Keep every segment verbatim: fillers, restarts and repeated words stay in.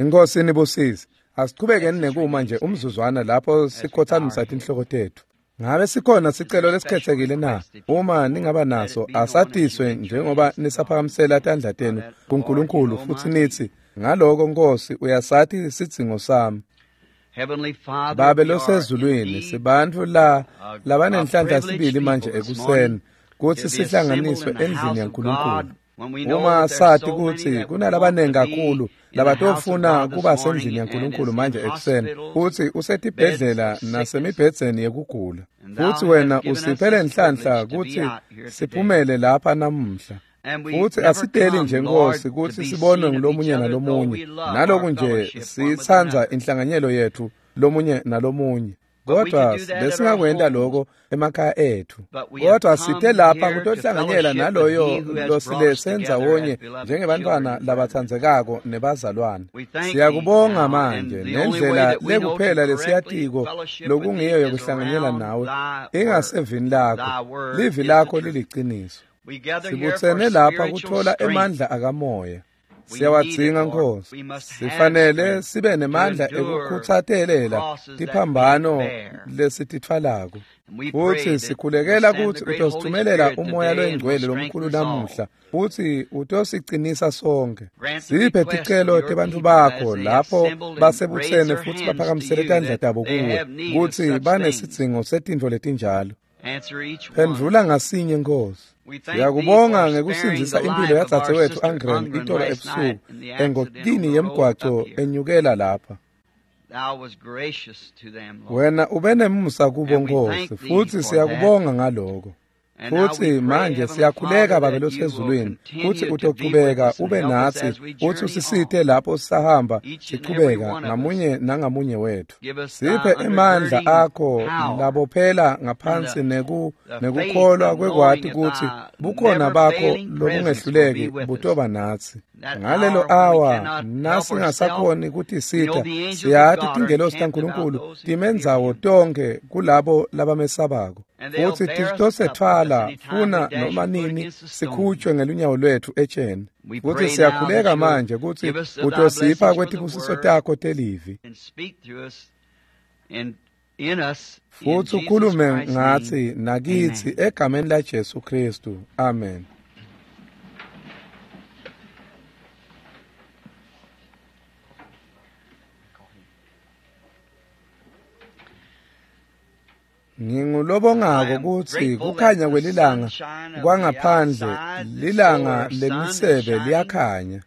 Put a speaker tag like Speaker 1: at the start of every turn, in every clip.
Speaker 1: Inkosi nibusise. Asichubekeni nekuma nje umzuzwana lapho sikhothamisa tinhloko tetfu. Ngabe sikhona sicelo lesikhethekile na? Uma ningaba naso asatiswe njengoba nisaphakamisela tandla tenu kuNkulunkulu futhi nithi ngaloko Nkosi uyasati sidzingo sami. Babe losezulwini, sibantfu la labanenhlanhla sibili manje ekuseni kutsi sihlanganiswe endlini yaNkulunkulu. Uma sati kutsi kunalabanengi kakhulu labatofuna kuba sendlini yaNkulunkulu manje ekuseni, futsi usetibhedlela nasemibhedzeni yekugula, futsi wena usiphe lenhlanhla kutsi siphumele lapha namuhla. Futsi asiteli nje Nkosi kutsi sibonwe ngulomunye nalomunye, naloku nje sitsandza inhlanganyelo yetfu lomunye nalomunye. Kodwa besingakwenta lokho emakhaya ethu. Kodwa site lapha kutohlanganyela naloyo losiletse ndzawonye njengebantfwana labatsandzekako nebazalwane. Siyakubonga manje nendlela lekuphela lesiyatiko lokungiyo yokuhlanganyela nawe ingasevini lakho. Livi lakho liliciniso. Sibutsene lapha kuthola emandla akamoya. Siyawadzinga Nkosi. Sifanele sibe nemandla ekukhutsatelela tiphambano lesititfwalako. Futsi sikhulekela kutsi utosithumelela umoya loyingcwele lomkhulu namuhla, futsi utosicinisa sonke. Siphe ticelo tebantfu bakho lapho basebutsene futsi baphakamisele tandla tabo kuwe, kutsi banesidzingo setintfo letinjalo. Phendvula ngasinye Nkosi. Siyakubonga ngekusindzisa impilo yadzadzewetfu Angren itolo ebusuku engotini yemgwaco enyukela lapha. Wena ube nemusa kubo Nkosi, futhi siyakubonga ngaloko. Futhi manje siyakhuleka Babe losezulwini kutsi utochubeka ube natsi, uthi usisite lapho sisahamba sichubeka ngamunye nangamunye wethu. Siphe emandla akho labophela ngaphansi neku nekukholwa kwekwati kutsi bukhona bakho lobungehluleki butoba natsi. Ngalelo awa nasingasakhoni kutisita, siyati tingelosi taNkulunkulu timendzawo tonkhe kulabo labamesabako. Futsi titosethwala funa noma nini sikhutshwe ngelunyawo lwethu etsheni. Futsi siyakhuleka manje kutsi utosipha kwetibusiso takho telivi. Futsi ukhulume ngatsi nakitsi egameni la Jesu Kristu. Amen. Ngingulobongako kutsi kukhanya kwelilanga kwangaphandle lilanga lemisebe liyakhanya.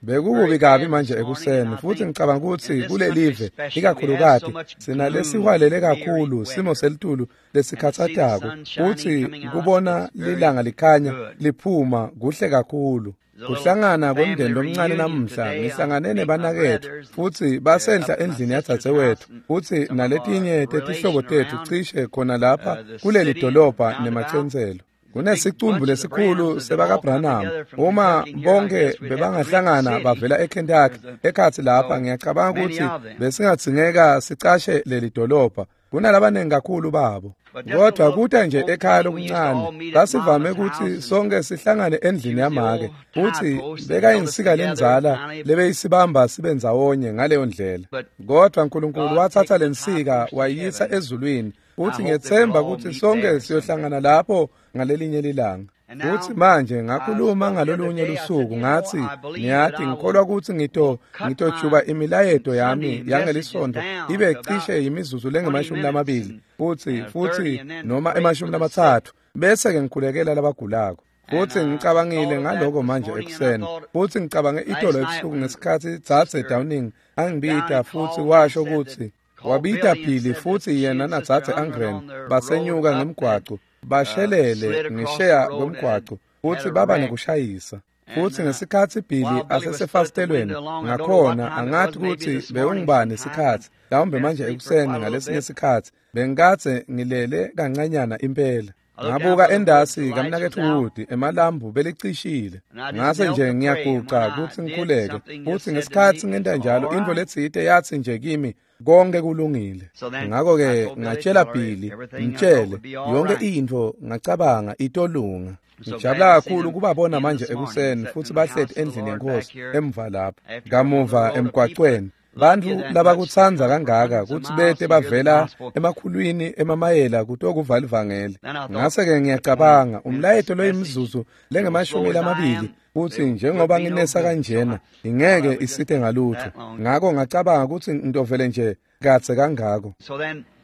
Speaker 1: Bekukubi kabi manje ekuseni, futhi ngicabanga ukuthi kulelive ikakhulukati sinalesihwalele kakhulu simo selitulu lesikhatsatako, futhi kubona lilanga likhanya liphuma kuhle kakhulu. Kuhlangana kwemndeni lomncane namuhla, ngihlangane nebanaketfu futhi basenhla endlini yadzadzewetfu, futhi naletinye tetihlobo tetfu cishe khona lapha kuleli dolobha nemacentselo. Kunesicumbu lesikhulu sebakaBranham. Uma bonke bebangahlangana bavela eKentucky ekhatsi lapha, ngiyacabanga ukuthi besingadzingeka sicashe leli dolobha. Kunalabanengi kakhulu babo. Kodwa kuta nje ekhaya lokuncane, basivame ukuthi sonke sihlangane endlini yamake, futhi bekayinsika lendzala lebeyisibamba sibe ndzawonye ngaleyo ndlela. Kodwa uNkulunkulu wathatha lensika wayiyisa ezulwini, futhi ngiyethemba ukuthi sonke siyohlangana lapho ngalelinye lilanga. Futhi manje ngakhuluma ngalolunye lusuku ngathi ngiyathi ngikholwa ukuthi ngito ngitojuba imilayeto yami yangelisonto ibe cishe imizuzu lengemashumi lamabili futhi futhi noma emashumi lamathathu, bese ke ngikhulekela labagulako. Futhi ngicabangile ngaloko manje ekuseni, futhi ngicabange itolo ebusuku ngesikhathi Dzadze Downing angibita futhi washo ukuthi wabita Billy futhi yena naDzadze Angren basenyuka ngemgwaco, bashelele ngisheya kwemgwaco futhi baba nekushayisa. Futhi ngesikhathi Billy asesefasitelweni ngakhona, angathi ukuthi bewungibani isikhathi, mhlawumbe manje ekuseni ngalesinye isikhathi bengikadze ngilele kancanyana impela. Ngabuka endasi kamnaketfu Wood emalambu belicishile. Ngase nje ngiyaguca kutsi ngikhuleke, futhi ngesikhathi ngenta njalo intfo letsite yatsi nje kimi, konke kulungile. Ngakho-ke ngatshela Billy, mtshele yonke intfo, ngacabanga itolunga. Ngijabula kakhulu kubabona manje ekuseni futhi bahleti endlini yenkosi emva lapha kamuva emgwacweni. Bantfu labakutsandza kangaka kutsi bete bavela emakhulwini emamayela kutokuva livangeli. Ngase-ke ngiyacabanga umlayeto loyimizuzu lengemashumi lamabili kutsi njengoba nginesa kanjena ingeke isite ngalutho. Ngako ngacabanga kutsi ngitovele nje kadze kangako.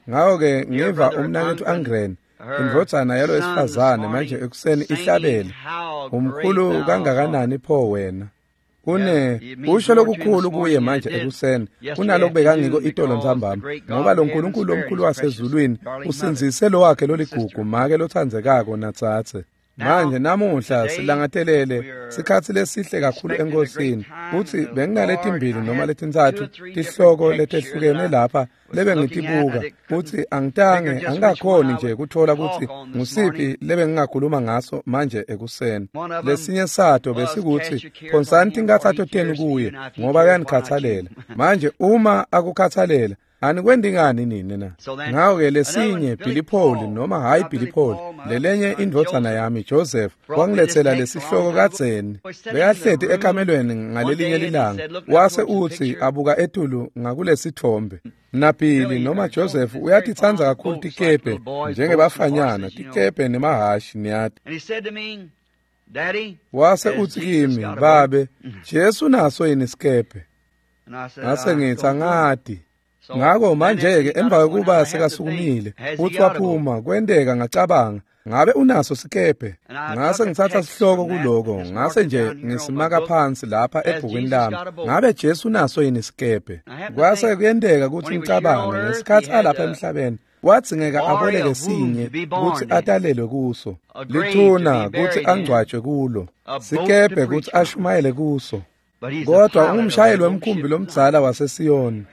Speaker 1: Ngako-ke ngiva umnaketfu Angren, indvodzana yalo wesifazane, manje ekuseni ihlabele, umkhulu kangakanani pho wena. Kune kusho lokukhulu kuye manje ekuseni kunalokubekangiko itolo ntsambama, ngoba lo Nkulunkulu lomkhulu wasezulwini usindzise lo wakhe loligugu, make lotsandzekako natsatse. Manje namuhla silangatelele sikhatsi lesihle kakhulu enkosini, kutsi benginaletimbili noma letintsatfu tihloko letehlukene lapha lebengitibuka, kutsi angitange angikakhoni nje kutfola kutsi ngusiphi lebengingakhuluma ngaso manje ekuseni. Lesinye sato besikutsi phonsani tinkhatsato tenu kuye ngoba uyanikhatsalela. Manje uma akukhatsalela anikwendi ngani nini na? Ngako-ke lesinye Billy Paul noma hhayi Billy Paul, lelenye indvodzana yami Joseph wangiletsela lesihloko kadzeni. Bekahleti ekamelweni ngalelinye lilanga, wase utsi abuka etulu ngakulesitfombe. NaBilly noma Joseph uyatitsandza kakhulu tikebhe njengebafanyana, tikebhe nemahhashi niyati. Wase utsi kimi, babe, Jesu naso yini sikebhe? Ngase ngitsi angati. Ngako manje-ke emva kwekuba sekasukumile futsi waphuma, kwenteka ngacabanga, ngabe unaso sikebhe? Ngase ngitsatsa sihloko kuloko, ngase nje ngisimaka phansi lapha ebhukwini lami, ngabe Jesu unaso yini sikebhe? Kwase kuyenteka kutsi ngicabange ngesikhatsi alapha emhlabeni, wadzingeka aboleke sinye kutsi atalelwe kuso, lithuna kutsi angcwatjwe kulo, sikebhe kutsi ashumayele kuso. Kodwa ungumshayeli wemkhumbi lomdzala waseSiyoni.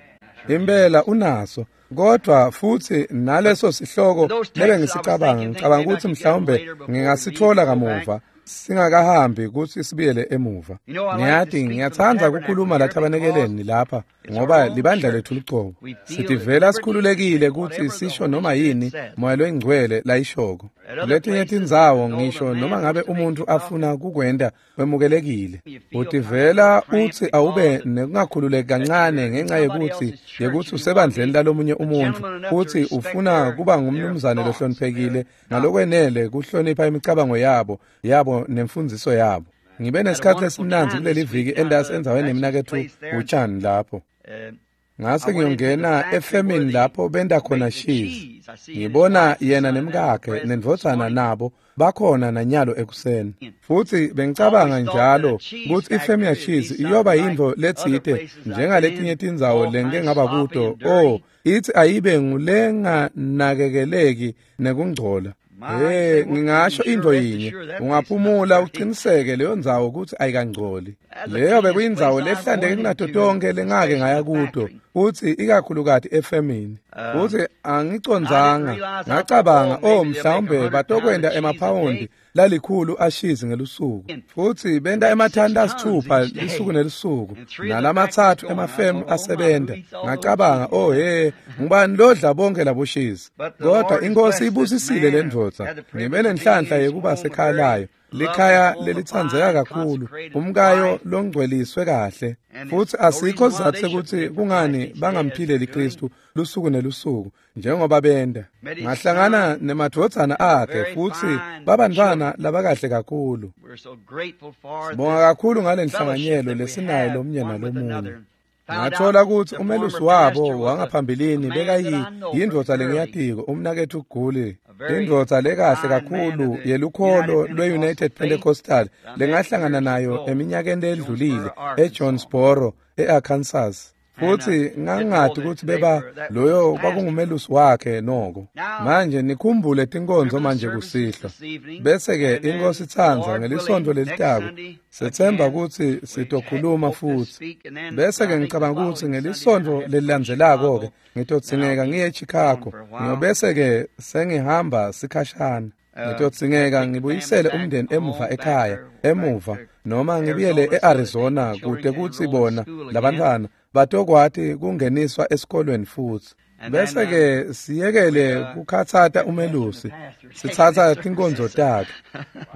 Speaker 1: Impela unaso, kodwa futsi naleso sihloko lebengisicabanga, ngicabanga kutsi mhlawumbe ngingasitfola kamuva singakahambi kutsi sibuyele emuva. Ngiyati ngiyatsandza kukhuluma lathabanekeleni lapha ngoba libandla lethu lucobo. Sitivela sikhululekile kutsi sisho noma yini Moya loyiNgcwele layishoko. Kuletinye tindzawo ngisho noma ngabe umuntfu afuna kukwenta wemukelekile. Utivela utsi awube nekungakhululeki kancane ngenxa yekutsi yekutsi usebandleni lalomunye umuntfu futsi ufuna kuba ngumnumzane lohloniphekile ngalokwenele kuhlonipha imicabango yabo yabo nemfundziso yabo. Ngibe nesikhatsi lesimnandzi kuleli viki endasi endzaweni yemnaketfu utshani lapho. Ngase ngiyongena efemini lapho benta khona shizi. Ngibona yena nemkakhe nendvodzana nabo bakhona nanyalo ekuseni. Futsi bengicabanga njalo kutsi ifemu yashizi iyoba yintfo letsite njengaletinye tindzawo lengike ngaba kuto. Oh, itsi ayibe ngulenganakekeleki nekungcola. Hey, ngingasho into yinye, ungaphumula uqiniseke leyo ndzawo kutsi ayikangcoli. Leyo bekuyindzawo lehlandeke kunato tonke lengake ngaya kuto, futsi ikakhulukati efemini. Futsi angicondzanga, ngacabanga, oh mhlawumbe batokwenta emaphawundi lalikhulu ashizi ngelusuku. Futsi benta emathani lasitfupha lisuku nelusuku, nalamatsatfu emafemu asebenta. Ngacabanga, oh he, ngubani lodla bonke laboshizi? Kodwa inkosi ibusisile le ndvodza. Ngibe nenhlanhla yekuba sekhaya layo, likhaya lelitsandzeka kakhulu, umkayo longcweliswe kahle. Futsi asikho sizatfu sekutsi kungani bangamphileli Kristu lusuku nelusuku njengoba benta. Ngahlangana nemadvodzana akhe futsi babantfwana labakahle kakhulu. Sibonga kakhulu ngale nhlanganyelo lesinayo lomunye nalomunye. Ngathola kutsi umelusi wabo wangaphambilini bekayi yindvodza lengiyatiko, umnaketfu Guli, indvodza lekahle kakhulu yelukholo lwe-United Pentecostal lengahlangana nayo eminyakeni ledlulile eJonesboro, e-Arkansas. Futsi ngangati kutsi beba loyo kwakungumelusi wakhe noko. Manje nikhumbule tinkonzo manje kusihlwa. Bese-ke inkosi itsandza ngelisontfo lelitako sethemba kutsi sitokhuluma futsi. Bese-ke ngicabanga kutsi ngelisontfo lelilandzelako-ke ngitodzingeka ngiye eChicago. Ngiyobese-ke sengihamba sikhashana. Ngitodzingeka ngibuyisele umndeni emuva ekhaya, emuva noma ngibuyele e-Arizona kute kutsi bona labantfwana batokwati kungeniswa esikolweni futsi. Bese-ke siyekele kukhatsata umelusi, sitsatsa tinkonzo takhe.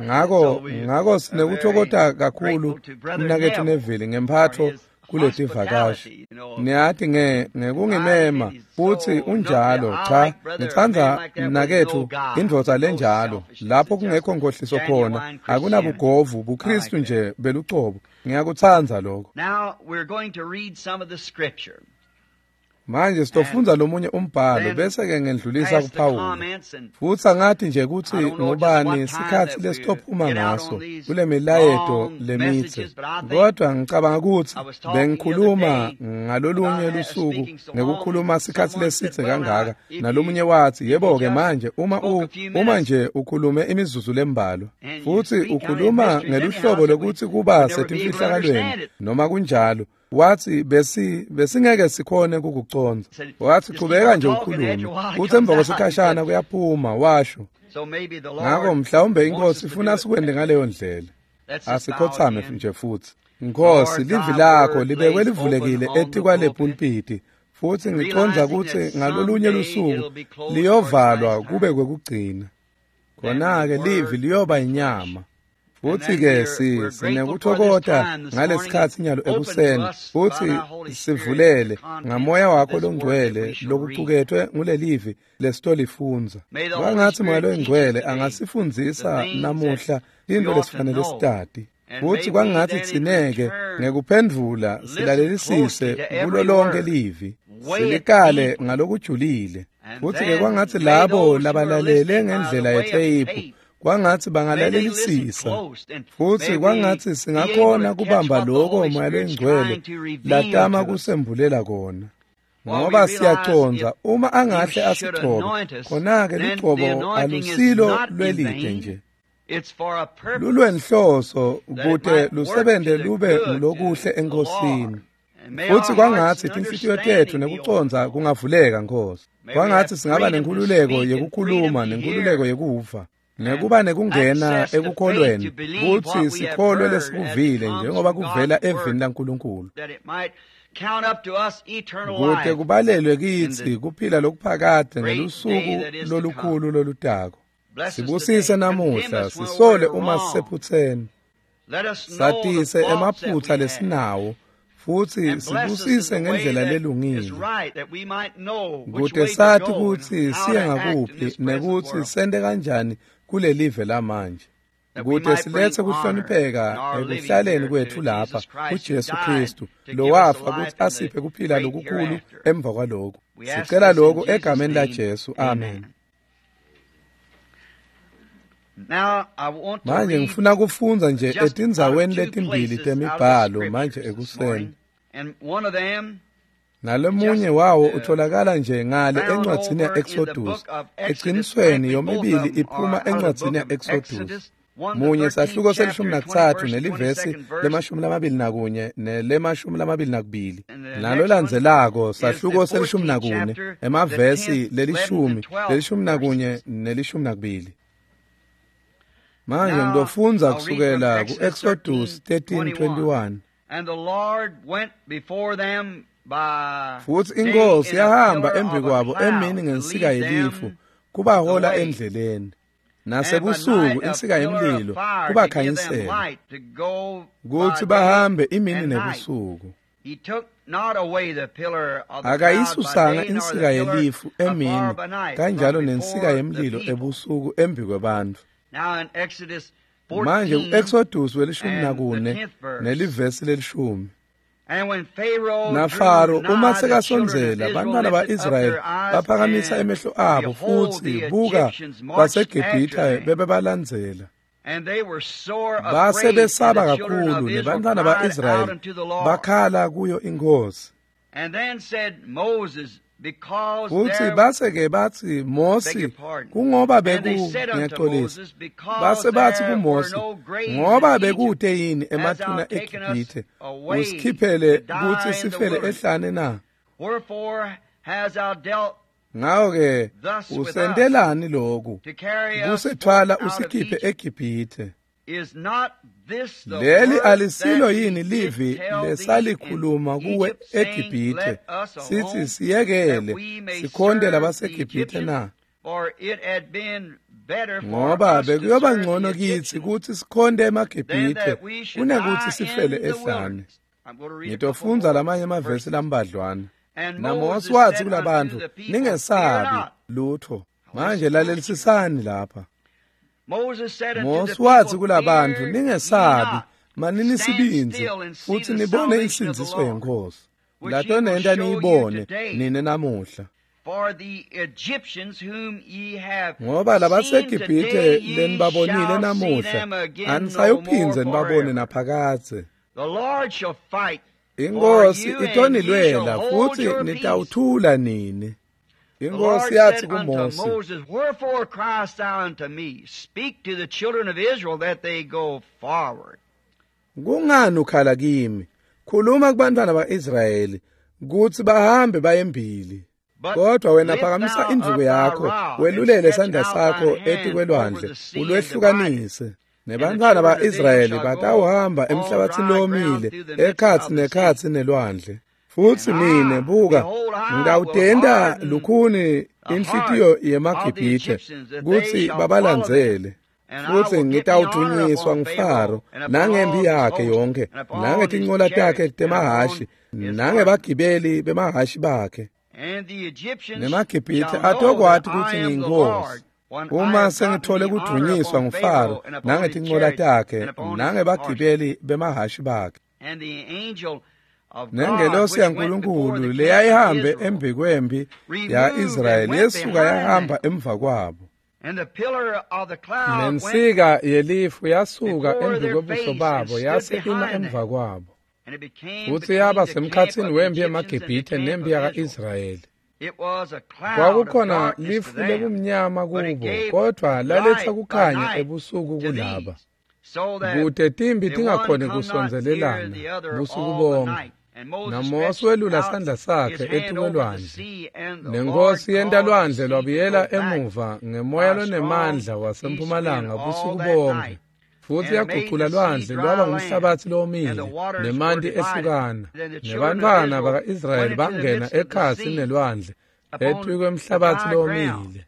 Speaker 1: Ngako ngako sinekutfokota kakhulu umnaketfu Neville ngemphatfo kuletivakashi. Niyati nge ngekungimema futsi unjalo. Cha, ngitsandza mnaketfu indvodza lenjalo lapho kungekho nkohliso khona, akunabugovu, buKristu nje belucobo. Ngiyakutsandza lokho. Manje sitofundza lomunye umbhalo bese-ke ngendlulisa kuPawulu. Futsi angati nje kutsi ngubani sikhatsi lesitophuma ngaso kule milayeto lemitse. Kodwa ngicabanga kutsi bengikhuluma ngalolunye lusuku ngekukhuluma sikhatsi lesidze kangaka, nalomunye watsi, yebo-ke manje uma u uma nje ukhulume imizuzu lembalwa futsi ukhuluma ngeluhlobo lokuthi kuba setimfihlakalweni noma kunjalo, wathi besi besingeke sikhone kukucondza. Wathi chubeka nje ukhulume, kuthi emva kwesikhashana kuyaphuma, washo. Ngako mhlawumbe inkosi ifuna sikwente ngaleyo ndlela. Asikhothame nje futhi. Nkosi, livi lakho libekwe livulekile etikwale pulpiti, futhi ngicondza kutsi ngalolunye lusuku liyovalwa kube kwekugcina. Khona-ke livi liyoba inyama. Futsi-ke si sinekutfokota ngalesikhatsi nyalo ekuseni, futsi sivulele ngamoya wakho longcwele lokucuketfwe ngulelivi lesitolifundza. Kwangatsi Moya loNgcwele angasifundzisa namuhla tintfo lesifanele sitati. Futsi kwangatsi tsineke ngekuphendvula silalelisise kulo lonke livi, silikale ngalokujulile. Futsi-ke kwangatsi labo labalalele ngendlela yetheyiphu kwangatsi bangalalelisisa, futsi kwangatsi singakhona kubamba loko Moya loNgcwele latama kusembulela kona. Ngoba siyacondza uma angahle asigcobe, khona-ke lugcobo alusilo lwelide nje, lulwenhloso kute lusebente lube ngulokuhle eNkosini. Futsi kwangatsi tinhlitiyo tetfu nekucondza kungavuleka, Nkosi. Kwangatsi singaba nenkhululeko yekukhuluma nenkhululeko yekuva, nekuba nekungena ekukholweni kutsi sikholwe lesikuvile njengoba kuvela evini laNkulunkulu, kute kubalelwe kitsi kuphila lokuphakade ngelusuku lolukhulu lolutako. Sibusise namuhla, sisole uma sisephutseni, satise emaphutsa lesinawo, futsi sibusise ngendlela lelungile, kute sati kutsi siye ngakuphi nekutsi sente kanjani kulelive lamanje, kute siletse kuhlonipheka ekuhlaleni kwetfu lapha kuJesu Kristu lowafa kutsi asiphe kuphila lokukhulu emva kwaloku. Sicela lokhu egameni laJesu, amen. Manje ngifuna kufundza nje etindzaweni letimbili temibhalo manje ekuseni. Nalomunye wawo utholakala nje ngale encwadzini ya-Exodus. Eqinisweni yomibili iphuma encwadzini ya-Exodus. Munye sahluko selishumi nakutsatfu nelivesi lemashumi lamabili nakunye nelemashumi lamabili nakubili. Nalolandzelako sahluko selishumi nakune emavesi lelishumi, lelishumi nakunye nelishumi nakubili. Manje ngitofundza kusukela ku-Exodus thirteen twenty-one. Futsi inkosi yahamba embi kwabo emini ngensika yelifu kubahola endleleni, nasebusuku insika yemlilo kubakhanyisela, kutsi bahambe imini nebusuku. Akayisusanga insika yelifu emini, kanjalo nensika yemlilo ebusuku embi kwebantfu. Manje ku-Exodus welishumi nakune nelivesi lelishumi. NaFaro uma sekasondzela, bantwana ba-Israyeli baphakamisa emehlo abo, futsi buka baseGibhithe bebebalandzela. Base besaba kakhulu, nebantwana ba-Israyeli bakhala kuyo inkosi. Futsi base-ke batsi Mosi, kungoba beku ngiyaxolisa. Base batsi kuMosi, ngoba bekute yini emathuna eGibhithe, usikhiphele kutsi sifele ehlane na? Ngako-ke usentelani loku, kusethwala usikhiphe eGibhithe? Leli alisilo yini livi lesalikhuluma kuwe eGibhithe, sithi siyekele sikhonte labaseGibhithe na? Ngoba bekuyoba ngcono kitsi kutsi sikhonte emaGibhithe kunekutsi sifele ehlane. Ngitofundza lamanye emavesi lambadlwana. NaMose watsi kulabantfu, ningesabi lutho. Manje lalelisisani lapha. Mose watsi kulabantfu, ningesabi, manini sibindzi futsi nibone insindziso yeNkhosi. Latonenta niyibone nine namuhla. Ngoba labaseGibhithe lenibabonile namuhla, anisayophindze nibabone naphakadze. Inkosi itonilwela futsi nitawuthula nini. Inkosi yathi kuMose,
Speaker 2: Wherefore criest thou unto me? Speak to the children of Israel that they go forward.
Speaker 1: Kungani ukhala kimi? Khuluma kubantwana ba-Israyeli kutsi bahambe bayembili. Kodwa wena phakamisa indvuku yakho, welulele sandla sakho etikwelwandle, ulwehlukanise. Nebantwana ba-Israyeli batawuhamba emhlabathini lowomile, ekhatsi nekhatsi nelwandle. Futsi mine buka, ngitawutenta lukhuni inhlitiyo yemaGibhithe kutsi babalandzele. Futsi ngitawudunyiswa nguFaro nangempi yakhe yonkhe, nangetincola takhe temahhashi, nangebagibeli bemahhashi bakhe. NemaGibhithe atokwati kutsi ngiyinkosi uma sengithole kudunyiswa nguFaro nangetincola takhe nangebagibeli bemahhashi bakhe. Nengelosi yaNkulunkulu leyayihambe embikwempi ya-Israyeli yesuka yahamba emva kwabo. Nensika yelifu yasuka embikwebuso babo yase ima emva kwabo. Futsi yaba semkhatsini wempi yemaGibhithe nempi yaka-Israyeli. Kwakukhona lifu lebumnyama kubo, kodvwa laletsa kukhanya ebusuku kulaba. Kute timbi tingakhoni kusondzelelana busuku bonke. NaMose welula sandla sakhe etikwelwandle, nenkosi yenta lwandle lwabuyela emuva ngemoya lonemandla wasempumalanga busuku bonke. Futsi yagucula lwandle lwaba ngumhlabatsi lowomile, nemanti ehlukana. Nebantfwana baka-Israyeli bangena ekhatsi nelwandle etikwemhlabatsi lowomile.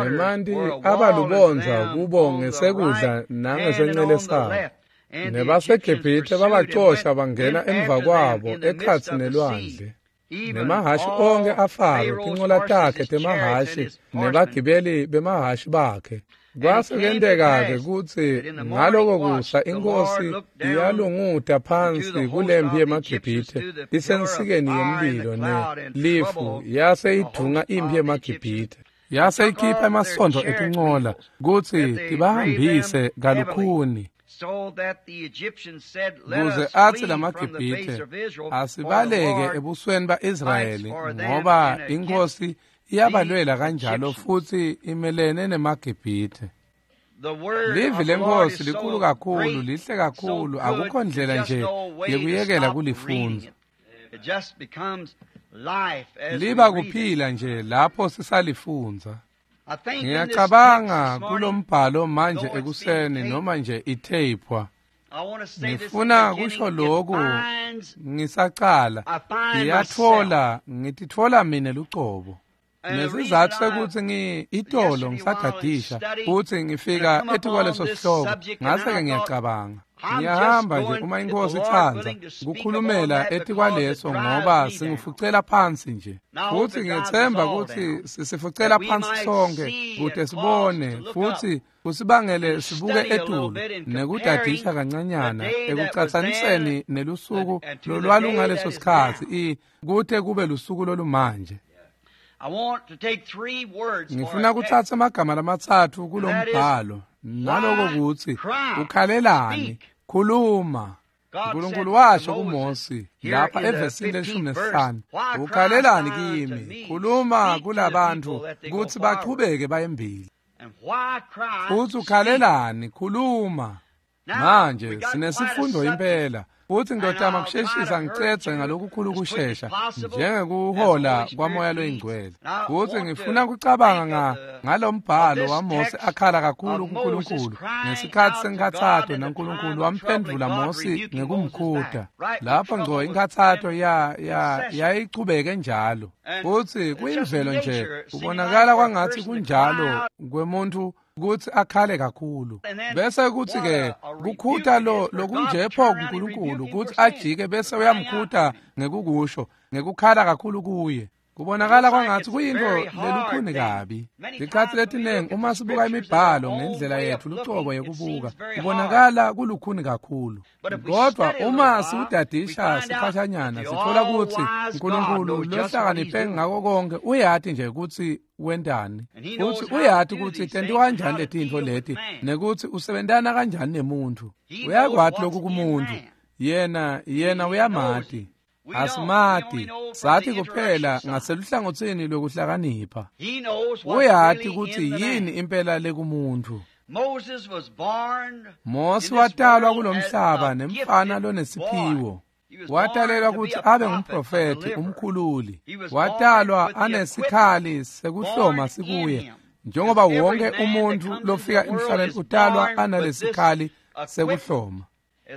Speaker 1: Nemanti abalubondza kubo ngesekudla nangesencele sabo. NebaseGibhithe babacosha bangena emva kwabo ekhatsi nelwandle. Nemahhashi onkhe aFaro, tincola takhe temahhashi nebagibeli bemahhashi bakhe. Kwase kwenteka-ke kutsi ngaloko kusa inkosi iyalunguta phansi kulempi yemaGibhithe isensikeni yemlilo nelifu, yase idvunga impi yemaGibhithe. Yase ikhipha emasondvo etincola kutsi tibahambise kalukhuni. Kuze atsi lamaGibhithe asibaleke ebusweni ba-Israyeli, ngoba inkosi iyabalwela kanjalo futsi imelene nemaGibhithe. Livi lenkosi likhulu kakhulu, lihle kakhulu, akukho ndlela nje yekuyekela kulifundza. Liba kuphila nje lapho sisalifundza. Ngiyacabanga kulombhalo manje ekuseni noma nje itheyipwa. Ngifuna kusho lokhu ngisacala, ngiyatfola, ngititfola mine lucobo. Nesizatfu sekutsi ngi itolo ngisagadisha futsi ngifika etikwaleso sihloko, ngase-ke ngiyacabanga. Ngiyahamba nje uma inkosi itsandza kukhulumela etikwaleso ngoba singifucela phansi nje. Futsi ngiyetsemba kutsi sisifucela phansi sonke kute sibone futsi kusibangele sibuke etulu nekudadisha kancanyana ekucatsaniseni nelusuku lolwalungaleso sikhatsi kute kube lusuku lolumanje. Ngifuna kutsatsa emagama lamatsatfu kulombhalo, naloko kutsi ukhalelani, khuluma. uNkulunkulu washo kuMose lapha evesini leshumi nesihlanu, ukhalelani kimi, khuluma kulabantu kutsi bachubeke bayembili. Futsi ukhalelani, khuluma. Manje sinesifundo impela Futhi ngizotama kusheshisa ngicedze ngalokukhulu kushesha njengekuhola kwaMoya loyiNgcwele. Futhi ngifuna kucabanga ngalombhalo waMose akhala kakhulu kuNkulunkulu ngesikhathi senkhatsato, naNkulunkulu wamphendvula Mose ngekumkhuta. Lapho ngco inkhatsato ya ya yayichubeke njalo. Futhi kuyimvelo nje kubonakala kwangathi kunjalo kwemuntu kutsi akhale kakhulu. Bese kuthi ke kukhuta lo lokunje pho kuNkulunkulu kutsi ajike bese uyamkhuta ngekukusho ngekukhala kakhulu kuye. Kubonakala kwangathi kuyinto lelukhuni kabi. Tikhatsi letinengi uma sibuka imibhalo ngendlela yetfu lucobo yekubuka, kubonakala kulukhuni kakhulu. Kodwa uma siwudadisha sikhashanyana sitfola kutsi uNkulunkulu lohlakaniphe ngako konke uyati nje kutsi wentani, futsi uyati kutsi tentiwa kanjani letintfo leti nekutsi usebentana kanjani nemuntfu. Uyakwati lokhu kumuntfu, yena yena uyamati. Asimati, sathi kuphela ngaseluhlangotsini lwekuhlakanipha. Uyati kutsi yini impela lekumuntu. Mose watalwa kulomhlaba nemfana lonesiphiwo. Watalelwa kutsi abe ngumprofethi umkhululi. Watalwa anesikhali sekuhloma sikuye, njengoba wonke umuntu lofika emhlabeni utalwa analesikhali sekuhloma.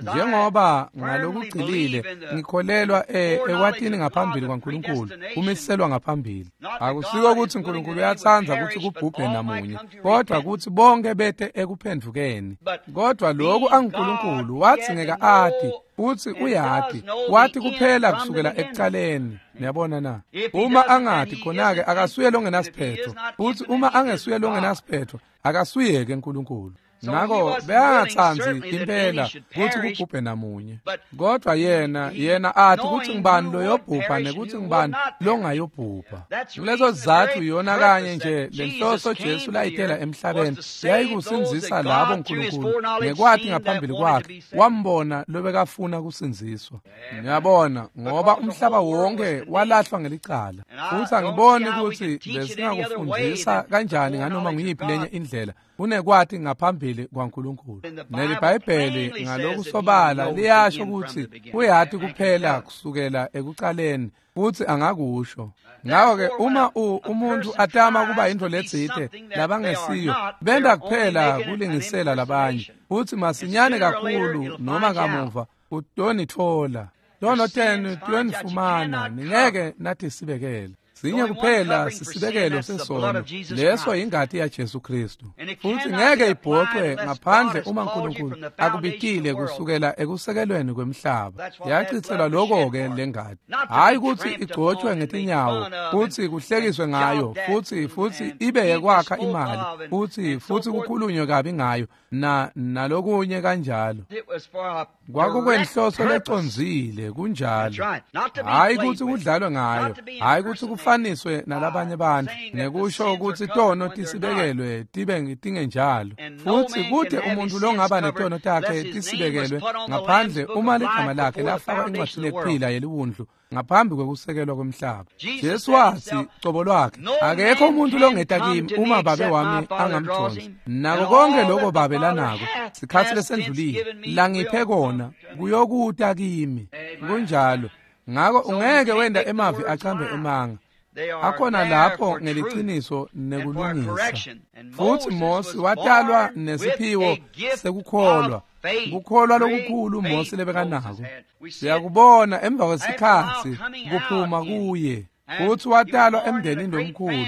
Speaker 1: Njengoba ngalokugcilile ngikholelwa ekwatini ngaphambili kwaNkulunkulu, kumiselwa ngaphambili. Akusiko kutsi uNkulunkulu uyatsandza kutsi kubhubhe namunye, kodwa kutsi bonke bete ekuphendvukeni. Kodwa lokhu anguNkulunkulu wadzingeka ati, futsi uyati, wati kuphela kusukela ekucaleni. Niyabona na? Uma angati khona-ke akasuye longenasiphetho, futsi uma angesuye longenasiphetho akasuyeke uNkulunkulu. Ngako beyangatsandzi impela kutsi kubhubhe namunye, kodwa yena yena athi kutsi ngibani loyobhubha nekutsi ngibani longayobhubha. Kuleso sizatfu yona kanye nje lenhloso Jesu layitela emhlabeni yayikusindzisa labo uNkulunkulu ngekwati ngaphambili kwakhe wambona lobekafuna kusindziswa. Ngiyabona ngoba umhlaba wonke walahlwa ngelicala, futsi angiboni kutsi besingakufundzisa kanjani nganoma nguyiphi lenye indlela unekwati ngaphambili kwaNkulunkulu. NeliBhayibheli ngalokusobala liyasho kutsi uyati kuphela kusukela ekucaleni, futsi angakusho. Ngako-ke uma umuntu atama kuba yintfo letsite labangesiyo, benta kuphela kulingisela labanye, futsi masinyane kakhulu noma kamuva utonitfola. Tono tenu tuyonifumana, ningeke natisibekele. Sinye kuphela sisibekelo sesono, leso ingati yaJesu Kristu. Futhi ngeke ibhocwe ngaphandle uma uNkulunkulu akubitile kusukela ekusekelweni kwemhlaba. Yachitselwa lokho-ke lengati, hhayi kutsi igcotshwe ngetinyawo futsi kuhlekiswe ngayo, futsi futsi ibe yekwakha imali, futsi futsi kukhulunywe kabi ngayo na nalokunye kanjalo. Kwakukwenhloso lecondzile, kunjalo. Hhayi kutsi kudlalwe ngayo, hhayi kutsi kufaniswe nalabanye bantfu ngekusho kutsi tono tisibekelwe tibe tingenjalo. Futsi kute umuntu longaba netono takhe tisibekelwe ngaphandle uma ligama lakhe lafakwa encwadzini yekuphila yeliwundlu ngaphambi kwekusekelwa kwemhlaba. Jesu watsi cobo lwakhe, akekho umuntu longeta kimi uma babe wami angamdonsi. Nako konke lokho babe lanako sikhatsi lesendlulile langiphe kona kuyokuta kimi. Kunjalo. Ngako ungeke wenda emavi acambe emanga. Akhona lapho ngeliciniso nekulungisa. Futsi Mose watalwa nesiphiwo sekukholwa, kukholwa lokukhulu Mose lebekanako. Siyakubona emva kwesikhatsi kuphuma kuye. Futsi watalwa emndenini lomkhulu,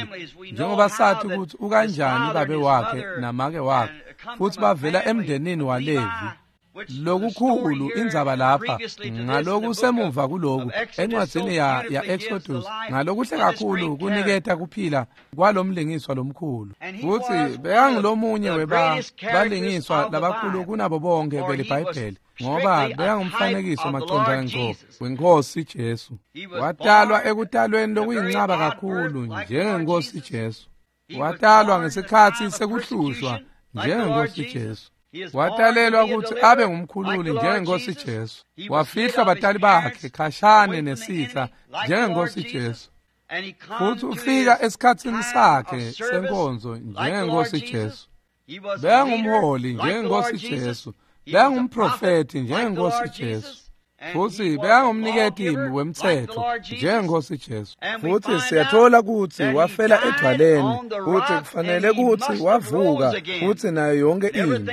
Speaker 1: njengoba sathi kutsi ukanjani babe wakhe namake wakhe, futsi bavela emndenini waLevi. Lokukhulu indzaba lapha ngalokusemuva kuloku encwadzini ya ya Exodus ngalokuhle kakhulu kuniketa kuphila kwalomlingiswa lomkhulu. Futsi bekangulomunye weba balingiswa labakhulu kunabo bonke beliBhayibheli, ngoba bekangumfanekiso macondzana ngco weNkosi Jesu. Watalwa ekutalweni lokuyincaba kakhulu njengeNkosi Jesu. Watalwa ngesikhatsi sekuhlushwa njengeNkosi Jesu. Watalelwa kutsi abe ngumkhululi njengeNkosi Jesu. Wafihlwa batali bakhe khashane nesitha njengeNkosi Jesu. Futsi ufika esikhatsini sakhe senkonzo njengeNkosi Jesu. Bekangumholi njengeNkosi Jesu. Bekangumprofethi njengeNkosi Jesu. Futsi bekangumniketi wemtsetfo njengeNkhosi Jesu. Futsi siyatfola kutsi wafela edvwaleni, kutsi kufanele kutsi wavuka futsi nayo yonke intfo,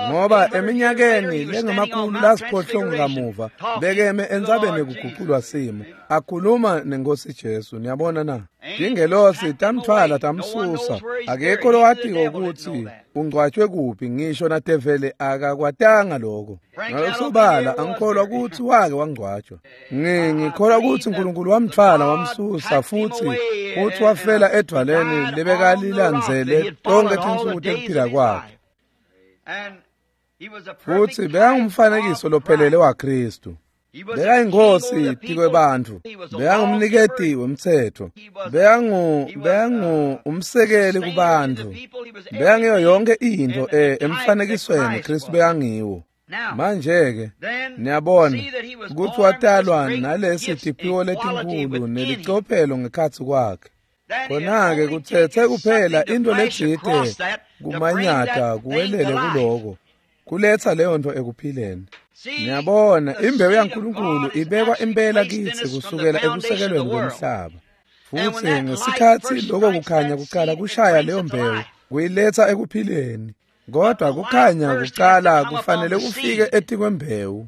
Speaker 1: ngoba eminyakeni lengemakhulu lasiphohlongo kamuva bekeme entsabeni yekuguculwa simo akhuluma neNkhosi Jesu. Niyabona na? Tingelosi tamtfwala tamsusa, akekho lowatiko kutsi ungcwatshwe kuphi, ngisho nadeveli akakwatanga lokho. Ngalokusobala angikholwa kutsi wake wangcwatshwa. Ngikholwa kutsi uNkulunkulu wamtfwala wamsusa futsi futsi wafela edvwaleni lebekalilandzele tonkhe tinsuku tekuphila kwakhe. Futsi bekangumfanekiso lophelele waKhristu. Bekayinkosi tikwebantfu, bekangumniketi wemtsetfo, bekangu bekangu umsekeli kubantfu, bekangiyo yonke intfo emfanekisweni Khristu bekangiwo. Manje-ke niyabona kutsi watalwa nalesi tiphiwo letinkhulu nelicophelo ngekhatsi kwakhe. Khona-ke kutsetse kuphela intfo letsite kumanyata kuwelele kuloko, kuletsa leyo ntfo ekuphileni. Niyabona, imbewu yaNkulunkulu ibekwa impela kitsi kusukela ekusekelweni kwemhlaba. Futsi ngesikhatsi loko kukhanya kucala kushaya leyo mbewu, kuyiletsa ekuphileni. Kodwa kukhanya kucala kufanele kufike etikwembewu.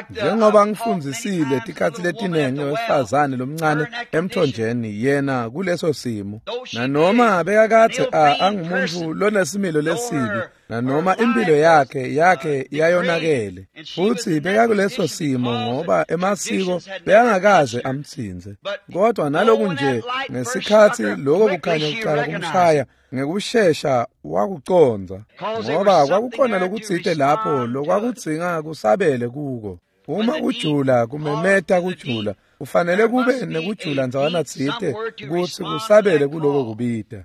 Speaker 1: Njengoba ngifundzisile tikhatsi letinengi wesifazane lomncane emthonjeni, yena kuleso simo, nanoma bekakadze angumuntu lonesimilo lesibi, nanoma impilo yakhe yakhe yayonakele, futsi bekakuleso simo ngoba emasiko bekangakaze amtsintse. Kodwa naloku nje ngesikhatsi loko kukhanya kucala kumshaya, ngekushesha wakucondza, ngoba kwakukhona lokutsite lapho lokwakudzinga kusabele kuko. Uma kujula kumemeta kujula, kufanele kube nekujula ndzawana tsite kutsi kusabele kuloko kubita.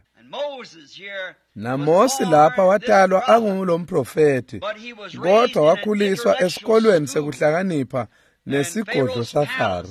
Speaker 1: NaMosi lapha watalwa angulomprofethi, kodwa wakhuliswa esikolweni sekuhlakanipha nesigodlo saFaro.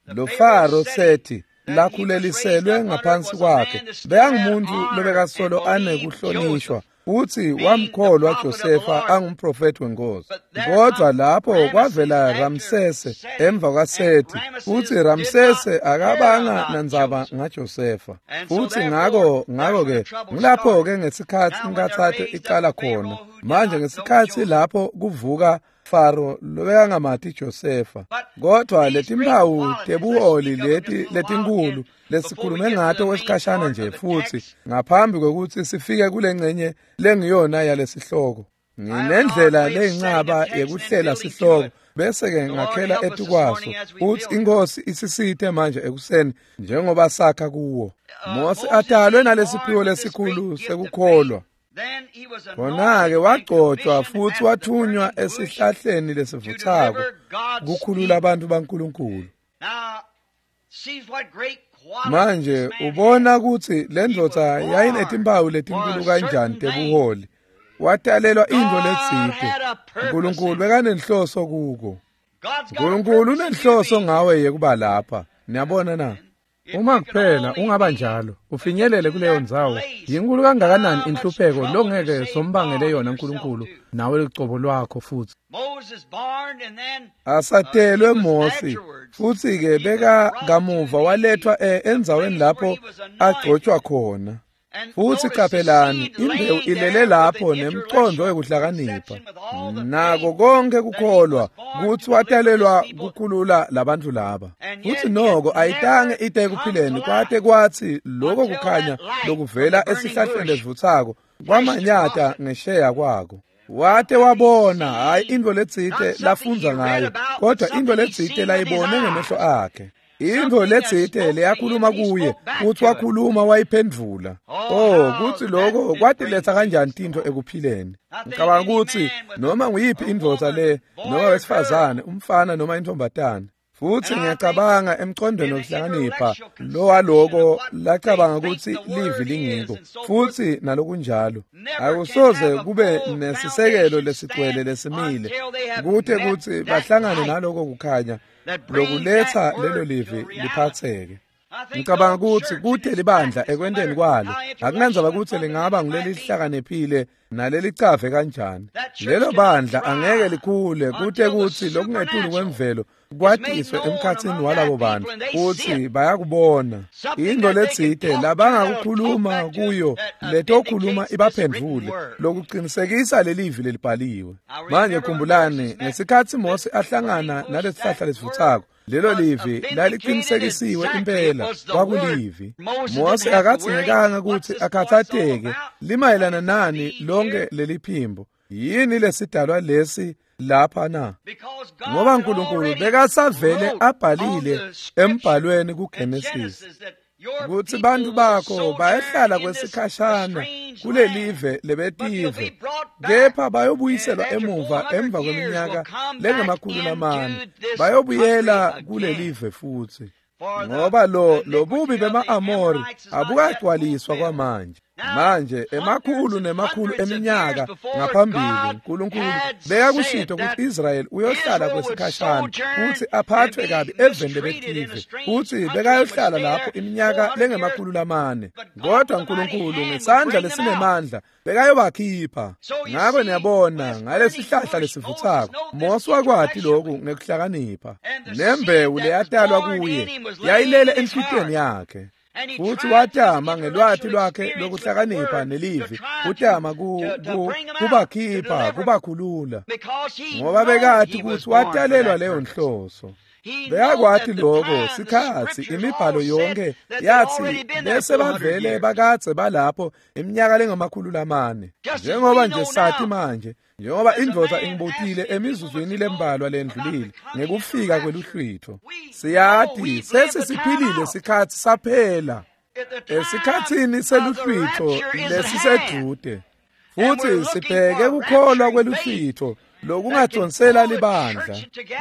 Speaker 1: Lo Faro sethi lakhuleliselwe ngaphansi kwakhe bekangumuntu lobekasolo anekuhlonishwa, futsi wamkholwa Josefa angumprofethi wenkosi. Kodwa lapho kwavela Ramsese emva kwaSethi, futsi Ramsese akabanga nandzaba ngaJosefa. Futsi ngako ngako-ke ngilapho-ke ngesikhatsi inkathato icala khona. Manje ngesikhatsi lapho kuvuka Faro lobekangamati Josefa. Kodwa letimpawu tebuholi leti letinkulu lesikhulume ngato kwesikhashana nje, futsi ngaphambi kwekutsi sifike kulengcenye lengiyona yalesihloko, nginendlela leyincaba yekuhlela sihloko bese-ke ngakhela etukwaso, utsi iNkhosi isisite manje ekuseni njengoba sakha kuwo. Mosi atalwe nalesiphiwo lesikhulu sekukholwa. Khona-ke wagcotshwa futsi wathunywa esihlahleni lesivutsako kukhulula abantu baNkulunkulu. Manje ubona kutsi le ndvodza yayinetimpawu letinkulu kanjani tebuholi. Watalelwa intfo letsite. Nkulunkulu bekanenhloso kuko. Nkulunkulu unenhloso ngawe yekuba lapha. Niyabona na? Uma kuphela ungaba njalo, ufinyelele kuleyo ndzawo, yinkulu kangakanani inhlupheko longeke sombangele yona uNkulunkulu nawe lucobo lwakho futsi. Asatelwe Mosi, futsi-ke beka kamuva walethwa endzaweni lapho agcotshwa khona. Futsi qaphelani, imbewu ilele lapho nemcondvo wekuhlakanipha, nako konke kukholwa kutsi watalelwa kukhulula labantfu laba. Futsi noko ayitange ite ekuphileni kwate kwatsi loko kukhanya lokuvela esihlahleni lesivutsako kwamanyata ngesheya kwako. Wate wabona, hhayi intfo letsite lafundza ngayo, kodwa intfo letsite layibone ngemehlo akhe. Intfo letsite leyakhuluma kuye, kutsi wakhuluma wayiphendvula. Oh, kutsi loko kwatiletsa kanjani tintfo ekuphileni. Ngicabanga kutsi noma nguyiphi indvodza le, noma wesifazane, umfana noma intombatane, futsi ngiyacabanga emcondweni wokuhlakanipha lo waloko lacabanga kutsi livi lingiko, futsi nalokunjalo akusoze kube nesisekelo lesigcwele lesimile kute kutsi bahlangane naloko kukhanya lokuletsa lelo livi liphatseke. Ngicabanga kutsi kute libandla ekwenteni kwalo, akunandzaba kutsi lingaba ngulelihlakaniphile nalelicave kanjani, lelo bandla angeke likhule kute kutsi lokungetulu kwemvelo kwatiswe emkhatsini walabo bantu kutsi bayakubona intfo letsite labangakukhuluma kuyo letokhuluma ibaphendvule lokuqinisekisa lelivi lelibhaliwe. Manje khumbulani ngesikhatsi Mose ahlangana nalesihlahla lesivutsako, lelo livi laliqinisekisiwe impela kwakulivi. Mose akadzingekanga kutsi akhathateke limayelana nani lonke leliphimbo. Yini lesidalwa lesi lapha na? Ngoba uNkulunkulu bekasavele abhalile embhalweni kuGenesis kutsi bantu bakho bayahlala kwesikhashana kulelive lebetive, kepha bayobuyiselwa emuva emva kweminyaka lengemakhulu lamane, bayobuyela kulelive futsi. Ngoba lo lobubi bema-Amori abukagcwaliswa kwamanje. Manje emakhulu nemakhulu eminyaka ngaphambili uNkulunkulu bekakushito kutsi Israyeli uyohlala kwesikhashana kutsi aphathwe kabi eveni lebetive, kutsi bekayohlala lapho iminyaka lengemakhulu lamane. Kodwa uNkulunkulu ngesandla lesinemandla bekayobakhipha. Ngako niyabona ngalesihlahla lesivutsako Mose wakwati lokhu ngekuhlakanipha. Nembewu leyatalwa kuye yayilele enhlitiyweni yakhe. Futhi watama ngelwati lwakhe lokuhlakanipha nelivi utama kubakhipha kubakhulula, ngoba bekati kutsi watalelwa leyo nhloso. Bekakwati lokho sikhatsi imibhalo yonke yathi bese bavele bakadze balapho iminyaka lengamakhulu lamane. Njengoba nje sathi manje, njengoba indvodza ingibutile emizuzwini lembalwa lendlulile ngekufika kweluhlwitho, siyati sesisiphilile sikhatsi saphela esikhatsini seluhlwitho lesisedude, futhi sibheke kukholwa kweluhlwitho lokungadonsela libandla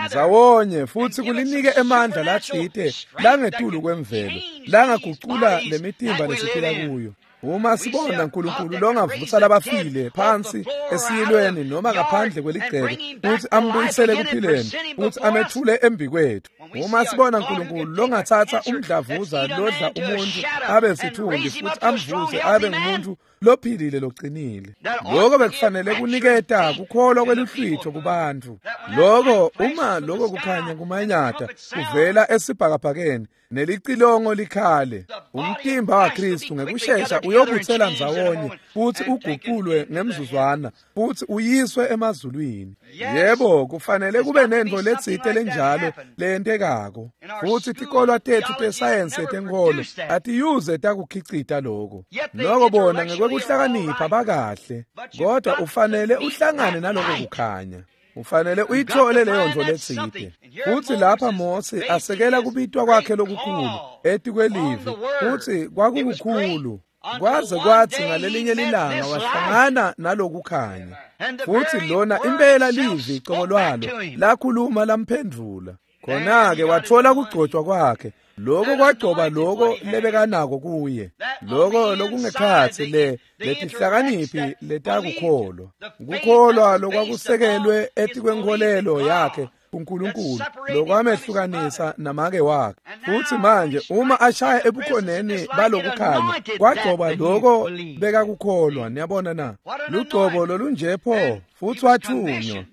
Speaker 1: ndzawonye futhi kulinike emandla latsite langetulu kwemvelo langagucula lemitimba lesiphila kuyo. Uma sibona uNkulunkulu longavusa labafile phansi esiyilweni noma ngaphandle kweligceke futhi ambuyisele kuphileni futhi amethule embikwethu. Uma sibona uNkulunkulu longathatha umdlavuza lodla umuntu abe sithunzi futhi amvuse abe ngumuntu lophilile loqinile, lokho bekufanele kuniketa kukholwa kweluhlwitho kubantu. Lokho uma lokho kukhanya kumanyata kuvela esibhakabhakeni nelicilongo likhale, umtimba waKristu ngekushesha uyobutsela ndzawonye futhi uguqulwe ngemzuzwana futhi uyiswe emazulwini. Yebo, kufanele kube nento letsite lenjalo leyentekako. Futhi tikolwa tethu tesayensi yetenkolo atiyuze takukhicita lokho. Noko bona ngekwekuhlakanipha bakahle, kodwa ufanele uhlangane naloko kukhanya. Ufanele uyithole leyo nto letsite. Futhi lapha Mose asekela kubitwa kwakhe lokukhulu etikwelivi, futhi kwakukukhulu kwaze kwathi ngalelinye lilanga wahlangana nalokukhanya. Futhi lona impela livi cobo lwalo lakhuluma lamphendvula. Khona-ke wathola kugcotshwa kwakhe. Lokho kwagcoba lokho lebekanako kuye, lokho lokungekhatsi le letihlakaniphi letakukholwa, kukholwa lokwakusekelwe etikwenkholelo yakhe kuNkulunkulu lokwamehlukanisa namake wakhe. Futhi manje uma ashaya ebukhoneni balokukhanya kwagcoba lokho bekakukholwa. Niyabona na? Lugcobo lolunje pho, futhi wathunywa.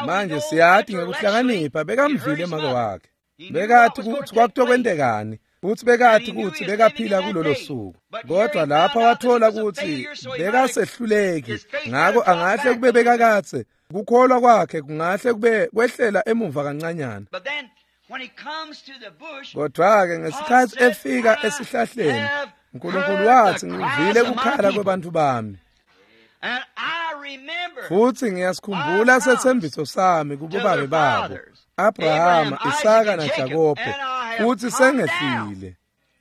Speaker 1: Manje siyati ngekuhlakanipha bekamvile make wakhe. Bekati kutsi kwakutokwentekani, futhi bekati kutsi bekaphila kulolo suku. Kodwa lapha wathola kutsi bekasehluleki, ngako angahle kube bekakatse kukholwa kwakhe kungahle kube kwehlela emuva kancanyana. Kodwa-ke ngesikhatsi efika esihlahleni, uNkulunkulu wathi, ngivile kukhala kwebantfu bami, futhi ngiyasikhumbula sethembiso sami kubobabe babo, Abrahama, Isaka naJakobe, futhi sengehlile.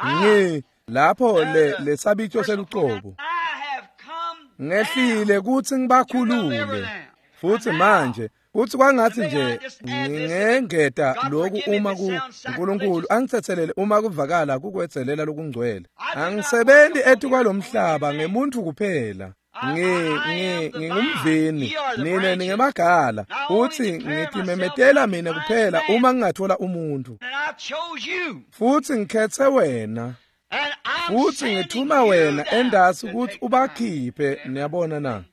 Speaker 1: Ngi lapho le lesabitho selucobo ngehlile kutsi ngibakhulule. Futhi manje kuthi kwangathi nje ngingengeta lokhu uma ku uNkulunkulu angithethelele uma kuvakala kukwetselela lokungcwele. Angisebenzi etikwalomhlaba ngemuntu kuphela. Ngi ngi ngingumvini, nina ningemagala, futhi ngitimemetela mina kuphela uma ngingathola umuntu. Futhi ngikhethe wena, futhi ngithuma wena endasi ukuthi ubakhiphe. Niyabona na?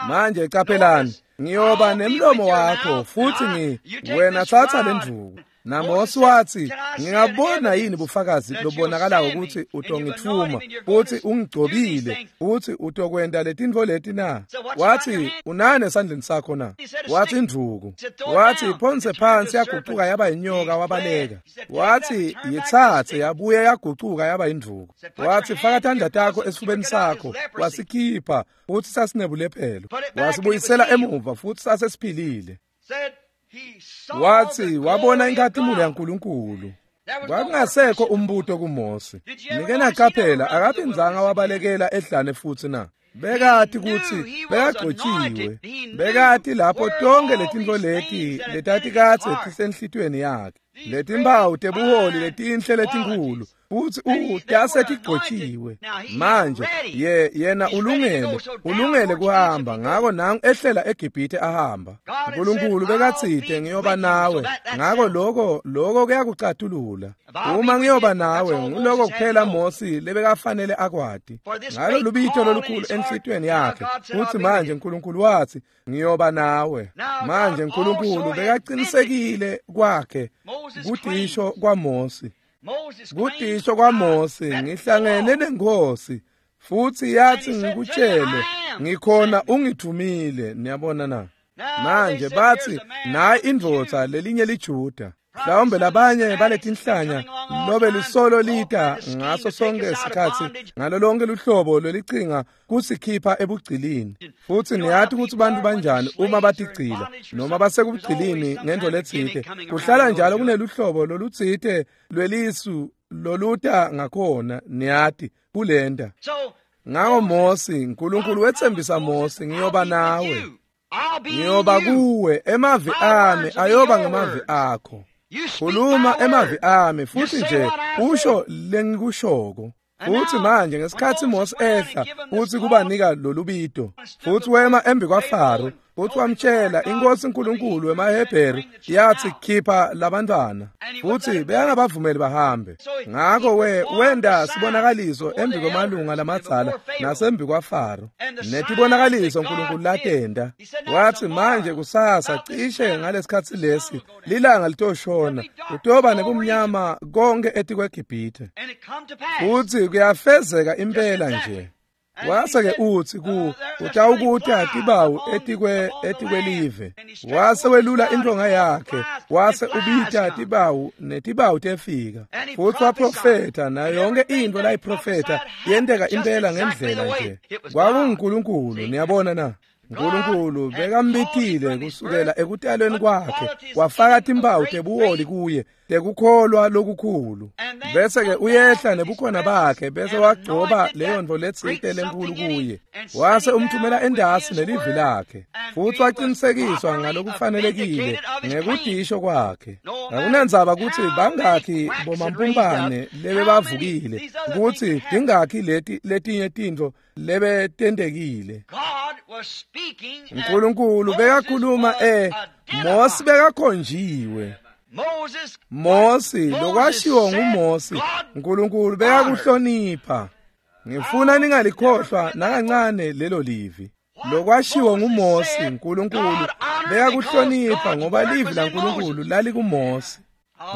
Speaker 1: Manje qaphelani, ngiyoba nemlomo wakho, futhi ngi wena thatha le ndvuku NaMosi wathi, ngingabona yini bufakazi lobonakalako ukuthi utongithuma, futhi ungigcobile, futhi utokwenta letintfo leti na? Wathi, unani esandleni sakho na? Wathi, indvuku. Wathi, phonse phansi, yagucuka yaba inyoka, wabaleka. Wathi, yitsatse, yabuye yagucuka yaba indvuku. Wathi, faka tandla takho esifubeni sakho, wasikhipha, futhi sasinebulephelo. Wasibuyisela emuva, futhi sasesiphilile. Wathi, wabona inkhatimulo yaNkulunkulu. Kwakungasekho umbuto kuMosi. Nike naqaphela, akaphindzanga wabalekela ehlane futhi na? Bekati kutsi bekagcotjiwe. Bekati lapho tonke letintfo leti letatikadze tisenhlitiyweni yakhe. Letimpawu tebuholi letinhle letinkhulu, futhi utase tigcotjiwe. Manje ye yena ulungele, ulungele kuhamba, ngako nangu ehlela eGibhithe ahamba. uNkulunkulu bekatsite ngiyoba nawe, ngako lokho lokho kuyakucatulula. Uma ngiyoba nawe, nguloko kuphela Mosi lebekafanele akwati. Ngalo lubito lolukhulu enhlitiyweni yakhe, futhi manje uNkulunkulu wathi ngiyoba nawe. Manje uNkulunkulu bekaqinisekile kwakhe kutisho kwaMosi. Kutisho kwaMosi, ngihlangene nenkosi, futhi yathi ngikutshele, ngikhona ungithumile. Niyabona na? Manje bathi nayi indvodza lelinye liJuda. Mhlawumbe labanye baletinhlanya lobe lusolo lita ngaso sonke isikhatsi ngalo lonke luhlobo lwelicinga kusikhipha ebugcilini. Futhi niyati ukuthi bantu banjani uma batigcila noma basekubugcilini ngento letsite, kuhlala njalo kuneluhlobo lolutsite lwelisu loluta ngakhona, niyati kulenta. Ngako Mosi, uNkulunkulu wetsembisa Mosi, ngiyoba nawe, ngiyoba kuwe, emavi ami ayoba ngemavi akho. Khuluma emavi ami, futhi nje usho lengikushoko. Futhi manje ngesikhatsi Mosi ehla futhi kubanika lolubito, futhi wema embi kwaFaro, futhi wamtshela inkosi uNkulunkulu wemaHebheru yathi khipha labantwana, futhi bekangabavumeli bahambe. Ngako we wenda sibonakaliso embi kwemalunga lamadzala nasembi kwaFaro, netibonakaliso uNkulunkulu latenda. Wathi manje kusasa cishe ngalesikhatsi lesi lilanga litoshona, kutoba nebumnyama konke etikweGibhithe. Futhi kuyafezeka impela nje. Wase-ke uthi ku utawukuta tibawu etikwe etikwelive. Wase welula intonga yakhe, wase ubita tibawu netibawu tefika. Futhi waprofetha, nayo yonke into layiprofetha yenteka impela ngendlela nje. KwakunguNkulunkulu, niyabona na? uNkulunkulu bekambitile kusukela ekutalweni kwakhe, wafaka timpawu tebuholi kuye tekukholwa lokukhulu. Bese-ke uyehla nebukhona bakhe, bese wagcoba leyo ntfo letsite lenkulu kuye, wase umthumela endasi nelivi lakhe, futhi waqinisekiswa ngalokufanelekile ngekudisho kwakhe. Akunandzaba kutsi bangakhi bomampumpane lebebavukile, kutsi tingakhi leti letinye tintfo lebetentekile. uNkulunkulu bekakhuluma eh Mosi bekakhonjiwe. Mosi lokwashiwo nguMosi, uNkulunkulu bekakuhlonipha. Ngifuna ningalikhohlwa nakancane lelo livi. Lokwashiwo nguMosi, uNkulunkulu bekakuhlonipha ngoba livi laNkulunkulu lalikuMosi.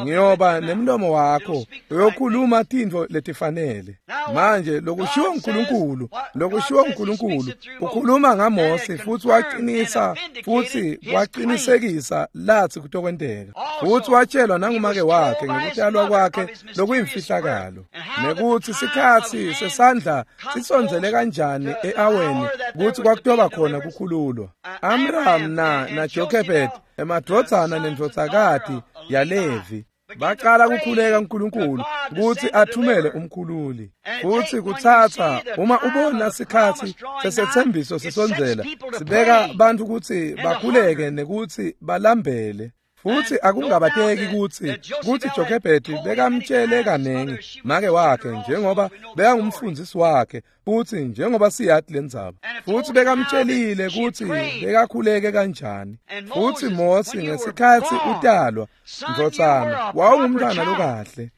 Speaker 1: Ngiyoba nemlomo wakho uyokhuluma tintfo letifanele. Manje lokushiwo uNkulunkulu, lokushiwo uNkulunkulu ukhuluma ngaMosi, futhi waqinisa futhi waqinisekisa lathi kutokwenteka. Futhi watshelwa nangumake wakhe ngekutalwa kwakhe lokuyimfihlakalo, nekuthi sikhatsi sesandla sisondzele kanjani e-aweni kutsi kwakutoba khona kukhululwa. Amram na na Jochebed, emadvodzana nendvodzakati yaLevi, baqala kukhuleka uNkulunkulu kutsi athumele umkhululi. Futhi kutsatsa uma ubona sikhatsi sesethembiso sisondzela, sibeka bantu kutsi bakhuleke nekutsi balambele. Futhi akungabateki kutsi kutsi Jochebed bekamtshele kanengi make wakhe, njengoba bekangumfundisi wakhe, futhi njengoba siyati lendzaba. Futhi bekamtshelile kutsi bekakhuleke kanjani. Futhi Mosi ngesikhatsi utalwa, ndvodzana, wawungumntwana lokahle,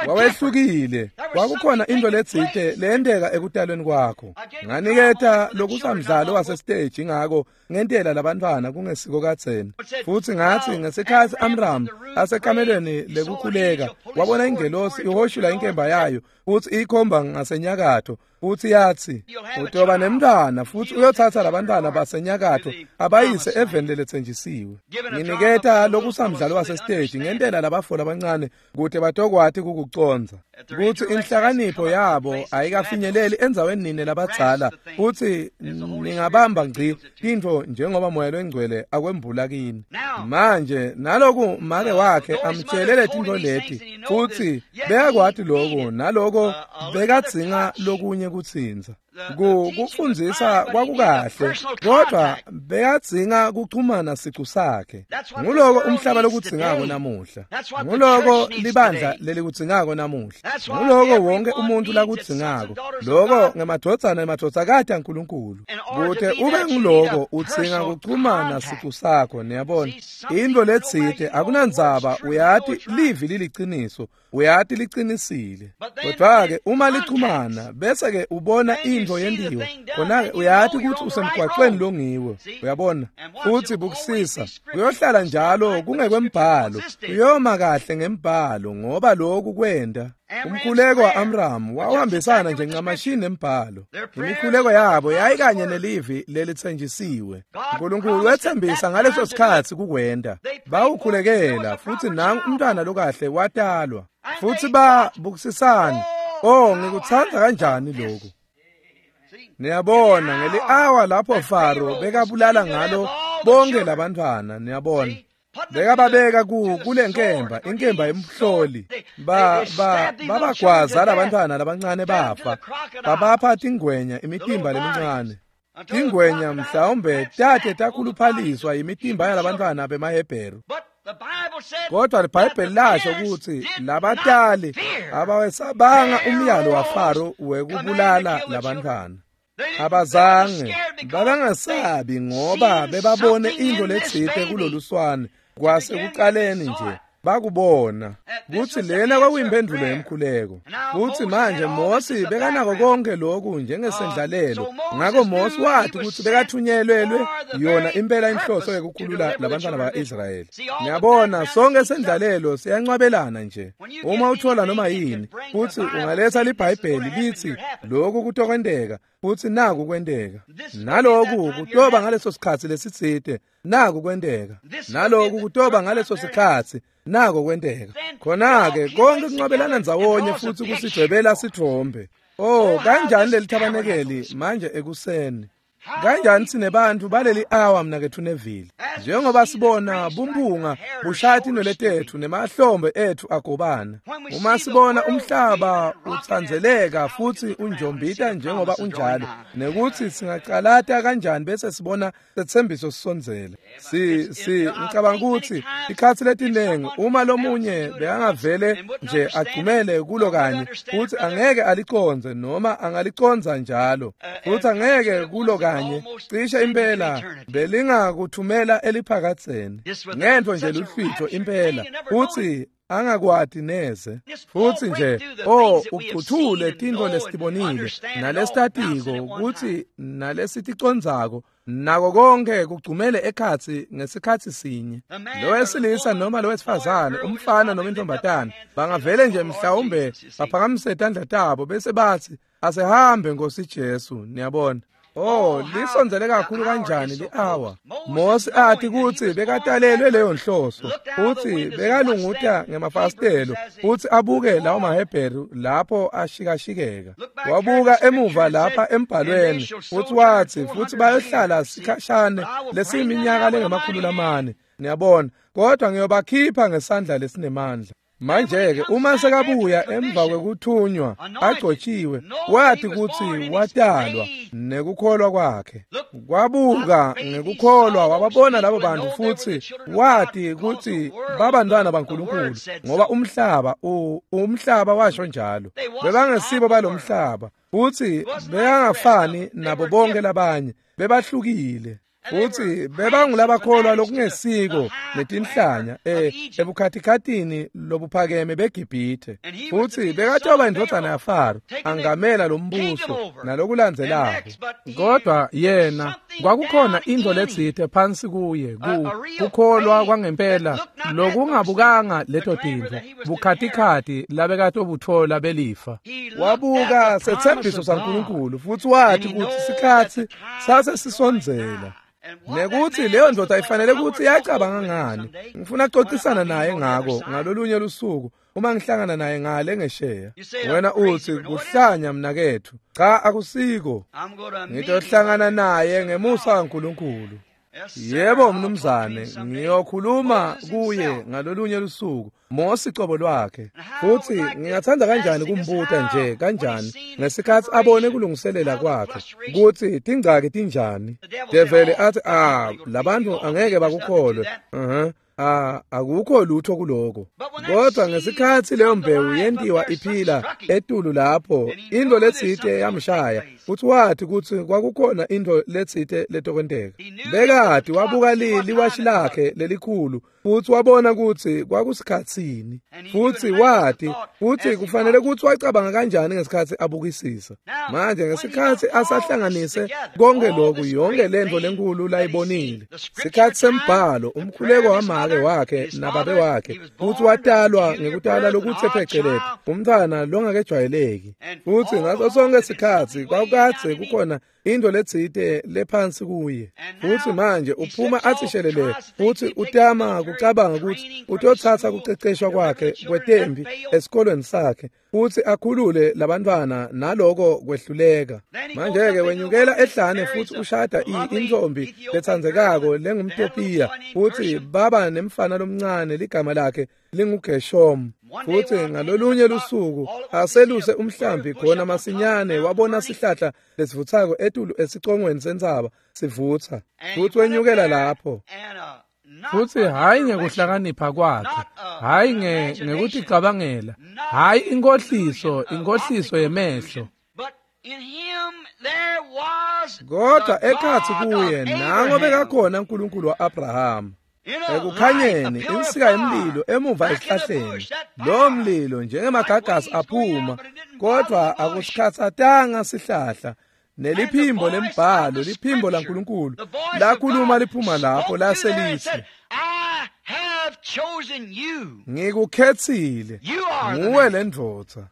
Speaker 1: wawehlukile, Kwakukhona into letsite leyenteka ekutalweni kwakho. Nganiketa lokusamdlalo wasesiteji ngako ngentela labantwana kungesiko kadzeni. Futsi ngatsi ngesikhatsi Amram asekamelweni lekukhuleka wabona ingelosi ihoshula inkemba yayo futsi iyikhomba ngasenyakatho futsi yatsi utoba nemntwana futsi uyotsatsa labantwana basenyakatho abayise eveni leletsenjisiwe. Nginiketa lokusamdlalo wasesiteji ngentela labafo labancane kute batokwati kukucondza kutsi inhlakanipho yabo ayikafinyeleli endzaweni nine labadzala futsi ningabamba ngci tintfo njengoba Moya Longcwele akwembula kini. Manje naloku make wakhe amtshele letintfo leti futsi bekakwati loku naloko bekadzinga lokunye kutsintsa. Kufundzisa kwakukahle kodwa bekadzinga kuchumana sicu sakhe. Nguloko umhlaba lokudzingako namuhla. Nguloko libandla lelikudzingako namuhla. Nguloko wonke umuntu lakudzingako. Loko ngemadvodzana nemadvodzakati aNkulunkulu. Kute ube nguloko udzinga kuchumana sicu sakho, niyabona. Intfo letsite akunandzaba, uyati livi liliciniso, uyati licinisile. Kodwa-ke uma lichumana bese-ke ubona intfo yentiwa, khona-ke uyati kutsi usemgwaqweni longiwo, uyabona. Futsi bukusisa kuyohlala njalo kungekwembhalo, kuyoma kahle ngembhalo ngoba lokhu kwenta. Umkhuleko wa-Amram wawuhambisana nje ncamashini nembhalo. Imikhuleko yabo yayikanye nelivi lelitsenjisiwe. Nkulunkulu wetsembisa ngaleso sikhatsi kukwenta. Bawukhulekela futsi nangu umntwana lokahle watalwa. Futsi babukisisana. Oh, ngikutsandza kanjani lokhu. Niyabona ngeli-awa lapho Faro bekabulala ngalo bonke labantwana, niyabona. Bekababeka ku kule nkemba, inkemba yemhloli. Ba ba babagwaza labantwana labancane bafa. Babapha tingwenya imitimba lemincane. Tingwenya mhlawumbe tate takhuluphaliswa imitimba yalabantwana bemaHebheru. Kodwa liBhayibheli lasho kutsi labatali abawesabanga umyalo waFaro wekubulala labantwana. Abazange babangasabi ngoba bebabone intfo letsite kuloluswane kwasekucaleni nje bakubona kutsi lena kwakuyimphendvulo yemkhuleko. Kutsi manje Mosi bekanako konke loku njengesendlalelo. Ngako Mosi wathi kutsi bekathunyelelwe yona impela inhloso yekukhulula labantwana ba-Israyeli. Niyabona sonke sendlalelo siyancwabelana nje. Uma uthola noma yini futsi ungaletha liBhayibheli litsi lokhu kutokwenteka futsi naku kwenteka, naloku kutoba ngaleso sikhatsi lesitsite, naku kwenteka, naloku kutoba ngaleso sikhatsi, nako kwenteka. Khona-ke konke kuncwabelana ndzawonye futsi kusidwebela sitfombe. Oh, kanjani leli thabanekeli manje ekuseni. Kanjani sinebantfu baleli awa mnaketfu Neville. Njengoba sibona bumpunga bushaya tinwele tetfu nemahlombe etfu agobana. Uma sibona umhlaba utsandzeleka futsi unjombita njengoba unjalo, nekutsi singacalata kanjani bese sibona setsembiso sisondzela. Si si ngicabanga kutsi ikhatsi letinengi uma lomunye bekangavele nje agcumele kulo kanye futsi angeke alicondze noma angalicondza njalo futsi angeke kulo kanye cishe impela belingakuthumela eliphakadzeni ngentfo nje luhlwitho impela futsi angakwati neze. Futsi nje oh ucuthule tintfo lesitibonile nalesitatiko kutsi nalesiticondzako nako konke kugcumele ekhatsi ngesikhatsi sinye. Lowesilisa noma lowesifazane, umfana noma intombatana bangavele nje mhlawumbe baphakamise tandla tabo bese batsi asehambe Nkosi Jesu, niyabona. Oh, lisondzele kakhulu kanjani li-awa. Mosi ati kutsi bekatalelwe leyo nhloso futsi bekalunguta ngemafasitelo futsi abuke lawo maHebheru lapho ashikashikeka. Wabuka emuva lapha embhalweni futsi watsi futsi bayohlala sikhashane lesiyiminyaka lengemakhulu lamane, niyabona, kodwa ngiyobakhipha ngesandla lesinemandla. Manje-ke uma sekabuya emva kwekuthunywa agcotshiwe, wathi kutsi watalwa nekukholwa kwakhe. Kwabuka ngekukholwa wababona labo bantu futsi wathi kutsi babantwana baNkulunkulu ngoba umhlaba umhlaba washo njalo. Bebangesibo balomhlaba futsi bekangafani nabo bonke labanye, bebahlukile. Futhi bebangulabakholwa lokungesiko netinhlanya eh ebukhatikhatini lobuphakeme beGibhithe. Futhi bekatoba indvodzana yaFaro angamela lombuso nalokulandzelako. Kodwa yena kwakukhona into letsite phansi kuye kukholwa kwangempela lokungabukanga leto tintfo bukhatikhathi labekatobuthola belifa. Wabuka sethembiso saNkulunkulu futhi wathi ukuthi sikhathi sase sisondzela. Nekuthi leyo ndoda ifanele ukuthi yacabanga ngani. Ngifuna kuxoxisana naye ngako ngalolunye lusuku uma ngihlangana naye ngale ngesheya. Wena uthi kuhlanya mnakethu. Cha, akusiko. Ngitohlangana naye ngemusa kaNkulunkulu. Yebo mnumzane, ngiyokhuluma kuye ngalolunye lusuku. Mose cobo lwakhe. Futhi ngingathanda kanjani kumbuta nje kanjani ngesikhathi abone kulungiselela kwakhe ukuthi tingcaki tinjani. Develi athi ah labantu angeke bakukholwe. Mhm. Ah akukho lutho kuloko. Kodwa ngesikhathi leyo mbewu yentiwa iphila etulu lapho into letsite yamshaya futhi wathi ukuthi kwakukhona into letsite letokwenteka. Bekati wabuka liwashi lakhe lelikhulu futhi wabona ukuthi kwakusikhatsini. Futhi wathi futhi kufanele ukuthi wacabanga kanjani ngesikhathi abukisisa. Manje ngesikhathi asahlanganise konke lokhu yonke lento lenkulu layibonile. Sikhathi sembhalo umkhuleko wamake wakhe nababe wakhe futhi watalwa ngekutala lokuthe pheceleti umntwana longakejwayeleki. Futhi ngaso sonke isikhathi kwakukadze kukhona into letsite lephansi kuye. Futhi manje uphuma athi shelele futhi utama kucabanga ukuthi utothatha kuceceshwa kwakhe kwetembi esikolweni sakhe futhi akhulule labantwana naloko kwehluleka. Manje ke wenyukela ehlane futhi ushada intombi lethandzekako lengumTopiya futhi baba nemfana lomncane ligama lakhe linguGeshom. Futhi ngalolunye lusuku aseluse umhlambi khona masinyane wabona sihlahla lesivuthako etulu esicongweni sentsaba sivutha futhi wenyukela lapho. Futhi hayi ngekuhlakanipha kwakhe, hayi ngekuticabangela, hayi inkohliso, inkohliso yemehlo. Kodwa ekhathi kuye nango bekakhona uNkulunkulu wa-Abraham. Ekukhanyeni insika yemlilo emuva esihlahleni. Lo mlilo njengemagagasi aphuma kodwa akusikhathatanga sihlahla. Neliphimbo lembhalo liphimbo laNkulunkulu lakhuluma liphuma lapho laselithi ngikukhethile nguwe lendvodza.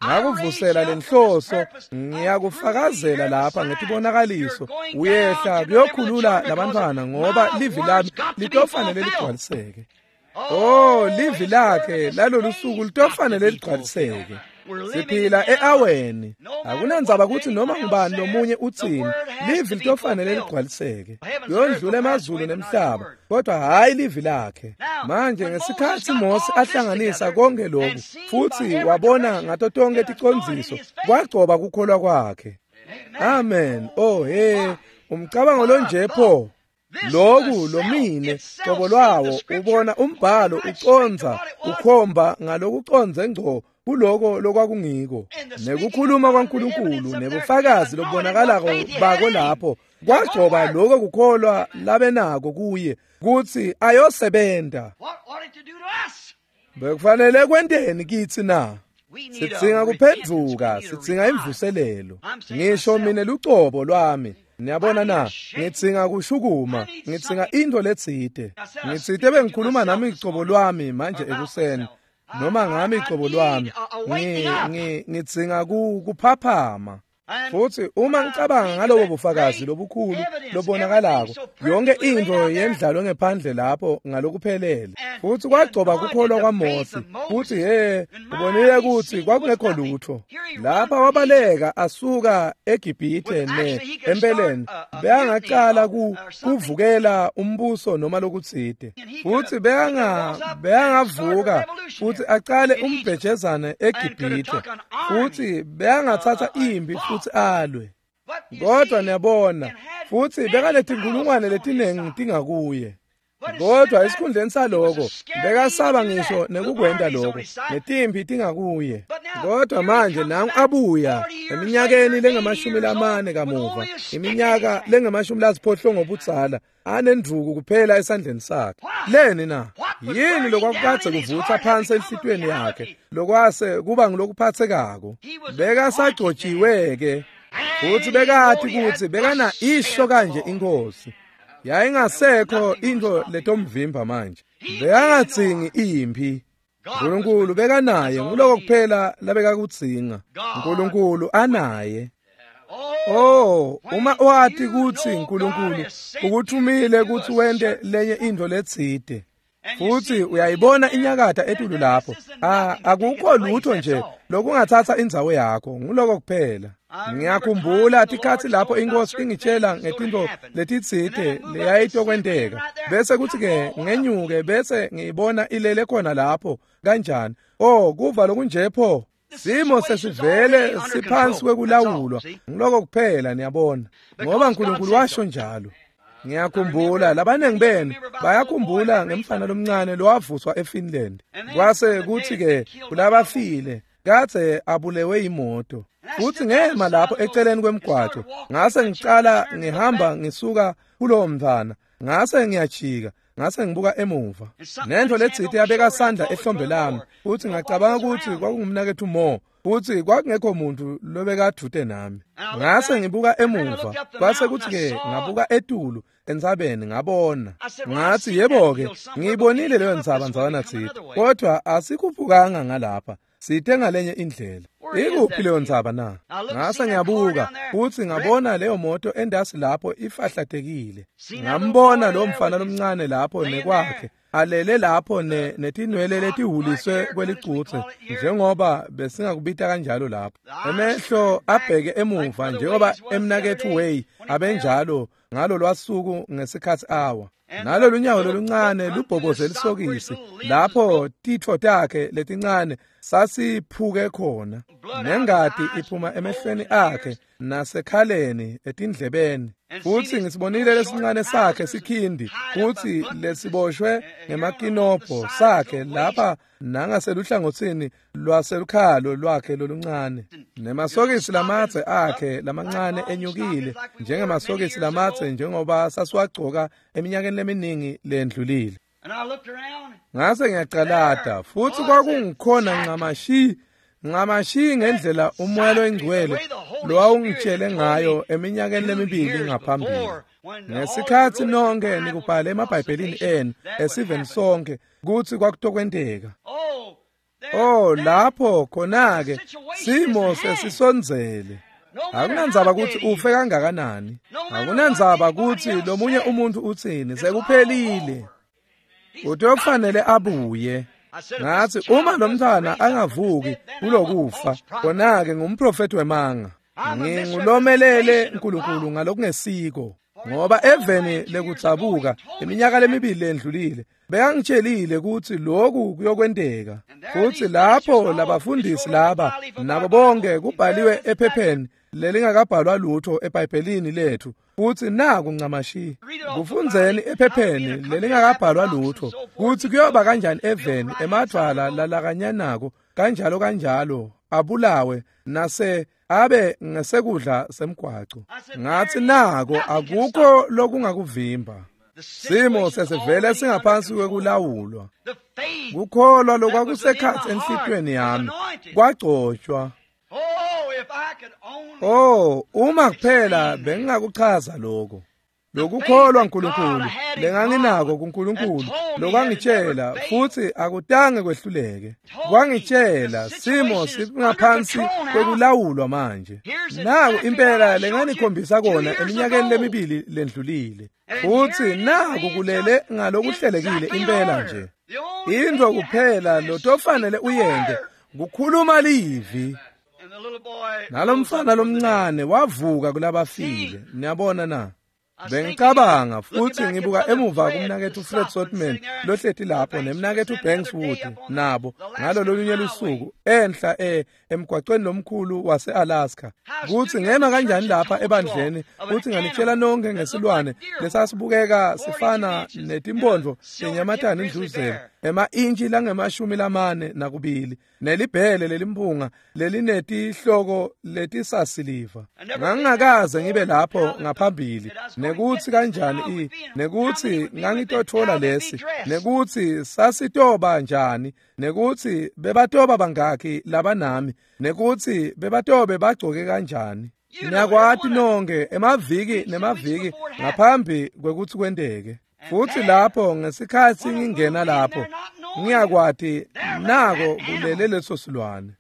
Speaker 1: Ngakuvusela lenhloso ngiyakufakazela lapha ngetibonakaliso uyehla kuyokhulula labantwana ngoba livi lami litofanele ligcwaliseke. Oh livi lakhe lalolu suku litofanele ligcwaliseke. Siphila eaweni. Akunandzaba ukuthi noma ngubani lomunye utsini, livi litofanele ligcwaliseke. Yondlula emazulu nemhlaba, kodwa hayi livi lakhe. Manje ngesikhathi Mose ahlanganisa konke lokhu futhi wabona ngato tonke ticondziso, kwagcoba kukholwa kwakhe. Amen. Oh hey, umcabango lonje pho. Loku lomine qobo lwawo ubona umbhalo uconza ukhomba ngalokuconze ngco kuloko lokwakungiko nekukhuluma kwaNkulunkulu nebufakazi lobubonakalako bako lapho kwagcoba lokho kukholwa labenako kuye kuthi ayosebenta. Bekufanele kwenteni kithi na? Sidzinga kuphendvuka, sidzinga imvuselelo. Ngisho mina lucobo lwami. Niyabona na, ngidzinga kushukuma, ngidzinga into letsite. Ngitsite bengikhuluma nami icobo lwami manje ekuseni. Noma ngami icobo lwami, ngi ngidzinga kuphaphama. Futhi uma ngicabanga ngalobo bufakazi lobukhulu lobonakalako, yonke into yendlalo ngephandle lapho ngalokuphelele. Futhi kwagcoba kukholwa kwaMose. Futhi he, ubonile ukuthi kwakungekho lutho. Lapha wabaleka asuka eGibhithe ne empeleni beyangaqala kuvukela umbuso noma lokutsite. Futhi beyanga beyangavuka futhi aqale umbhejezane eGibhithe. Futhi beyangathatha impi futhi alwe. Kodwa niyabona futhi bekanetinkulungwane letinengi tingakuye. Kodwa esikhundleni saloko bekasaba ngisho nekukwenta lokho, netimphi tingakuye. Kodwa manje nangu abuya eminyakeni lengamashumi lamane kamuva, iminyaka lengamashumi lasiphohlongo budzala, anendvuku kuphela esandleni sakhe. Leni na? Yini lokwakukadze kuvutsa phansi enhlitiyweni yakhe lokwase kuba ngulokuphathekako? Bekasagcotshiwe-ke, futhi bekati kutsi bekana isho kanje inkosi. Yayingasekho into letomvimba manje. Bekangadzingi imphi. Nkulunkulu bekanaye, nguloko kuphela labekakudzinga. Nkulunkulu anaye. Oh, uma wati kutsi Nkulunkulu ukuthumile kutsi wente lenye into letsite, futhi uyayibona inyakata etulu lapho, ah, akukho lutho nje lokungathatha indzawo yakho, nguloko kuphela. Ngiyakhumbula tikhatsi lapho inkosi ingitshela ngetintfo letitsite leyayitokwenteka, bese kuthi-ke ngenyuke bese ngiyibona ilele khona lapho kanjani. Oh, kuva lokunje pho. Simo sesivele siphansi kwekulawulwa, ngiloko kuphela, niyabona, ngoba Nkulunkulu washo njalo. Ngiyakhumbula labanengi benu bayakhumbula ngemfana lomncane lowavuswa eFinland. Kwase kuthi-ke kulabafile kadze abulewe imoto. Futhi ngema lapho eceleni kwemgwaco, ngase ngicala ngihamba ngisuka kulowo mntwana, ngase ngiyajika, ngase ngibuka emuva. Nento letsite yabeka sandla ehlombe lami, futhi ngacabanga ukuthi kwakungumnakethu Mo, futhi kwakungekho muntu lobekadvute nami. Ngase ngibuka emuva, kwase kuthi-ke ngabuka etulu entsabeni ngabona. Ngathi, yebo-ke, ngiyibonile leyo ntsaba ndzawana tsite, kodwa asikhuphukanga ngalapha, site ngalenye indlela. Ikuphi leyo ntsaba na? Ngase ngiyabuka futhi ngabona leyo moto endasi lapho ifahlatekile. Ngambona lo mfana lomncane lapho nekwakhe alele lapho ne netinwele letihuliswe kwelicutse, njengoba besingakubita kanjalo lapho. Emehlo abheke emuva njengoba emnakethu Way abenjalo ngalo lwasuku ngesikhathi awa. Nalolu nyawo loluncane lubhoboze lisokisi lapho titfo takhe letincane sasiphuke khona, nengati iphuma emehlweni akhe nasekhaleni etindlebeni. Futhi ngisibonile lesincane sakhe sikhindi futhi lesiboshwe ngemakinobho sakhe lapha nangaseluhlangotsini lwaselukhalo lwakhe loluncane, nemasokisi lamadze akhe lamancane enyukile njengemasokisi lamadze njengoba sasiwagcoka eminyakeni leminingi lendlulile. Ngase ngiyacalata, futhi kwakungikhona ncamashi ncamashi ngendlela umoya loyingcwele lowawungitshele ngayo eminyakeni lemibili ngaphambili. Ngesikhatsi nonke nikubhale emabhayibhelini enu esiveni sonke kutsi kwakutokwenteka. Oh, lapho khona-ke simo sesisondzele. Akunandzaba kutsi ufe kangakanani, akunandzaba kutsi lomunye umuntu utsini, sekuphelile. Utofanele abuye. Ngathi uma lo mntwana angavuki kulokufa, khona-ke ngumprofethi wemanga. Ngingulomelele Nkulunkulu ngalokungesiko, ngoba eveni lekudzabuka iminyaka lemibili lendlulile bekangitshelile kutsi lokhu kuyokwenteka. Futhi lapho labafundisi laba nabo bonke kubhaliwe ephepheni lelingakabhalwa lutho eBhayibhelini lethu, futhi naku ncamashi kufundzeni ephepheni lelingakabhalwa lutho kutsi kuyoba kanjani eveni emadvwala lalakanyanako kanjalo kanjalo abulawe nase abe ngesekudla semgwaco. Ngathi nako akukho lokungakuvimba. Simo sesivele singaphansi kwekulawulwa. Kukholwa lokwakusekhatsi enhlitiyweni yami kwagcotshwa. Oh, uma kuphela bengingakuchaza lokho. Lokukholwa uNkulunkulu lenganginako kuNkulunkulu lokwangitshela futhi akutange kwehluleke. Kwangitshela simo singaphansi kwekulawulwa manje. Naku impela lenganikhombisa kona eminyakeni lemibili lendlulile. Futhi naku kulele ngalokuhlelekile impela nje. Into kuphela lotofanele uyente kukhuluma livi. Nalomfana lomncane wavuka kulabafile. Niyabona na? Bengicabanga futhi ngibuka emuva kumnaketfu Fred Sotman lohleti lapho nemnaketfu Banks Wood nabo ngalolunye lusuku enhla e emgwaqweni lomkhulu wase-Alaska kutsi ngema kanjani lapha ebandleni kutsi nganitshela nonke ngesilwane lesasibukeka sifana netimphondvo tenyamatane indluzela ema-intshi langemashumi lamane nakubili nelibhele lelimpunga lelinetihloko letisasiliva. Ngangingakaze ngibe lapho ngaphambili nekutsi kanjani i nekutsi ngangitotfola lesi nekutsi sasitoba njani nekutsi bebatoba bangakhi labanami nekutsi bebatobe bagcoke kanjani. Niyakwati nonke emaviki nemaviki ngaphambi kwekutsi kwenteke. Futhi lapho ngesikhatsi ngingena lapho ngiyakwati nako kulele leso silwane.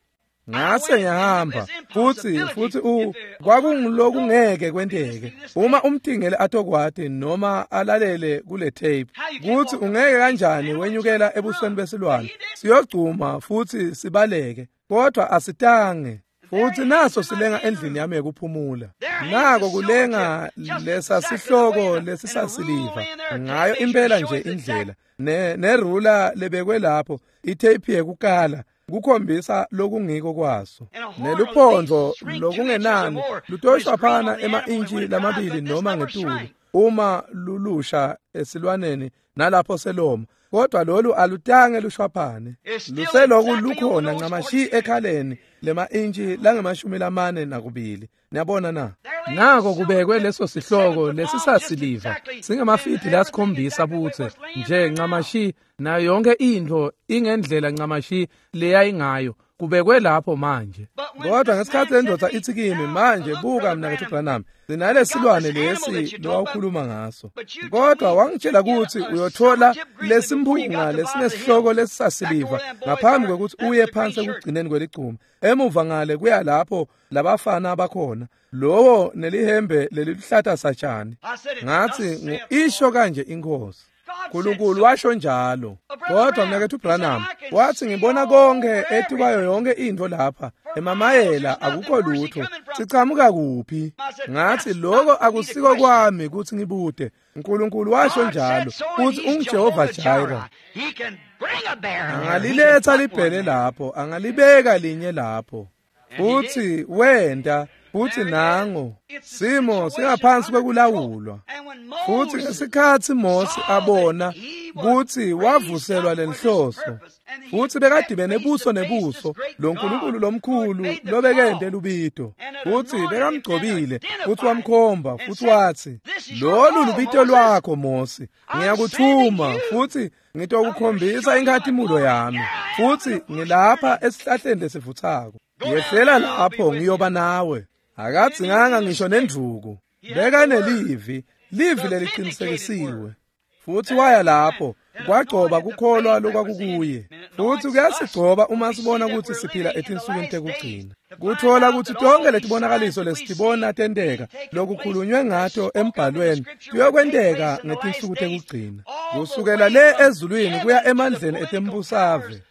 Speaker 1: Ngase ngiyahamba futhi futhi u kwakungilokungeke kwenteke uma umtingeli atokwati noma alalele kule tape kuthi ungeke kanjani wenyukela ebusweni besilwane siyogcuma futhi sibaleke kodwa asitange. Futhi naso silenga endlini yami yekuphumula nako kulenga lesa sihloko lesisasiliva ngayo impela nje indlela ne nerula lebekwe lapho itape yekukala kukhombisa lokungiko kwaso neluphondvo lokungenani lutoshwaphana ema-intshi lamabili noma ngetulu uma lulusha esilwaneni nalapho seloma kodwa lolu alutange lushwaphane luseloku lukhona ncamashi ekhaleni lema-intshi langemashumi lamane nakubili. Niyabona na? Nako kubekwe leso sihloko lesisasiliva singemafidi lasikhombisa butse nje ncamashi nayo yonke intfo ingendlela ncamashi leyayingayo kubekwe lapho manje. Kodwa ngesikhatsi lendvodza itsi kimi manje buka mnaketfu Branham sinalesilwane lesi lowawukhuluma ngaso kodwa wangitshela kutsi uyothola lesimphunga lesinesihloko lesisasiliva ngaphambi kwekutsi uye phansi ekugcineni kweligcuma emuva ngale kuya lapho labafana bakhona lowo nelihembe leliluhlata satshani. Ngatsi isho kanje iNkhosi Nkulunkulu washo njalo. Kodwa mnaketfu Branham wathi ngibona konke etikwayo yonke intfo lapha emamayela akukho lutho sichamuka kuphi. Ngathi lokho akusiko kwami kutsi ngibute Nkulunkulu washo njalo kutsi unguJehova Jireh angaliletha libhele lapho angalibeka linye lapho futhi wenta futhi nango simo singaphansi kwekulawulwa. Futhi ngesikhatsi Mose abona kutsi wavuselwa lenhloso futhi bekadibene buso nebuso lo Nkulunkulu lomkhulu lobekente lubito futhi bekamgcobile futhi wamkhomba futhi watsi lolu lubito lwakho Mose ngiyakuthuma futhi ngitokukhombisa inkhatimulo yami futhi ngilapha esihlahleni lesivutsako yehlela lapho ngiyoba nawe. Akadzinganga ngisho nendvuku bekanelivi livi leliqinisekisiwe futhi waya lapho kwagcoba kukholwa lokwakukuye futhi kuyasigcoba uma sibona ukuthi siphila etinsukwini tekugcina kuthola ukuthi tonke letibonakaliso lesitibona tenteka lokukhulunywe ngato embhalweni kuyokwenteka ngetinsuku tekugcina kusukela le ezulwini kuya emandleni etembusave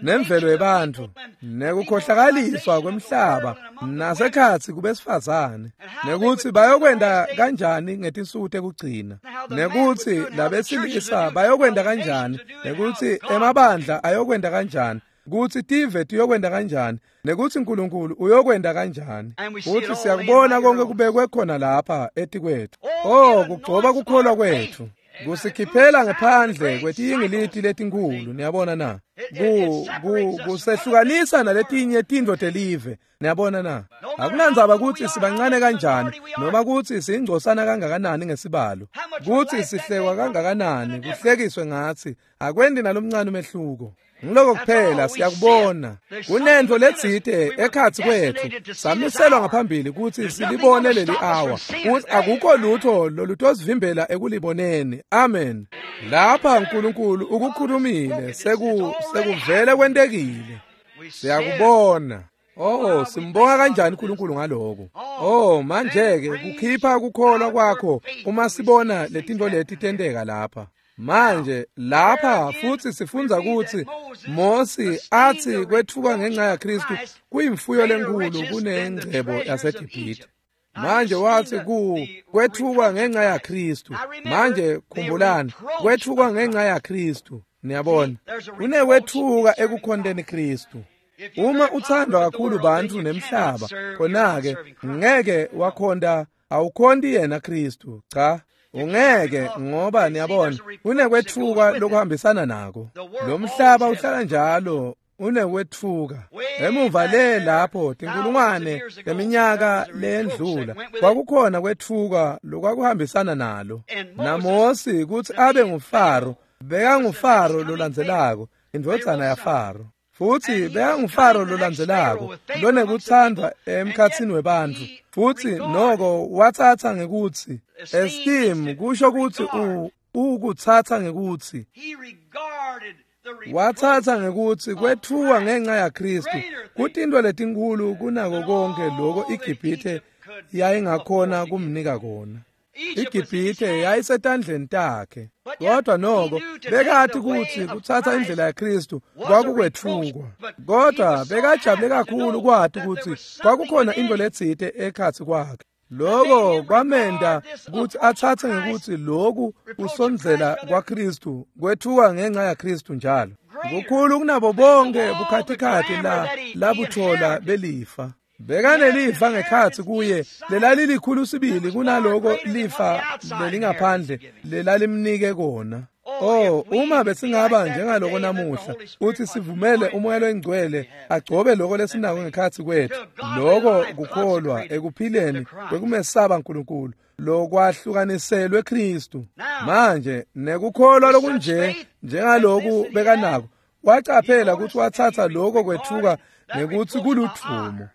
Speaker 1: nemvelo yebantfu nekukhohlakaliswa kwemhlaba nasekhatsi kubesifazane nekutsi bayokwenta kanjani ngetinsuku tekugcina nekutsi labesilisa bayokwenta kanjani nekutsi emabandla ayokwenta kanjani kutsi tive tiyokwenta kanjani nekutsi Nkulunkulu uyokwenta kanjani kutsi siyakubona konke kubekwe khona lapha etikwethu. Oh kugcoba kukholwa kwetfu kusikhiphela ngephandle kwetiyingiliti letinkhulu. Niyabona na? Ku ku kusehlukanisa naletinye tintfo telive. Niyabona na? Akunandzaba kutsi sibancane kanjani noma kutsi singcosana kangakanani ngesibalo kutsi sihlekwa kangakanani kuhlekiswe ngatsi akwendi nalomncane umehluko. Ngiloko kuphela siyakubona kunentfo letsite ekhatsi kwetfu samiselwa ngaphambili kutsi silibone leli hour kutsi akukho lutho lolutosivimbela ekuliboneni. Amen. Lapha Nkulunkulu ukukhulumile seku sekuvele kwentekile siyakubona. Oh simbonga kanjani uNkulunkulu ngaloko. Oh manje ke kukhipha kukholwa kwakho uma sibona letintfo leti tenteka lapha manje lapha futhi sifundza kutsi Mose athi kwetfuka ngenxa yaKristu kuyimfuyo lenkulu kunengcebo yaseGibhithe. Manje wathi ku kwetfukwa ngenxa yaKristu. Manje khumbulani, kwetfukwa ngenxa yaKristu. Niyabona, kunekwetfuka ekukhonteni Kristu. Uma uthandwa kakhulu bantfu nemhlaba, khona-ke ngeke wakhonta, awukhonti yena Kristu. Cha, ungeke, ngoba niyabona kunekwetfuka lokuhambisana nako. Lo mhlaba uhlala njalo unekwetfuka. Emuva le lapho tinkulungwane leminyaka leyendlula kwakukhona kwetfuka lokwakuhambisana nalo. NaMosi kutsi abe nguFaro, bekangufaro lolandzelako, indvodzana yaFaro. Futsi bekangufaro lolandzelako lonekuthandwa emkhatsini webantfu. Futsi noko watsatsa ngekutsi esteem kusho kutsi u ukutsatsa ngekutsi watsatsa ngekutsi kwetfuka ngenxa yaKristu kutintfo letinkulu kunako konke loko iGibhithe yayingakhona kumnika kona. iGibhithe yayisetandleni takhe, kodwa noko bekati kutsi kutsatsa indlela yaKristu kwakukwetfukwa. Kodwa bekajabule kakhulu kwati kutsi kwakukhona intfo letsite ekhatsi kwakhe. Loko kwamenta kutsi atsatse ngekutsi loku kusondzela kwaKristu kwetfuka ngenxa yaKristu njalo kukhulu kunabo bonke bukhatikhathi la labuthola belifa. Bekanelifa ngekhatsi kuye lelalilikhulu sibili kunaloko lifa lelingaphandle lelalimnike kona. Oh, uma besingaba njengaloko namuhla, uthi sivumele uMoya loNgcwele agcobe loko lesinako ngekhatsi kwethu, loko kukholwa ekuphileni kwekumesaba uNkulunkulu lokwahlukaniselwe Kristu. Manje nekukholwa lokunje njengaloku bekanako, wacaphela ukuthi watsatsa loko kwetfuka ngekutsi kuludvumo.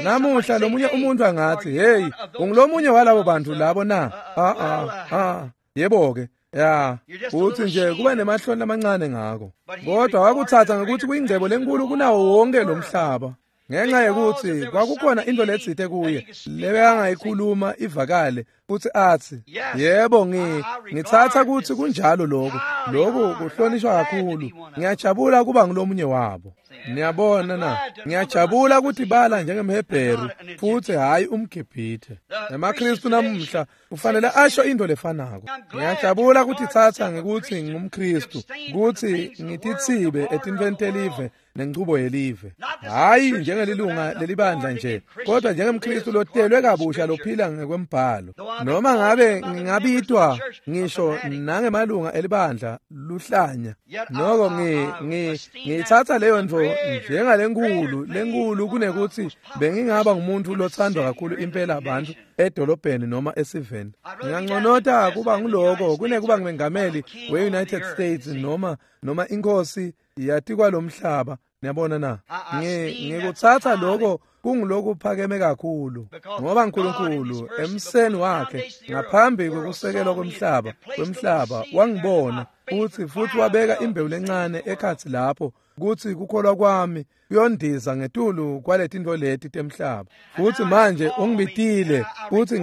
Speaker 1: Namuhla lomunye umuntu angathi, hey, ungulomunye walabo bantu labo na? Ah ah ah, yebo-ke. Ya, uthi nje kuba nemahloni lamancane ngako. Kodwa wakutsatsa ngekutsi kuyingcebo lenkulu kunawo wonke lo mhlaba. Ngenxa yekutsi kwakukhona into letsite kuye lebekangayikhuluma ivakale futsi atsi, yebo, ngi ngitsatsa kutsi kunjalo lokho. Lokhu kuhlonishwa kakhulu. Ngiyajabula kuba ngulomunye wabo. Niyabona na, ngiyajabula kutibala njengemHebheru futsi hhayi umGibhithe. EmaKristu namuhla kufanele asho into lefanako. Ngiyajabula kutitsatsa ngekutsi ngingumKristu, kutsi ngititsibe etintfweni telive nenchubo yelive. Hhayi njengelilunga lelibandla nje, kodwa njengemKristu lotelwe kabusha lophila ngekwembhalo. Noma ngabe ngingabitwa ngisho nangemalunga elibandla luhlanya, noko ngi ngi ngiyitsatsa leyo ntfo njengalenkulu lenkulu kunekuthi bengingaba ngumuntu lothandwa kakhulu impela abantu edolobheni noma esiveni. Nginganconota kuba nguloko kunekuba ngumengameli we-United States noma noma inkosi yatikwa lomhlaba. Niyabona na, ngikutsatsa loko kungulokuphakeme kakhulu, ngoba uNkulunkulu emseni wakhe ngaphambi kwekusekelwa kwemhlaba kwemhlaba wangibona futhi futhi wabeka imbewu lencane ekhatsi lapho kutsi kukholwa kwami kuyondiza ngetulu kwaletintfo leti temhlaba. Futsi manje ungibitile futhi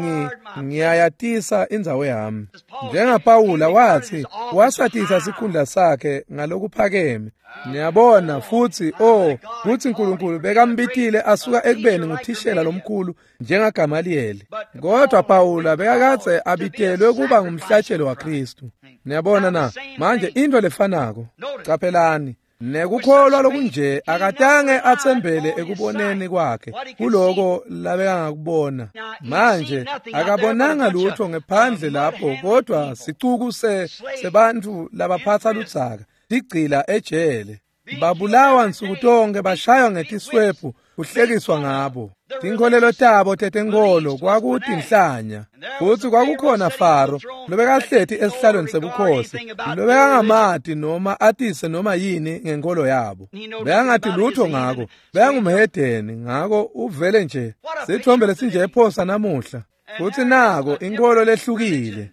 Speaker 1: ngiyayatisa indzawo yami. NjengaPawula wathi wasatisa sikhundla sakhe ngalokuphakeme. Niyabona futhi oh kutsi uNkulunkulu bekambitile asuka ekubeni nguthishela lomkhulu njengaGamaliyeli. Kodwa Pawula bekakadze abitelwe kuba ngumhlatshelo waKristu. Niyabona na, manje into lefanako. Caphelani, nekukholwa lokunje akatange atsembele ekuboneni kwakhe kuloko labekangakubona. Manje akabonanga lutho ngephandle lapho, kodwa sicuku se sebantfu labaphatsa ludzaka tigcila ejele, babulawa nsuku tonke, bashaywa ngetiswephu, kuhlekiswa ngabo. Tinkholelo tabo tetenkolo kwakutinhlanya. Futsi kwakukhona Faro lobekahleti esihlalweni sebukhosi lobekangamati noma atise noma yini ngenkolo yabo. Bekangati lutho ngako, bekangumhedeni, ngako uvele nje. Sitfombe lesinje ephosa namuhla. Futsi nako inkolo lehlukile.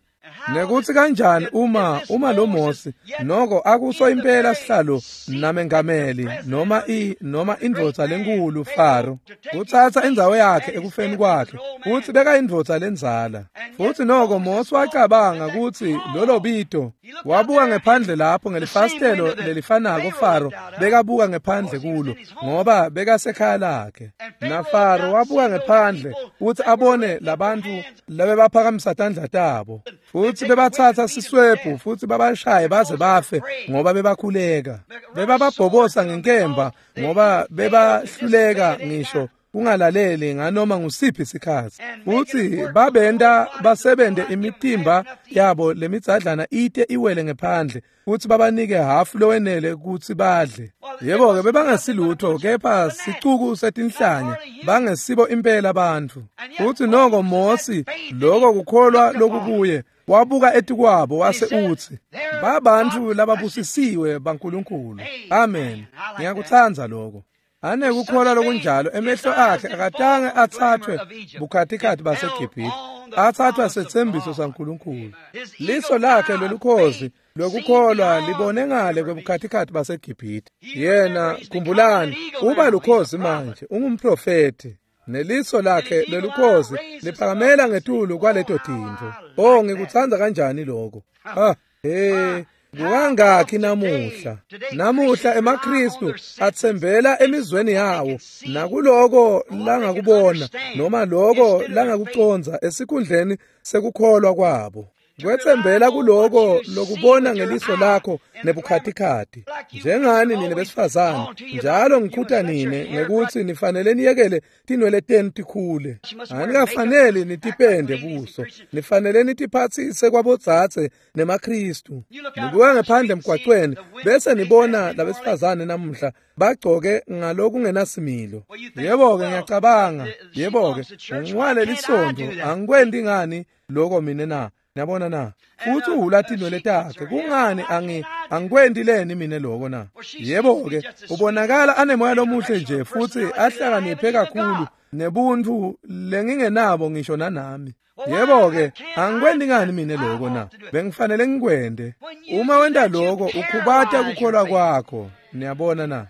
Speaker 1: Nekuthi kanjani uma uma lo Mose noko akuso impela sihlalo namengameli noma i noma indvodza lenkulu Faro kutsatsa indzawo yakhe ekufeni kwakhe futsi beka indvodza lenzala. Futsi noko Mose wacabanga kutsi lolo bito wabuka ngephandle lapho ngelifasitelo lelifanako Faro bekabuka ngephandle kulo ngoba bekasekhaya lakhe. Na Faro wabuka ngephandle kutsi abone labantfu labebaphakamisa tandla tabo futsi bebatsatsa siswebhu futsi babashaye baze bafe ngoba bebakhuleka. Bebababhobosa ngenkemba ngoba bebahluleka ngisho kungalaleli nganoma ngusiphi isikhatsi. Futsi babenta basebente imitimba yabo lemidzadlana ite iwele ngephandle futsi babanike hafu lowenele kutsi badle. Yebo-ke bebangesilutho kepha sicuku setinhlanya bangesibo impela bantfu. Futsi noko Mose loko kukholwa lokukuye wabuka etikwabo wase utsi babantfu lababusisiwe baNkulunkulu. Amen. Ngiyakutsandza lokho. Anekukholwa lokunjalo emehlo akhe akatange athathwe bukhatikhathi baseGibhithe, athathwa setsembiso saNkulunkulu. Liso lakhe lolukhozi lokukholwa libone ngale kwebukhatikhathi baseGibhithe. Yena khumbulani uba lukhozi manje ungumprofeti. Neliso lakhe lelukhozi liphakamela ngetulu kwaleto tintfo. Oh ngikutsandza kanjani lokho. Ah hey kukangakhi namuhla. Namuhla emaKristu atsembela emizweni yawo nakuloko langakubona noma loko langakucondza esikhundleni sekukholwa kwabo. Kwetsembela kuloko lokubona ngeliso lakho nebukhatikhathi. Njengani nine besifazane njalo ngikhuta nine ngekuthi nifanele niyekele tinwele tenu tikhule. Anikafaneli nitipende buso, nifanele nitiphatsise kwabodzadze nemaKristu. Nibuka ngephandle emgwacweni bese nibona labesifazane namuhla bagcoke ngalokungenasimilo. Yebo-ke ngiyacabanga, yebo-ke ngiwale lisontfo angikwendi ngani loko mine na? Niyabona na? Futsi uhula tinwele takhe kungani angi angikwendi leni mine loko na? Yebo-ke ubonakala anemoya lomuhle nje futsi ahlakaniphe kakhulu nebuntfu lengingenabo ngisho nanami. Yebo-ke angikwendi ngani mine loko na? Bengifanele ngikwende. Uma wenta loko ukhubata kukholwa kwakho. Niyabona na?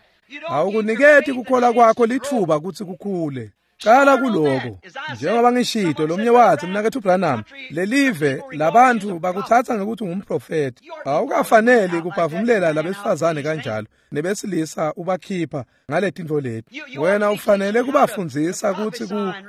Speaker 1: Awukuniketi kukholwa kwakho litfuba kutsi kukhule. Cala kuloko. Njengoba ngishito lomnye wathi mnaketfu Branham lelive labantfu bakutsatsa ngekuthi ungumprofeti. Awukafaneli kuphafumulela labesifazane kanjalo nebesilisa ubakhipha ngaletintfo leti. Wena ufanele kubafundzisa kutsi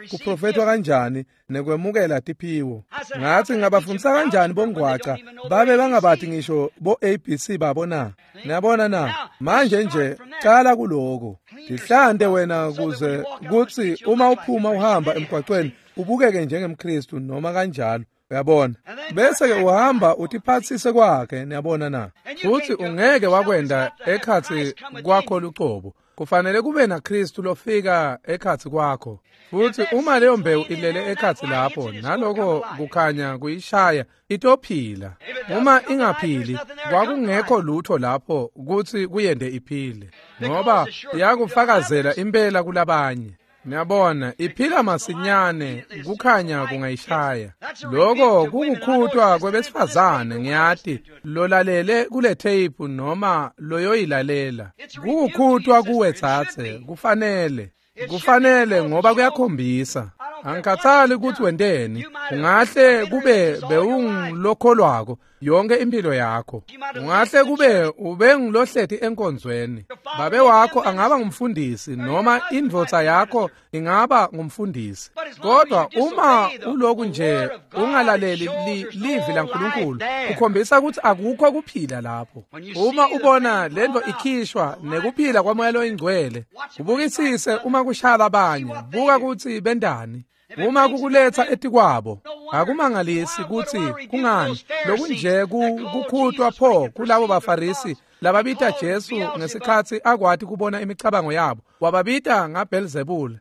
Speaker 1: kuprofetwa kanjani nekwemukela tiphiwo. Ngathi ngingabafundisa kanjani bongwaca babe bangabati ngisho bo A B C babo na? Niyabona na? Manje nje cala kuloko. Tihlante wena kuze kutsi uma uphuma uhamba emgwacweni ubukeke njengemKristu noma kanjalo. Uyabona? Bese ke uhamba utiphatsise kwakhe. Niyabona na? Futsi ungeke wakwenda ekhatsi kwakho lucobo. Kufanele kube naKristu lofika ekhatsi kwakho. Futsi uma leyo mbewu ilele ekhatsi lapho naloko kukhanya kuyishaya itophila. Uma ingaphili kwakungekho lutho lapho kutsi kuyende iphile ngoba yakufakazela impela kulabanye. Niyabona iphila masinyane kukhanya kungayishaya. Lokho kukukhutwa kwebesifazane ngiyati lolalele kule tape noma loyoyilalela. Kukukhutwa kuwe tsatse kufanele. Kufanele ngoba kuyakhombisa. Angikhathali ukuthi wenteni, ungahle kube bewungilokholwako yonke impilo yakho. Ungahle kube ubengilohleti enkonzweni. Babe wakho angaba ngumfundisi noma indvodza yakho ingaba ngumfundisi. Kodwa uma uloku nje ungalaleli livi laNkulunkulu, ukhombisa ukuthi akukho kuphila lapho. Uma ubona lento ikhishwa nekuphila kwaMoya loyiNgcwele, ubukisise uma kushala abanye, buka ukuthi bendani. Uma kukuletha etikwabo akumangalisi kutsi kungani lokunje kukhutwa pho kulabo baFarisi lababita Jesu ngesikhatsi akwati kubona imicabango yabo wababita ngaBelzebul.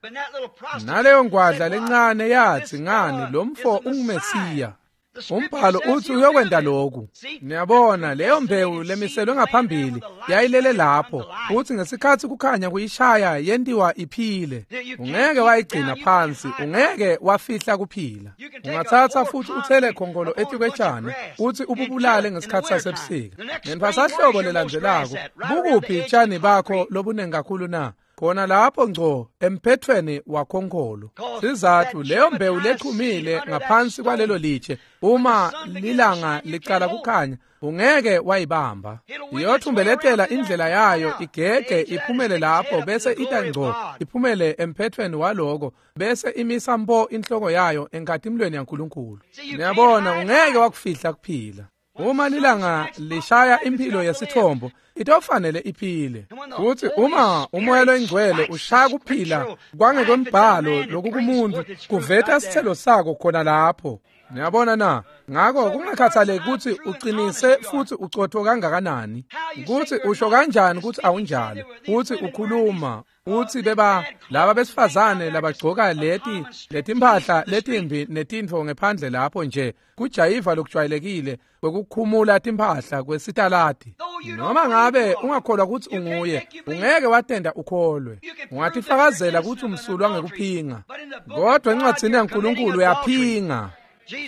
Speaker 1: Naleyo ngwadla lencane yathi ngani lo mfo unguMesiya. Umbhalo uthi uyokwenta lokhu. Niyabona leyo mbewu lemiselwe ngaphambili yayilele lapho, futhi ngesikhathi kukhanya kuyishaya yentiwa iphile. Ungeke wayigcina phansi, ungeke wafihla kuphila. Ungathatha futhi uthele khongolo etikwetshani uthi ububulale ngesikhathi sasebusika. Ngenthwasahlobo lelandzelako, bukuphi tshani bakho lobunengi kakhulu na? Khona lapho ngco emphethweni wakhonkolo. Sizathu leyo mbewu lechumile ngaphansi kwalelo litshe, uma lilanga liqala kukhanya ungeke wayibamba. Iyothumbeletela indlela yayo igege iphumele lapho, bese ita ngco iphumele emphethweni waloko, bese imisa mpo inhloko yayo enkatimlweni yaNkulunkulu. Niyabona, ungeke wakufihla kuphila. Uma lilanga lishaya impilo yesithombo, itofanele iphile. Futhi uma umoya loyingcwele ushaya kuphila kwangekwembhalo lokukumuntu, kuveta sithelo sako khona lapho. Niyabona na? Ngakho kungakhathaleki ukuthi uqinise futhi ucotho kangakanani, ukuthi usho kanjani ukuthi awunjalo, uthi ukhuluma uthi beba laba besifazane labagcoka leti letimpahla letimbi netintfo ngephandle lapho nje kujayiva lokujwayelekile kwekukhumula timpahla kwesitaladi. Noma ngabe ungakholwa ukuthi unguye, ungeke watenda ukholwe. Ungatifakazela ukuthi umsulwa ngekuphinga, kodwa encwadzini yaNkulunkulu uyaphinga.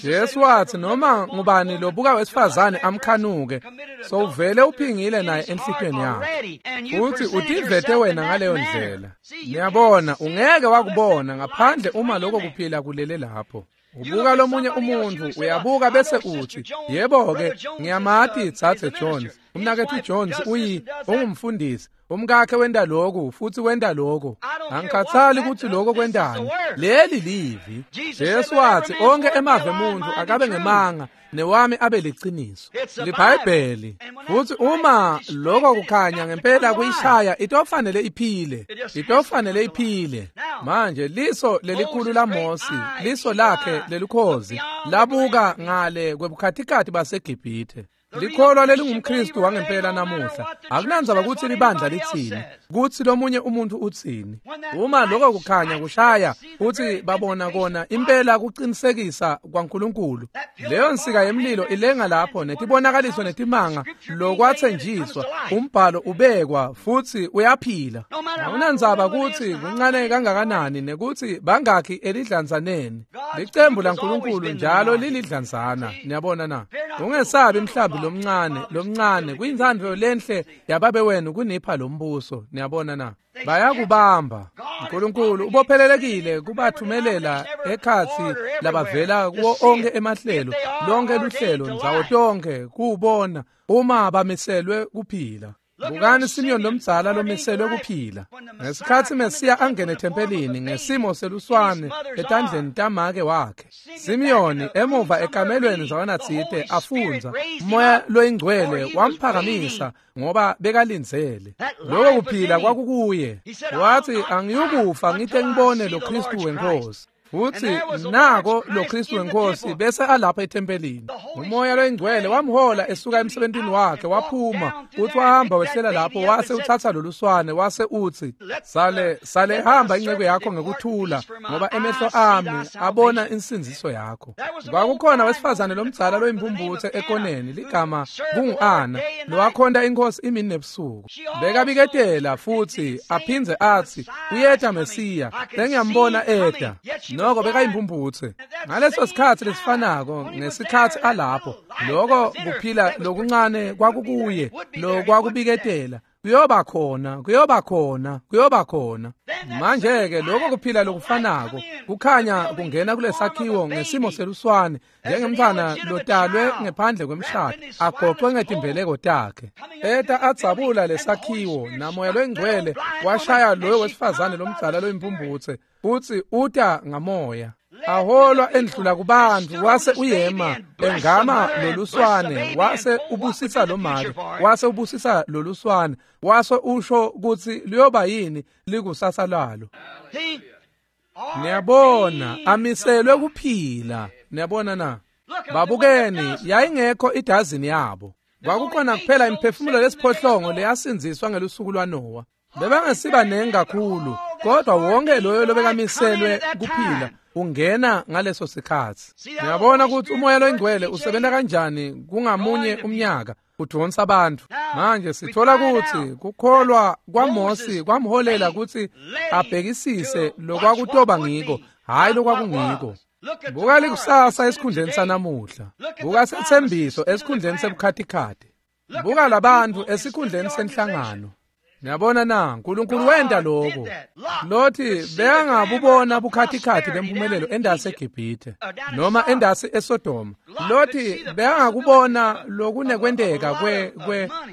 Speaker 1: Jesu wathi noma ngubani lobuka wesifazane amkhanuke, sowuvele uphingile naye enhlitiyweni yakhe. Futhi utivete wena ngaleyo ndlela. Niyabona, ungeke wakubona ngaphandle uma lokho kuphila kulele lapho. Ubuka lomunye umuntu, uyabuka bese uthi, yebo-ke, ngiyamati Thathe Jones. Umnakethu Jones uyi ungumfundisi. Umkakhe wenta lokhu futhi wenta lokho. Angikhathali ukuthi lokho kwentani. Leli livi. Jesu wathi onke emave emuntu akabe ngemanga newami abe liciniso. LiBhayibheli. Futhi uma lokho kukhanya ngempela kuyishaya, itofanele iphile. Itofanele iphile. Manje liso lelikhulu laMosi, liso lakhe lelukhozi, labuka ngale kwebukhatikhathi baseGibhithe. Likholwa lelingumKristu wangempela namuhla. Akunandzaba ukuthi libandla litsini, kuthi lomunye umuntu utsini. Uma lokho kukhanya kushaya, uthi babona kona impela kuqinisekisa kwaNkulunkulu. Leyo nsika yemlilo ilenga lapho netibonakaliso netimanga lokwathenjiswa, umbhalo ubekwa futhi uyaphila. Akunandzaba ukuthi kuncane kangakanani nekuthi bangakhi elidlanzaneni. Licembu laNkulunkulu njalo lilidlanzana. Niyabona na? Ungesabi mhlambi lomncane lomncane kuyintsandvo lenhle yababe wenu kunipha lombuso. Niyabona na? Bayakubamba. uNkulunkulu ubophelelekile kubathumelela ekhatsi labavela kuwo onke emahlelo, lonke luhlelo ndzawo tonke kuwubona uma bamiselwe kuphila. Bukani Simeon lomdzala lomiselwe kuphila. Ngesikhathi Mesiya angene ethempelini ngesimo seluswane etandleni tamake wakhe, Simeon emuva ekamelweni zawanatsite afundza, umoya loyingcwele wamphakamisa ngoba bekalindzele. Lokho kuphila kwakukuye. Wathi angiyukufa ngite ngibone lo Kristu wenkosi. Futhi nako lo Kristu wenkosi bese alapha ethempelini. Umoya loyingcwele wamhola esuka emsebentini wakhe waphuma, uthi wahamba wehlela lapho wase uthatha loluswane wase uthi, sale sale hamba inceku yakho ngekuthula ngoba emehlo ami abona insindziso yakho. Kwakukhona wesifazane lomdzala loyimpumputhe ekoneni ligama kungu-Ana, lowakhonta inkosi imini nebusuku. Bekabiketela futhi aphindze athi uyeta Mesiya, sengiyambona eta. Noko bekayimpumputhe. Ngaleso sikhathi lesifanako ngesikhathi alapho, lokho kuphila lokuncane kwakukuye, lokwakubiketela kuyoba khona, kuyoba khona, kuyoba khona. Manje-ke lokho kuphila lokufanako kukhanya kungena kulesakhiwo ngesimo seluswane njengemntfwana lotalwe ngephandle kwemshado agoqwe ngetimbeleko takhe. Eta adzabula lesakhiwo namoya loyingcwele washaya loyo wesifazane lomdzala loyimpumputhe futhi uta ngamoya. Aholwa endlula kubantu wase uyema engama loluswane wase ubusisa lomake wase ubusisa loluswane wase usho ukuthi liyoba yini likusasa lalo. Niyabona amiselwe kuphila. Niyabona na? Babukeni, yayingekho idazini yabo. Kwakukhona kuphela imiphefumulo lesiphohlongo leyasindziswa ngelusuku lwaNowa. Bebangesiba nengi kakhulu, Kodwa wonke loyo lobekamiselwe kuphila ungena ngaleso sikhatsi. Ngiyabona ukuthi uMoya loyiNgcwele usebenza kanjani kungamunye umnyaka udonsa abantu. Manje sithola ukuthi kukholwa kwaMosi kwamholela ukuthi abhekisise lokwakutoba ngiko, hayi lokwakungiko. Buka likusasa esikhundleni sanamuhla. Buka sethembiso esikhundleni sebukhatikhathi. Buka labantu esikhundleni senhlangano. Ngiyabona na uNkulunkulu wenda lokho. Lothi bekangabubona bukhatikhathi bempumelelo endasi eGibhithe noma endasi eSodoma. Lothi bekangakubona lokunekwenteka kwe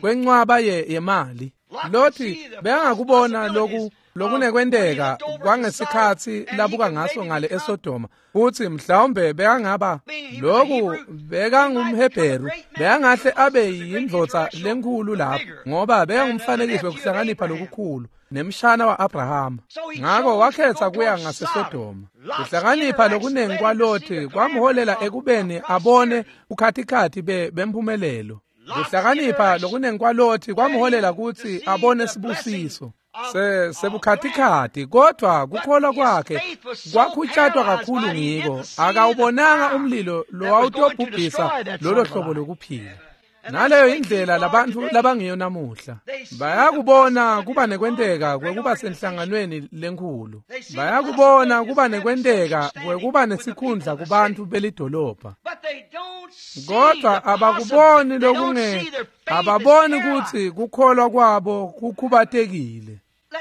Speaker 1: kwencwaba yemali. Lothi bekangakubona loku lokunekwenteka kwangesikhatsi labuka ngaso ngale eSodoma, futhi mhlawumbe bekangaba lokhu bekangumHebheru, bekangahle abe yindvodza lenkhulu lapho ngoba bekangumfanekiso wekuhlakanipha lokukhulu nemshana wa-Abrahama. Ngako wakhetha kuya ngaseSodoma. Kuhlakanipha lokunengi kwaLothi kwamholela ekubeni abone ukhathikhathi bemphumelelo. Kuhlakanipha lokunengi kwaLothi kwamholela kutsi abone sibusiso se sebukhatikhathi, kodwa kukholwa kwakhe kwakhutshatwa kakhulu ngiko akawubonanga umlilo lowawutobhubhisa lolo hlobo lokuphila. Naleyo indlela labantu labangiyo namuhla. Bayakubona kuba nekwenteka kwekuba senhlanganweni lenkhulu. Bayakubona kuba nekwenteka kwekuba nesikhundla kubantu belidolobha. Kodwa abakuboni lokunge ababoni ukuthi kukholwa kwabo kukhubatekile.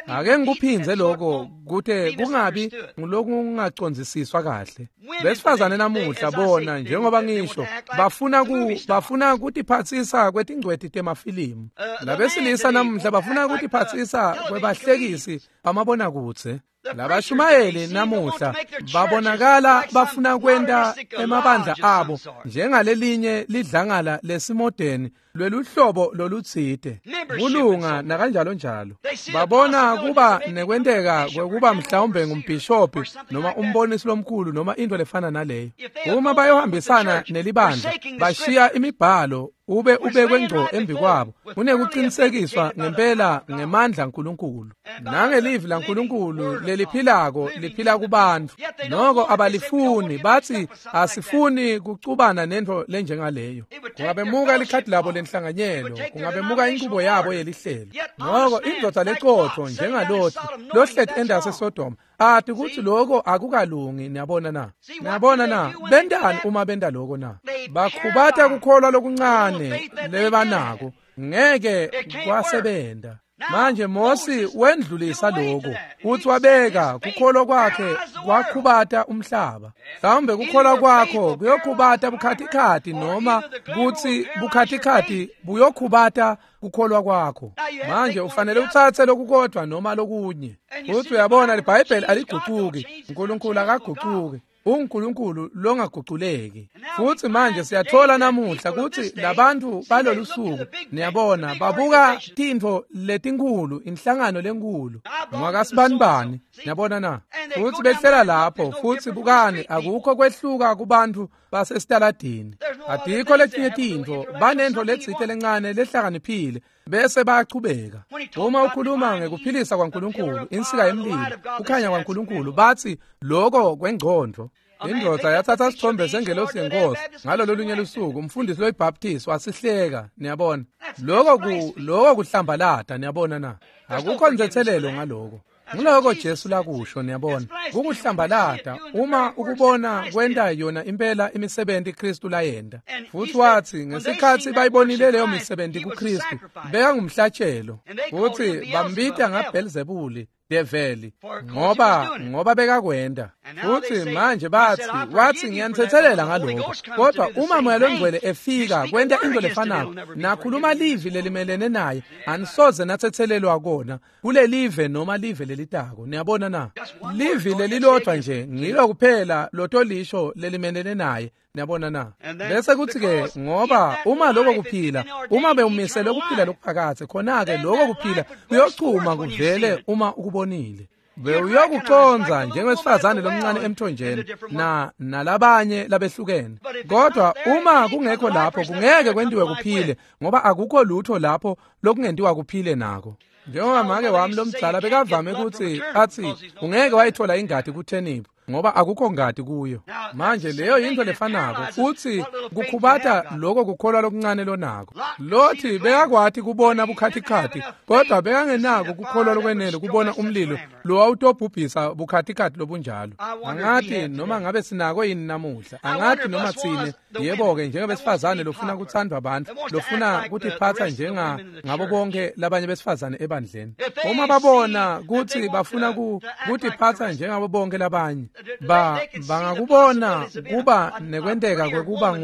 Speaker 1: Ake ngikuphindze lokho kute kungabi ngulokungacondzisiswa kahle. Besifazane namuhla bona njengoba ngisho bafuna ku bafuna kutiphatsisa kwetingcweti temafilimu. Labesilisa namuhla bafuna kutiphatsisa kwebahlekisi bamabonakudze. Labashumayeli namuhla babonakala bafuna kwenta emabandla abo njengalelinye lidlangala lesimodeni lweluhlobo lolutsite kulunga nakanjalo njalo. Babona kuba nekwenteka kwekuba mhlawumbe ngumbhishobhi noma umbonisi lomkhulu noma into lefana naleyo. Uma bayohambisana nelibandla bashiya imibhalo ube ubekwe ngco embi kwabo kunekuqinisekiswa ngempela ngemandla kaNkulunkulu nangelivi laNkulunkulu leliphilako liphila kubantu. Noko abalifuni, bathi asifuni kucubana nento lenjengaleyo. Kungabemuka likhadi labo lenhlanganyelo, kungabemuka inqubo yabo yelihlelo. Noko indvodza lecotho njengalothi lohleti endase Sodoma athi kuthi lokho akukalungi. Niyabona na? Niyabona na? Bentani uma benta lokho na? Bakhubata kukholwa lokuncane lebanako, ngeke kwasebenta. Manje Mosi wendlulisa lokho uthi wabeka kukholwa kwakhe kwakhubata umhlaba. Mhlawumbe kukholwa kwakho kuyokhubata bukhatikhathi noma kuthi bukhatikhathi buyokhubata kukholwa kwakho. Manje ufanele uthathe lokukodwa noma lokunye. Uthi uyabona iBhayibheli aliguquki, uNkulunkulu akaguquki, uNkulunkulu longaguquleki. Futhi manje siyathola namuhla ukuthi labantu balolu suku, niyabona, babuka tintfo letinkhulu, inhlangano lenkulu ngwakasibanibani, niyabona na? Futhi behlela lapho, futhi bukani, akukho kwehluka kubantu basesitaladini. Adikho letinye tintfo, banentfo letsite lencane lehlakaniphile bese bayachubeka. Uma ukhuluma ngekuphilisa kwaNkulunkulu, insika yemlilo, kukhanya kwaNkulunkulu, bathi lokho kwengcondo. Indvodza yathatha isithombe sengelosi yenkosi ngalolo lunye lusuku, umfundisi loyiBaptist wasihleka, niyabona. Lokho ku lokho kuhlambalata, niyabona na? Akukho nzethelelo ngaloko. Ngiloko Jesu lakusho, niyabona. Kukuhlambalata uma ukubona kwenta yona impela imisebenzi Kristu layenta. Futhi wathi ngesikhathi bayibonile leyo misebenzi kuKristu, bekangumhlatshelo. Futhi bambita ngaBelzebuli, develi, ngoba ngoba bekakwenda. Futhi manje bathi wathi ngiyanithethelela ngalokho, kodwa uma Moya loNgcwele efika kwenta into lefanako nakhuluma livi lelimelene naye, anisoze nathethelelwa kona kulelive noma live lelitako. Niyabona na? Livi lelilodwa nje ngilo kuphela lotolisho lelimelene naye. Niyabona na? Bese kuthi ke ngoba uma lokho kuphila, uma bewumisele ukuphila lokuphakathe, khona ke lokho kuphila kuyochuma kuvele uma ukubonile. Bewuyokuconza njengewesifazane lomncane emthonjeni na nalabanye labehlukene. Kodwa uma kungekho lapho kungeke kwentiwe kuphile, ngoba akukho lutho lapho lokungentiwa kuphile nako. Njengoba make wami lomdzala bekavame kutsi atsi ungeke wayithola ingati kutheniphu ngoba akukho ngati kuyo. Manje leyo yintfo lefanako futsi kukhubata lokho kukholwa lokuncane lonako. Lothi bekakwati kubona bukhatikhathi kodwa bekangenako kukholwa lokwenele kubona umlilo lowawutobhubhisa bukhatikhathi lobunjalo. Angathi noma ngabe sinako yini namuhla, angathi noma tsine yebo-ke njengebesifazane lofuna kutsandvwa abantu, lofuna kutiphatsa njenga ngabo bonke labanye besifazane ebandleni. Uma babona kutsi bafuna kutiphatsa njengabo bonke labanye, ba bangakubona kuba nekwenteka kwekuba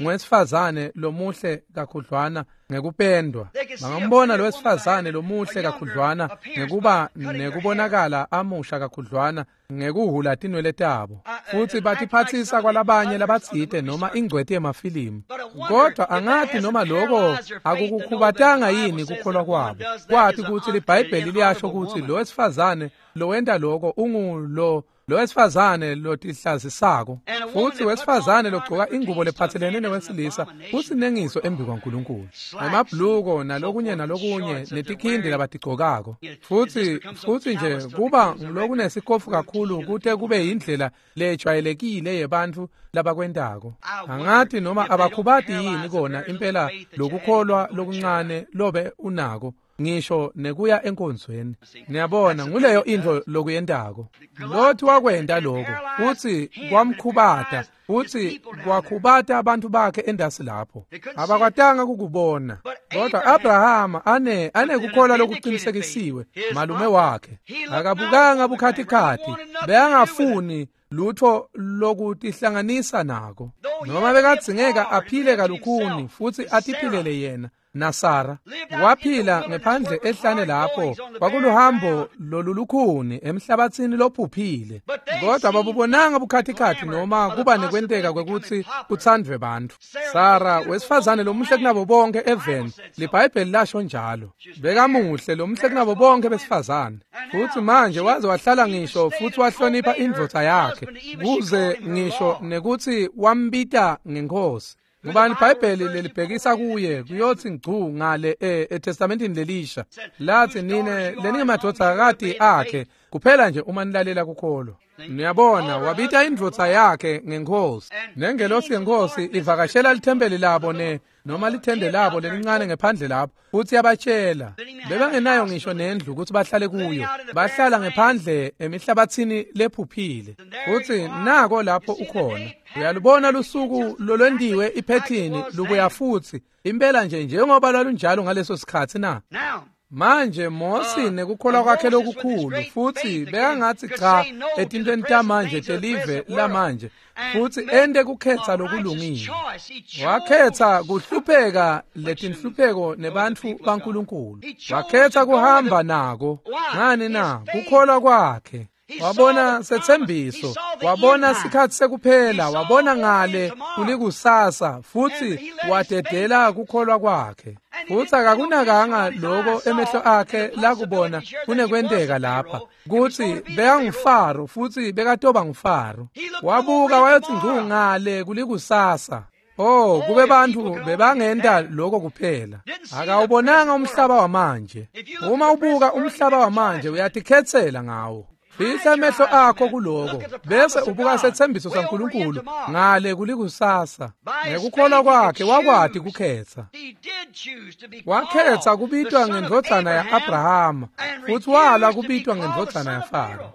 Speaker 1: ngowesifazane lomuhle kakhudlwana ngekupendwa. Bangambona lowesifazane lomuhle kakhudlwana ngekuba nekubonakala amusha kakhudlwana ngekuhula tinwele tabo, futsi batiphatsisa kwalabanye labatsite noma ingcweti yemafilimu. Kodwa angathi noma lokho akukukhubatanga yini kukholwa kwabo, kwathi kutsi liBhayibheli liyasho kutsi lowesifazane lowenta lokho ungulo lowesifazane lotihlazisako, futsi wesifazane logcoka ingubo lephatselene newesilisa usinengiso embi kwaNkulunkulu. Emabhuluko nalokunye nalokunye netikhindi labatigcokako, futsi futsi nje kuba ngulokunesikofu kakhulu kute kube yindlela lejwayelekile yebantfu labakwentako. Angathi noma abakhubati yini kona impela lokukholwa lokuncane lobe unako ngisho nekuya enkonzweni. Niyabona, nguleyo intfo lokuyentako. Lothi wakwenta lokho futsi kwamkhubata, futsi kwakhubata abantu bakhe endasi lapho. Abakwatanga kukubona. Kodwa Abrahama ane anekukholwa lokuqinisekisiwe malume wakhe. Akabukanga bukhatikhathi, bekangafuni lutho lokutihlanganisa nako. Noma bekadzingeka aphile kalukhuni futsi atiphilele yena naSara. Waphila ngephandle ehlane lapho kwakuluhambo lolulukhuni emhlabathini lophuphile. Kodwa babubonanga bukhatikhathi noma kuba nekwenteka kwekutsi kutsandvwe bantfu. Sara wesifazane lomuhle kunabo bonke eveni, liBhayibheli lasho njalo. Bekamuhle lomuhle kunabo bonke besifazane. Futsi manje waze wahlala ngisho futsi wahlonipha indvodza yakhe kuze ngisho nekutsi wambita ngenkosi. Ngubani iBhayibheli lelibhekisa kuye kuyothi ngcu ngale eTestamentini lelisha lathi nine leningemadvodzakati akhe kuphela nje uma nilalela kukholwa. Niyabona, wabita indvodza yakhe ngenkosi. Nengelosi yenkosi ivakashela lithempeli labo ne noma lithende labo lelincane ngephandle lapho, futsi yabatshela bebangenayo ngisho nendlu ukuthi bahlale kuyo, bahlala ngephandle emihlabathini lephuphile. Futsi nako lapho ukhona, uyalubona lusuku lolwentiwe iphethini lubuya futsi impela nje njengoba lwalunjalo ngaleso sikhatsi na. Manje Mosi nekukholwa kwakhe lokukhulu futsi bekangatsi cha etintweni tamanje telive lamanje, futsi ente kukhetsa lokulungile. Wakhetsa kuhlupheka letinhlupheko nebantfu baNkulunkulu. Wakhetsa kuhamba nako. Ngani na? Kukholwa kwakhe. Wabona setsembiso, wabona sikhatsi sekuphela, wabona ngale kulikusasa, futsi wadedela kukholwa kwakhe. Futsi akakunakanga lokho emehlo akhe lakubona kunekwenteka lapha kutsi bekangufaro futsi bekatoba ngufaro. Wabuka wayothi ngcu ngale kulikusasa. Oh, kube bantfu bebangenta lokho kuphela. Akawubonanga umhlaba wamanje. Uma ubuka umhlaba wamanje uyatikhetsela ngawo. Fihla amehlo akho kuloko bese ubuka setsembiso saNkulunkulu ngale kulikusasa. Ngekukholwa kwakhe wakwati kukhetsa. Wakhetsa kubitwa ngendvodzana ya-Abrahama futsi wala kubitwa ngendvodzana yaFaro.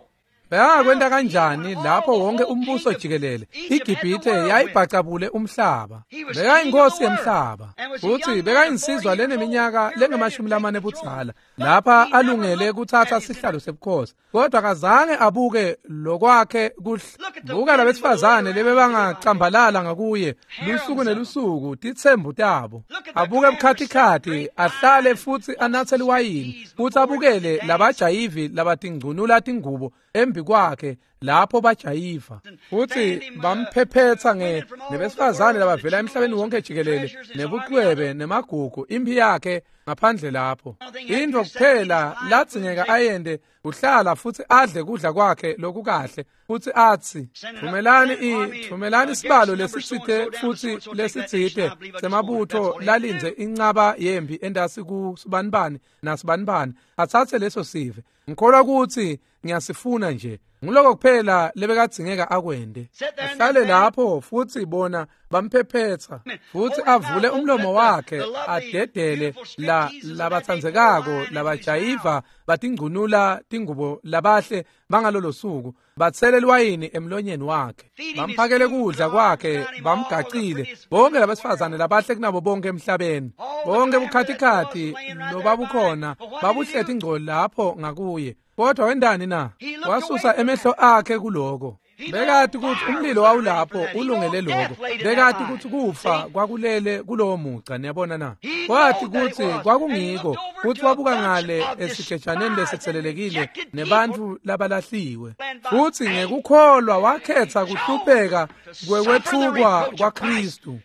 Speaker 1: Bekangakwenta kanjani lapho wonke umbuso jikelele iGibhithe yayibhacabule umhlaba. Bekayinkosi yemhlaba futsi bekayinsizwa leneminyaka lengemashumi lamane budzala lapha alungele kuthatha sihlalo sebukhosi, kodwa akazange abuke lokwakhe kuhle. Buka labesifazane lebebangacambalala ngakuye lusuku nelusuku titsembu tabo. Abuke bukhatikhathi ahlale futsi anatse liwayini futsi abukele labajayivi labatingcunula tingubo embi kwakhe lapho bajayiva futhi bamphephetha nge nebesifazane labavela emhlabeni wonke jikelele nebucwebe nemagugu impi yakhe ngaphandle lapho. Into kuphela ladzingeka ayende uhlala futhi adle kudla kwakhe lokukahle futhi athi thumelani i thumelani isibalo lesitsite futhi lesitsite semabutho lalinze incaba yempi endasi ku sibanibani nasibanibani athathe leso sive. Ngikholwa ukuthi ngiyasifuna nje. Ngiloko kuphela lebekadzingeka akwende. Ahlale lapho futhi bona bamphephetha futhi avule umlomo wakhe adedele la labatsandzekako labajayiva batingcunula tingubo labahle bangalolo suku batsele liwayini emlonyeni wakhe bamphakele kudla kwakhe bamgacile bonke labesifazane labahle kunabo bonke emhlabeni bonke bukhatikhathi lobabukhona babuhlethe ingcoli lapho ngakuye. Kodwa wendani na? Wasusa emehlo akhe kuloko. Bekati ukuthi umlilo wawulapho ulungele lokho. Bekati ukuthi kufa kwakulele kulowo mugca, niyabona na? Kwathi ukuthi kwakungiko futhi wabuka ngale esigejaneni lesitselelekile nebantu labalahliwe. Futhi ngekukholwa wakhetha kuhlupheka kwekwethukwa kwaKristu.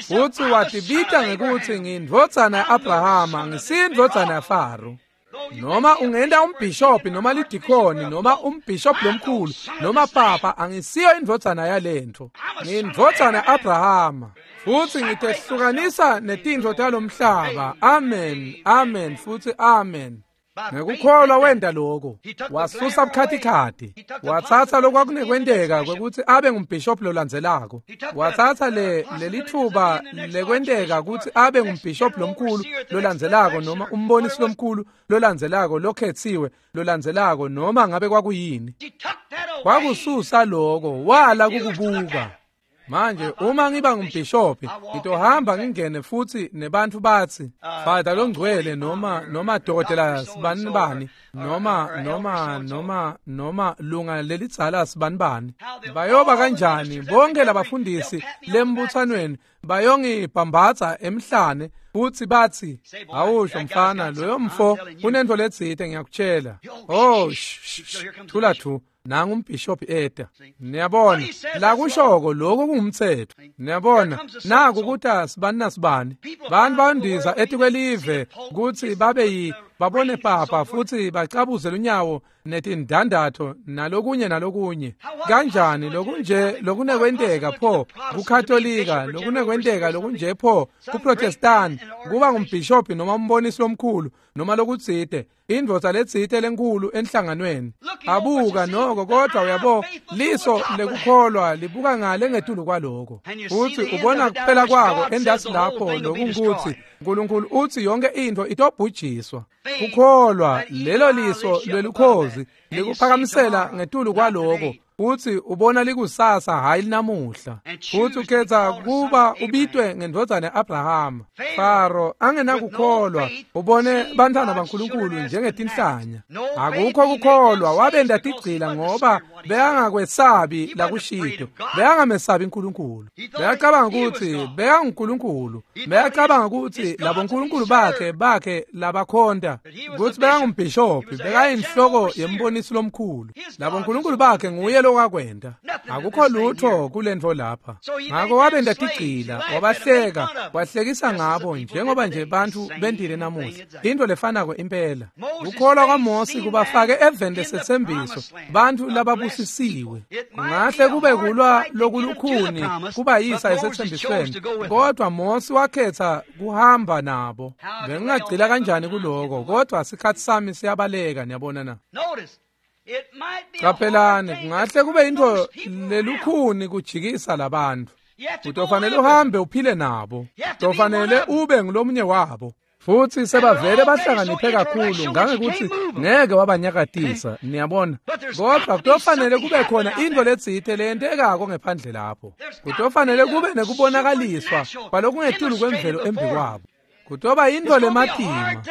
Speaker 1: Futhi watibita ngekuthi ngiyindvodzana ya-Abrahama, ngisiyindvodzana yaFaro. Noma ungenda umbhishobhi noma lidikoni noma umbhishobhi lomkhulu noma papa, angisiyo indvodzana yalento. Ngiyindvodzana ya-Abrahama futhi ngitehlukanisa netintfo talomhlaba. Amen, amen futhi amen. Ngekukholwa wenda lokho wasusa bukhatikhathi watsatsa lokwakunekwenteka kwekuthi abe ngumbhishobhi lolandzelako, watsatsa le lelithuba lekwenteka ukuthi abe ngumbhishobhi lomkhulu lolandzelako noma umbonisi lomkhulu lolandzelako lokhetsiwe lolandzelako noma ngabe kwakuyini. Kwakususa lokho wala kukubuka. Manje uma ngiba ngumbhishobhi ngitohamba ngingene futhi nebantu bathi Father longcwele noma noma dokotela sibanibani noma noma noma noma lunga lelidzala sibanibani. Bayoba kanjani bonke labafundisi lembuthanweni bayongibhambatha emhlane futhi bathi awusho mfana loyo mfo unento letsite ngiyakutshela. Oh thula thu nangu umbhishobhi eta. Niyabona la kushoko lokho kungumthetho. Niyabona naku ukuthi sibani nasibani bantu bandiza etikwelive ukuthi babe yi babone papa futhi bacabuze lunyawo netindandatho nalokunye nalokunye. Kanjani lokunje lokunekwenteka pho kuKatolika, lokunekwenteka lokunje pho kuProtestant, kuba ngumbhishobhi noma umbonisi lomkhulu noma lokutsite indvodza letsite lenkulu enhlanganweni. Abuka noko kodwa uyabo liso lekukholwa libuka ngale ngetulu kwaloko futhi ubona kuphela kwako endasi lapho lokungukuthi uNkulunkulu uthi yonke into itobhujiswa. Kukholwa lelo liso lwelukhozi likuphakamisela ngetulu kwaloko uthi ubona likusasa hayi linamuhla. Futhi ukhetha kuba ubitwe ngendvodzana ya-Abrahama. Faro angenakukholwa ubone bantwana baNkulunkulu njengetinhlanya. Akukho kukholwa wabenda tigcila ngoba beyangakwesabi lakushito, beyangamesabi uNkulunkulu. Beyacabanga ukuthi beyanguNkulunkulu, beyacabanga ukuthi labo nkulunkulu bakhe bakhe labakhonta ukuthi beyangumbhishobhi, bekayinhloko yembonisi lomkhulu. Labo nkulunkulu bakhe nguye lokwakwenda. Akukho lutho kulento lapha. Ngakho wabenda tigcila, wabahleka, wahlekisa ngabo njengoba nje bantu bendile namuhla. Into lefanako impela. Kukholwa kwaMose kubafake eveni lesethembiso bantu lababusisiwe. Kungahle kube kulwa lokulukhuni kubayisa esethembisweni, kodwa Mose wakhetha kuhamba nabo. Bengingagcila kanjani kuloko, kodwa isikhathi sami siyabaleka, niyabona na? Qaphelani, kungahle kube into lelukhuni kujikisa labantu. Utofanele uhambe uphile nabo. Utofanele ube ngulomunye wabo. Futhi sebavele bahlakaniphe kakhulu ngangekuthi ngeke wabanyakatisa, niyabona. Kodwa kutofanele kube khona into letsite leyentekako ngephandle lapho. Kutofanele kube nekubonakaliswa kwalokungetulu kwemvelo embi kwabo. Kutoba into lematima.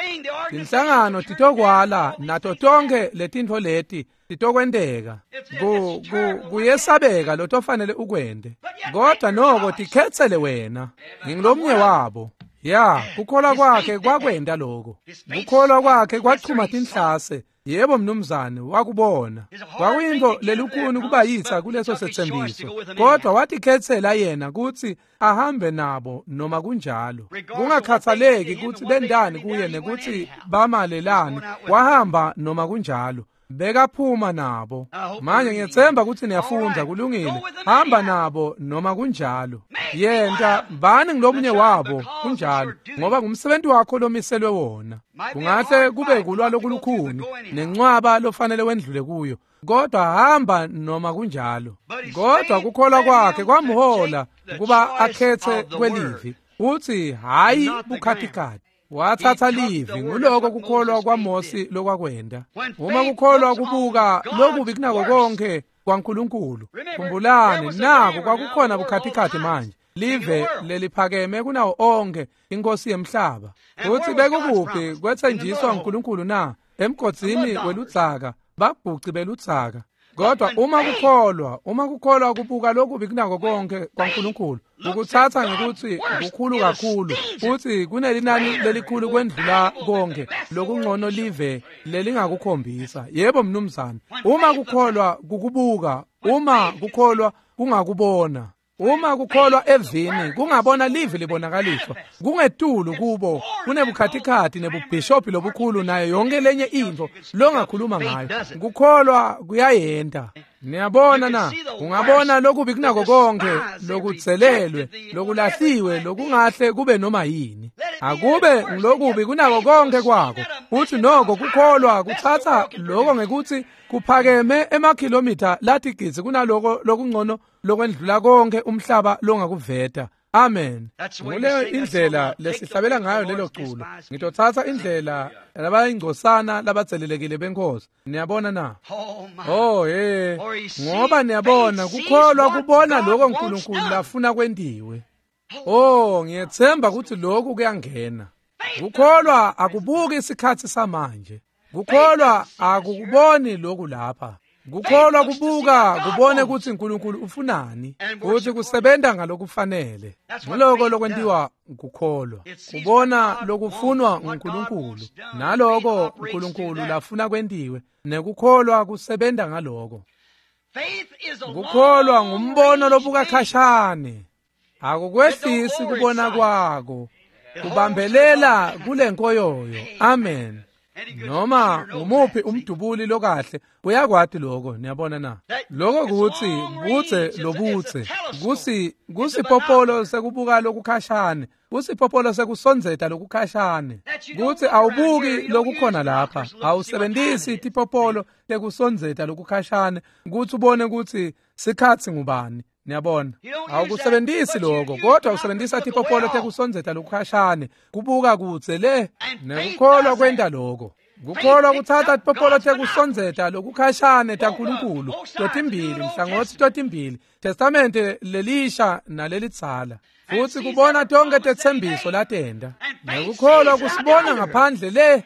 Speaker 1: Tinhlangano titokwala nato tonke letintfo leti titokwenteka. Ku kuyesabeka lotofanele ukwende. Kodwa noko tikhetsele wena. Ngingilomnye wabo. Ya, kukholwa kwakhe kwakwenda lokho. Kukholwa kwakhe kwachuma tinhlase. Yebo mnumzane, wakubona. Kwakuyintfo lelukhuni kuba yitsa kuleso setsembiso, kodwa watikhetsela yena kutsi ahambe nabo noma kunjalo. Kungakhathaleki kutsi bendani kuye nekutsi bamalelani, wahamba noma kunjalo. Bekaphuma nabo. Manje ngiyetsemba kutsi niyafundza, kulungile. Hamba nabo noma kunjalo. Yenta bani ngilomunye wabo kunjalo, ngoba ngumsebenzi wakho lomiselwe wona. Kungahle kube kulwa lokulukhuni nencwaba lofanele wendlule kuyo, kodwa hamba noma kunjalo. Kodwa kukholwa kwakhe kwamhola kuba akhetse kwelivi, uthi hayi bukhatikati. Wathatha livi, nguloko kukholwa kwaMosi lokwakwenda. Uma kukholwa kubuka lokubi kunako konke kwaNkulunkulu. Khumbulani, nako kwakukhona bukhatikati manje. Live leliphakeme kunawo onke, inkosi yemhlaba. Uthi bekukuphi kwethenjiswa uNkulunkulu na? Emgodzini weludzaka, babhuci beludzaka. Kodwa uma kukholwa, uma kukholwa kubuka lokubi kunako konke kwaNkulunkulu, ukuthatha ngekuthi kukhulu kakhulu, futhi kunelinani lelikhulu kwendlula konke lokungcono live lelingakukhombisa. Yebo mnumzane, uma kukholwa kukubuka, uma kukholwa kungakubona. Uma kukholwa evini kungabona live libonakaliswa, kungetulu kubo kunebukhatikhathi nebubhishophi lobukhulu nayo yonke lenye intfo longakhuluma ngayo. Kukholwa kuyayenta. Niyabona na? Ungabona lokubi kunako konke lokudzelelwe, lokulahliwe, lokungahle kube noma yini. Akube ngilokubi kunako konke kwako. Uthi noko kukholwa kuthatha lokho ngekuthi kuphakeme emakhilomitha latigidzi kunaloko lokungcono lokwendlula konke umhlaba longakuveta. Amen. Nguleyo indlela lesihlabela ngayo lelo culo. Ngitothatha indlela labayingcosana labatselelekile benkosi. Niyabona na? Oh hey, ngoba niyabona kukholwa kubona lokho uNkulunkulu lafuna kwentiwe. Oh, ngiyethemba ukuthi lokhu kuyangena. Kukholwa akubuki isikhathi samanje. Kukholwa akukuboni lokhu lapha. Kukholwa kubuka kubone ukuthi uNkulunkulu ufunani, ukuthi kusebenta ngalokufanele. Ngiloko lokwentiwa kukholwa, kubona lokufunwa uNkulunkulu, naloko uNkulunkulu lafuna kwentiwe, nekukholwa kusebenta ngaloko. Kukholwa ngumbono lobuka khashane, akukwehlisi kubona kwako, kubambelela kule nkoyoyo. Amen. Noma ngumuphi umdubuli lokahle uyakwati lokho. Niyabona na? Lokho kuthi budze lobudze kusi kusipopolo sekubuka lokukhashane, kusipopolo sekusondzeta lokukhashane, kuthi awubuki lokukhona lapha, awusebenzisi tipopolo tekusondzeta lokukhashane kuthi ubone ukuthi sikhatsi ngubani. Niyabona, awukusebenzisi lokho, kodwa usebenzisa tipopolo tekusondzeta lokukhashane kubuka kudze le. Nekukholwa kwenta lokho. Kukholwa kuthatha tipopolo tekusondzeta lokukhashane taNkulunkulu totimbili, mhlangothi totimbili, testamente lelisha nalelitsala, futhi kubona tonke tetsembiso latenda. Nekukholwa kusibona ngaphandle le.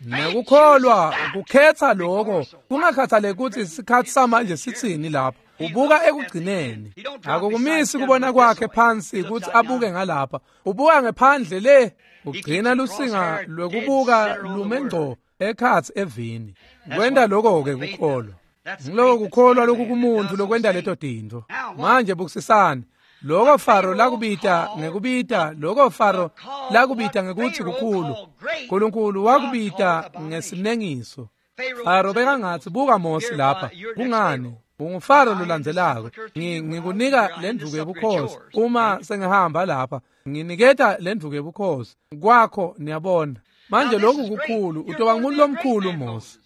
Speaker 1: Nekukholwa kukhetha lokho, kungakhathaleki ukuthi isikhathi samanje sitsini lapha. Ubuka ekugcineni. Akukumisi kubona kwakhe phansi ukuthi abuke ngalapha. Ubuka ngephandle le, ugcina lusinga lwekubuka lume ngco ekhatsi evini. Kwenta lokho-ke kukholwa. Ngiloko kukholwa lokukumuntu lokwenta leto tintfo. Manje bukisisani. Loko Faro lakubita ngekubita, loko Faro lakubita ngekuthi kukhulu, uNkulunkulu wakubita ngesinengiso. Faro bekangatsi buka Mosi lapha, kungani? UnguFaro lolandzelako. Ngikunika lendvuku yebukhosi uma sengihamba lapha, nginiketa lendvuku yebukhosi kwakho. Niyabona manje lokhu kukhulu. Utoba ngumuntu lomkhulu Mosi,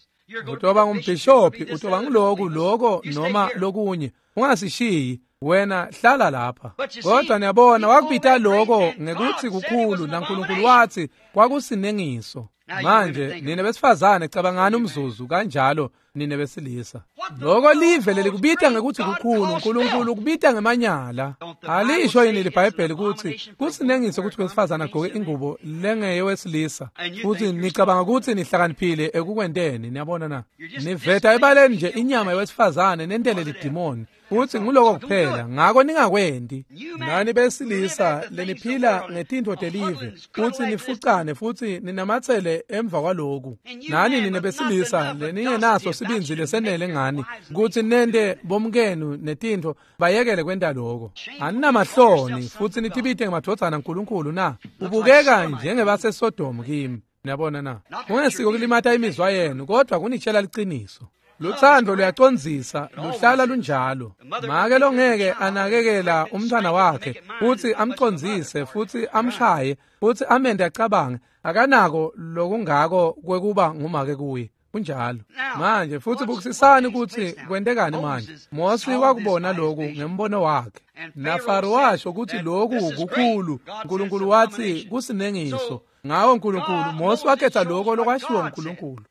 Speaker 1: utoba ngumbhishophi, utoba nguloku loko noma lokunye. Ungasishiyi wena, hlala lapha. Kodwa niyabona wakubita lokho ngekuthi kukhulu, naNkulunkulu wathi kwakusinengiso. Manje nina besifazane cabangani umzuzu kanjalo, nine besilisa. Loko live lelikubita ngekuthi kukhulu, uNkulunkulu ukubita ngemanyala. Alisho yini liBhayibheli ukuthi kusinengiso ukuthi wesifazane agqoke ingubo lengeyewesilisa, futhi nicabanga ukuthi nihlakaniphile ekukwenteni? Niyabona na? Niveta ebaleni nje inyama yewesifazane nentele lidimoni, futhi nguloko kuphela. Ngako ningakwendi. Nani besilisa leniphila ngetintfo telive, futhi nifucane futhi ninamatsele emva kwaloku. Nani nine besilisa leningenaso sibindzi lesenele ngani kutsi nente bomkenu netintfo bayekele kwenta loko. Aninamahloni futhi nitibite ngemadvodzana aNkulunkulu na? Ubukeka njengebaseSodom kimi. Niyabona na? Kungesiko kulimata imizwa yenu, kodwa kunitshela liciniso. Luthando luyacondzisa, luhlala lunjalo. Make longeke anakekela umntwana wakhe futhi amcondzise futhi amshaye futhi amente acabange, akanako lokungako kwekuba ngumake kuye. Kunjalo. Manje futhi bukisisani ukuthi kwentekani manje. Mosi wakubona lokhu ngembono wakhe. NaFaro washo ukuthi lokhu kukhulu. uNkulunkulu wathi kusinengiso. Ngawo uNkulunkulu Mosi wakhetha lokho lokwashiwo uNkulunkulu.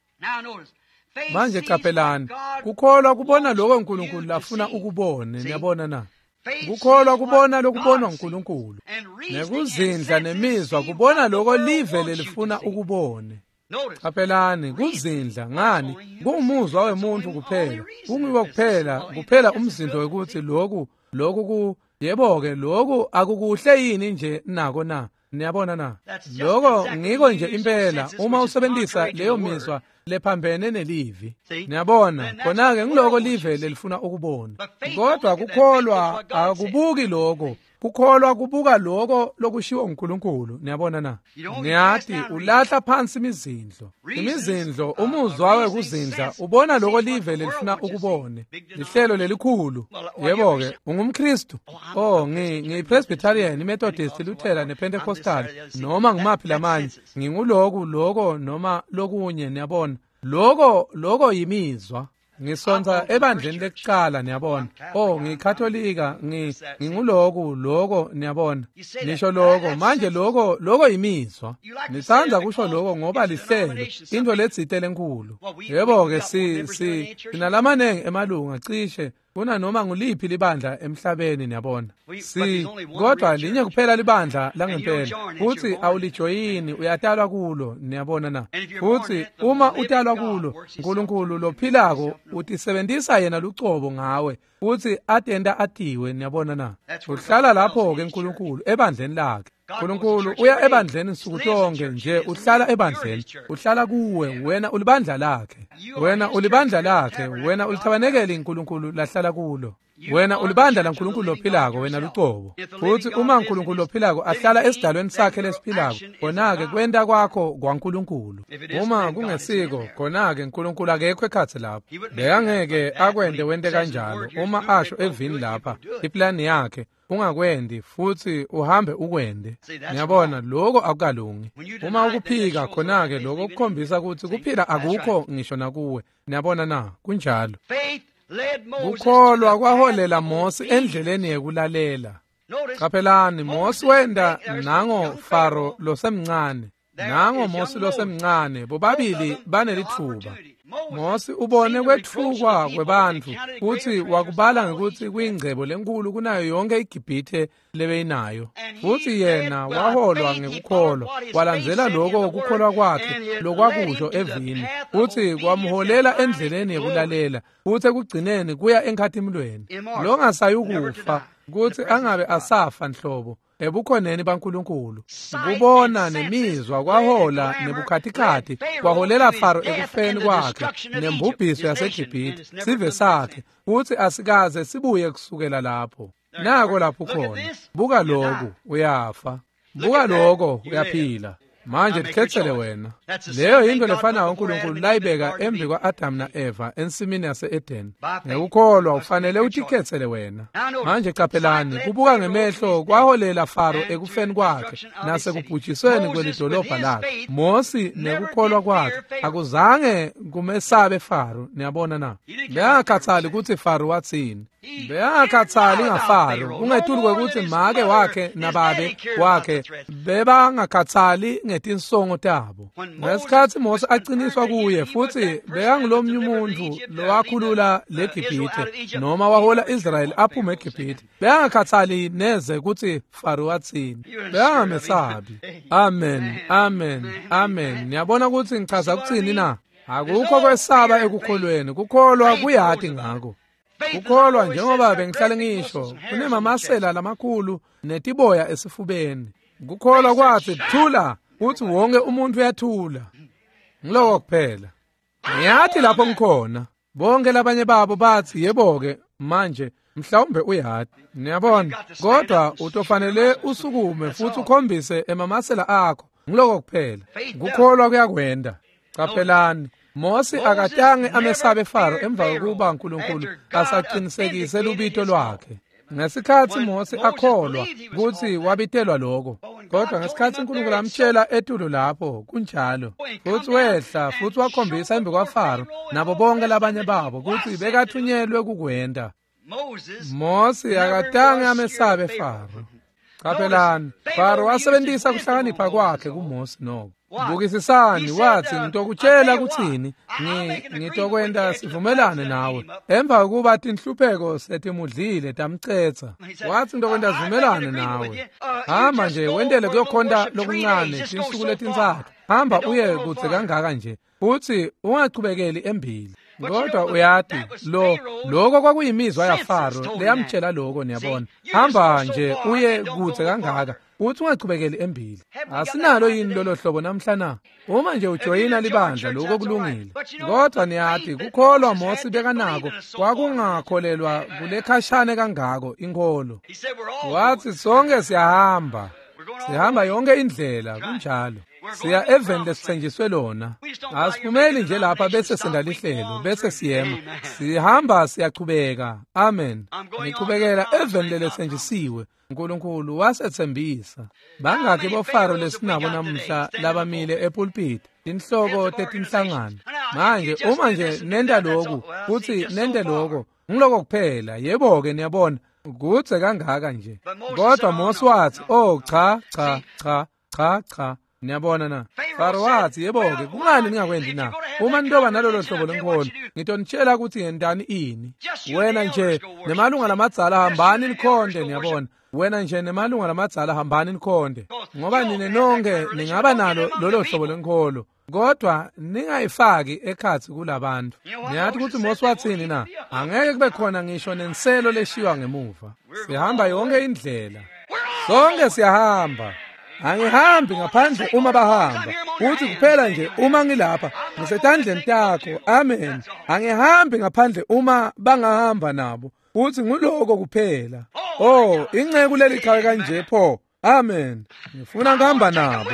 Speaker 1: Manje qaphelani, kukholwa kubona lokho uNkulunkulu lafuna ukubone. Niyabona na? Kukholwa kubona lokubonwa uNkulunkulu, nekuzindla nemizwa kubona lokho live lelifuna ukubone. Qaphelani, kuzindla ngani kungumuzwa wemuntu kuphela, kungiwo kuphela kuphela umzindo wekuthi lokhu lokhu ku yebo-ke lokhu akukuhle yini nje nako na? Niyabona na? Lokho ngiko nje impela uma usebenzisa leyo mizwa lephambene nelivi. Niyabona, khona-ke ngiloko live lelifuna ukubona. Kodwa kukholwa akubuki lokho. Kukholwa kubuka lokho lokushiwo uNkulunkulu. Niyabona na? Ngiyathi ulahla phansi imizindlo. Imizindlo umuzwa wekuzindla ubona lokho live lelifuna ukubone. Lihlelo lelikhulu. Yebo-ke, ungumKristu. Oh, ngi ngiyiPresbyterian, iMethodist, iLutheran nePentecostal, noma ngimaphi lamanye. Nginguloku lokho noma lokunye, niyabona. Lokho lokho yimizwa. Ngisonta ebandleni lekuqala, niyabona. Oh, ngiyikatholika, ngi nginguloku lokho, niyabona. Nisho lokho, manje lokho lokho yimizwa. Nithanda kusho lokho ngoba lihlelo, into letsite lenkulu. Yebo-ke si si sinalamanengi emalunga cishe kuna noma nguliphi libandla emhlabeni, niyabona. Si kodwa linye kuphela libandla langempela, futhi awulijoyini, uyatalwa kulo, niyabona na? Futhi uma utalwa kulo, uNkulunkulu lophilako utisebenzisa yena lucobo ngawe, futhi atenda atiwe, niyabona na? Uhlala lapho ke uNkulunkulu ebandleni lakhe. uNkulunkulu uya ebandleni nsuku tonke nje, uhlala ebandleni, uhlala kuwe, wena ulibandla lakhe, wena ulibandla lakhe, wena ulithabanekele uNkulunkulu lahlala kulo. Wena ulibandla laNkulunkulu lophilako, wena lucobo. Futhi uma uNkulunkulu lophilako ahlala esidalweni sakhe lesiphilako, khona-ke kwenta kwakho kwaNkulunkulu. Uma kungesiko, khona-ke uNkulunkulu akekho ekhatsi lapho. Bekangeke akwente wente kanjalo uma asho evini lapha iplani yakhe, ungakwendi futhi uhambe ukwende. Niyabona, lokho akukalungi. Uma ukuphika, khona-ke lokho kukhombisa ukuthi kuphila akukho ngisho nakuwe. Niyabona na? Kunjalo. Kukholwa kwaholela Mosi endleleni yekulalela. Qaphelani, Mosi wenda nango Faro losemncane, nango Mosi losemncane, bobabili banelithuba. Mosi ubone kwetfukwa kwebantfu kutsi wakubala ngekutsi kuyingcebo lenkulu kunayo yonke iGibhithe lebeyinayo. Futsi yena waholwa ngekukholwa, walandzela lokho kukholwa kwakhe lokwakusho evini, futsi kwamholela endleleni yekulalela, futsi ekugcineni kuya enkhatimulweni. Longasayukufa kutsi angabe asafa nhlobo ebukhoneni baNkulunkulu. Kubona nemizwa kwahola nebukhatikhathi kwaholela Faro ekufeni kwakhe nembubhiso yaseGibhithe, sive sakhe, kutsi asikaze sibuye kusukela lapho. Nako lapho khona. Buka lokhu, uyafa. Buka lokho, uyaphila. Manje tikhetsele wena. Leyo yinto lefanayo uNkulunkulu layibeka embi kwa-Adam na-Eva ensimini yase-Eden. Ngekukholwa ufanele utikhetsele wena. Manje qaphelani, kubuka ngemehlo kwaholela Faro ekufeni kwakhe nasekubhujisweni kwelidolobha lakhe. Mosi nekukholwa kwakhe akuzange kumesabe Faro, niyabona na? Bekangakhathali kutsi Faro watsini. Bekangakhatsali ngaFaro, kungetulu kwekutsi make wakhe nababe wakhe bebangakhatsali ngetinsongo tabo. Ngesikhatsi Mose aciniswa kuye futsi bekangulomnye umuntfu lowakhulula leGibhithe noma wahola Israyeli aphume eGibhithe, bekangakhatsali neze kutsi Faro watsini. Bekangamesabi. Amen, amen, amen. Niyabona kutsi ngichaza kutsini na? Akukho kwesaba ekukholweni, kukholwa kuyati ngako. Kukholwa njengoba bengihlale ngisho, kunemamasela lamakhulu netiboya esifubeni. Kukholwa kwathi thula, uthi wonke umuntu uyathula. Ngiloko kuphela. Ngiyathi lapho ngikhona. Bonke labanye babo bathi yebo-ke manje mhlawumbe uyati. Niyabona, kodwa utofanele usukume futhi ukhombise emamasela akho. Ngiloko kuphela. Kukholwa kuyakwenda. Qaphelani, Mose akatange amesabe Faro emva kokuba uNkulunkulu asaqinisekise lubito lwakhe. Ngesikhatsi Mose akholwa kutsi wabitelwa lokho, kodwa ngesikhatsi uNkulunkulu amtshela etulu lapho kunjalo, futsi wehla futsi wakhombisa embi kwaFaro nabo bonke labanye babo kutsi bekathunyelwe kukwenta. Mose akatange amesabe Faro. Qaphelani, Faro wasebentisa kuhlakanipha kwakhe kuMose noko. Bukisisani, wathi ngitokutshela kutsini, ngitokwenta sivumelane nawe. Emva kokuba tinhlupheko setimudlile tamcetsa, wathi ngitokwenta sivumelane nawe. Hamba nje wentele kuyokhonta lokuncane tinsuku letintsatfu. Hamba uye kudze kangaka nje, futsi ungachubekeli embili. Kodwa uyati lo lokho kwakuyimizwa yaFaro leyamtshela lokho, niyabona. Hamba nje uye kudze kangaka, uthi ungachubekeli embili. Asinalo yini lolo hlobo namhla na? Uma nje ujoyina libandla lokho kulungile. Kodwa niyati kukholwa Mose bekanako kwakungakholelwa kulekhashane kangako inkholo. Wathi sonke siyahamba. Sihamba yonke indlela kunjalo. Siya eveni lesithenjiswe lona. Asiphumeli nje lapha bese sendalihlelo bese siyema. Sihamba siyachubeka. Amen. Nichubekela eveni lelethenjisiwe. uNkulunkulu wasethembisa. Bangaki boFaro lesinabo namuhla labamile epulpit, tinhloko tetinhlangano. Manje uma nje nenta lokhu, kuthi nente lokho, ngiloko kuphela. Yebo-ke niyabona, kudze kangaka nje. Kodwa Mose wathi, "Oh cha, cha, cha, cha, cha." Niyabona na? Faro wathi, yebo-ke, kungani ningakwendi na? Uma nitoba nalolo hlobo lenkholo, ngitonitshela ukuthi yentani ini. Wena nje nemalunga lamadzala hambani nikhonte, niyabona. Wena nje nemalunga lamadzala hambani nikhonte, ngoba nine nonke ningaba nalo lolo hlobo lenkholo, kodwa ningayifaki ekhatsi kulabantu. Niyathi ukuthi Mose wathini na? Angeke kube khona ngisho nenselo leshiywa ngemuva. Sihamba yonke indlela. Sonke siyahamba. Angihambi ngaphandle uma bahamba. Uthi kuphela nje uma ngilapha ngisetandleni takho. Amen. Angihambi ngaphandle uma bangahamba nabo. Uthi nguloko kuphela. Oh, inceku leli qhawe kanje pho. Amen. Ngifuna ngihamba nabo.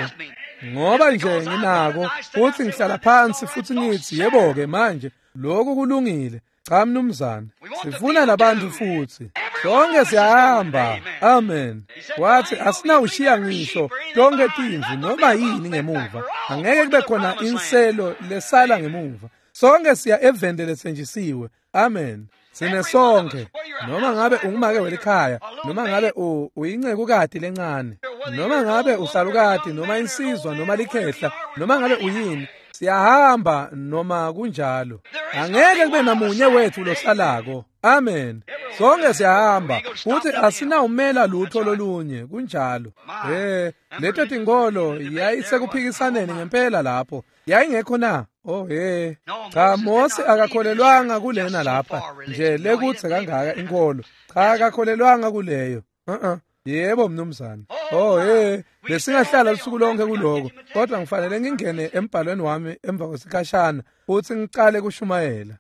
Speaker 1: Ngoba nje nginako uthi ngihlala phansi futhi ngithi yebo-ke manje lokhu kulungile. Cha mnumzane, sifuna labantu futhi. Sonke siyahamba. Amen. Wathi asinawushiya ngisho tonke timvu noma yini ngemuva. Angeke kube khona inselo lesala ngemuva. Sonke siya eveni lethenjisiwe. Amen. Sine sonke, noma ngabe ungumake welikhaya, noma ngabe uyincekukati lencane, noma ngabe usalukati, noma insizwa, noma likhehla, noma ngabe uyini, siyahamba noma kunjalo. Angeke kube namunye wethu losalako. Amen. Sonke siyahamba futhi asinawumela lutho lolunye kunjalo. Eh, leto tinkolo yayisekuphikisaneni ngempela lapho. Yayingekho na? Oh he. Cha, Mose akakholelwanga kulena lapha nje lekutse kangaka inkolo. Cha, akakholelwanga kuleyo. Uh-uh. Yebo mnumzane. Oh he, besingahlala lusuku lonke kuloko, kodwa ngifanele ngingene embhalweni wami emva kwesikhashana futhi ngicale kushumayela.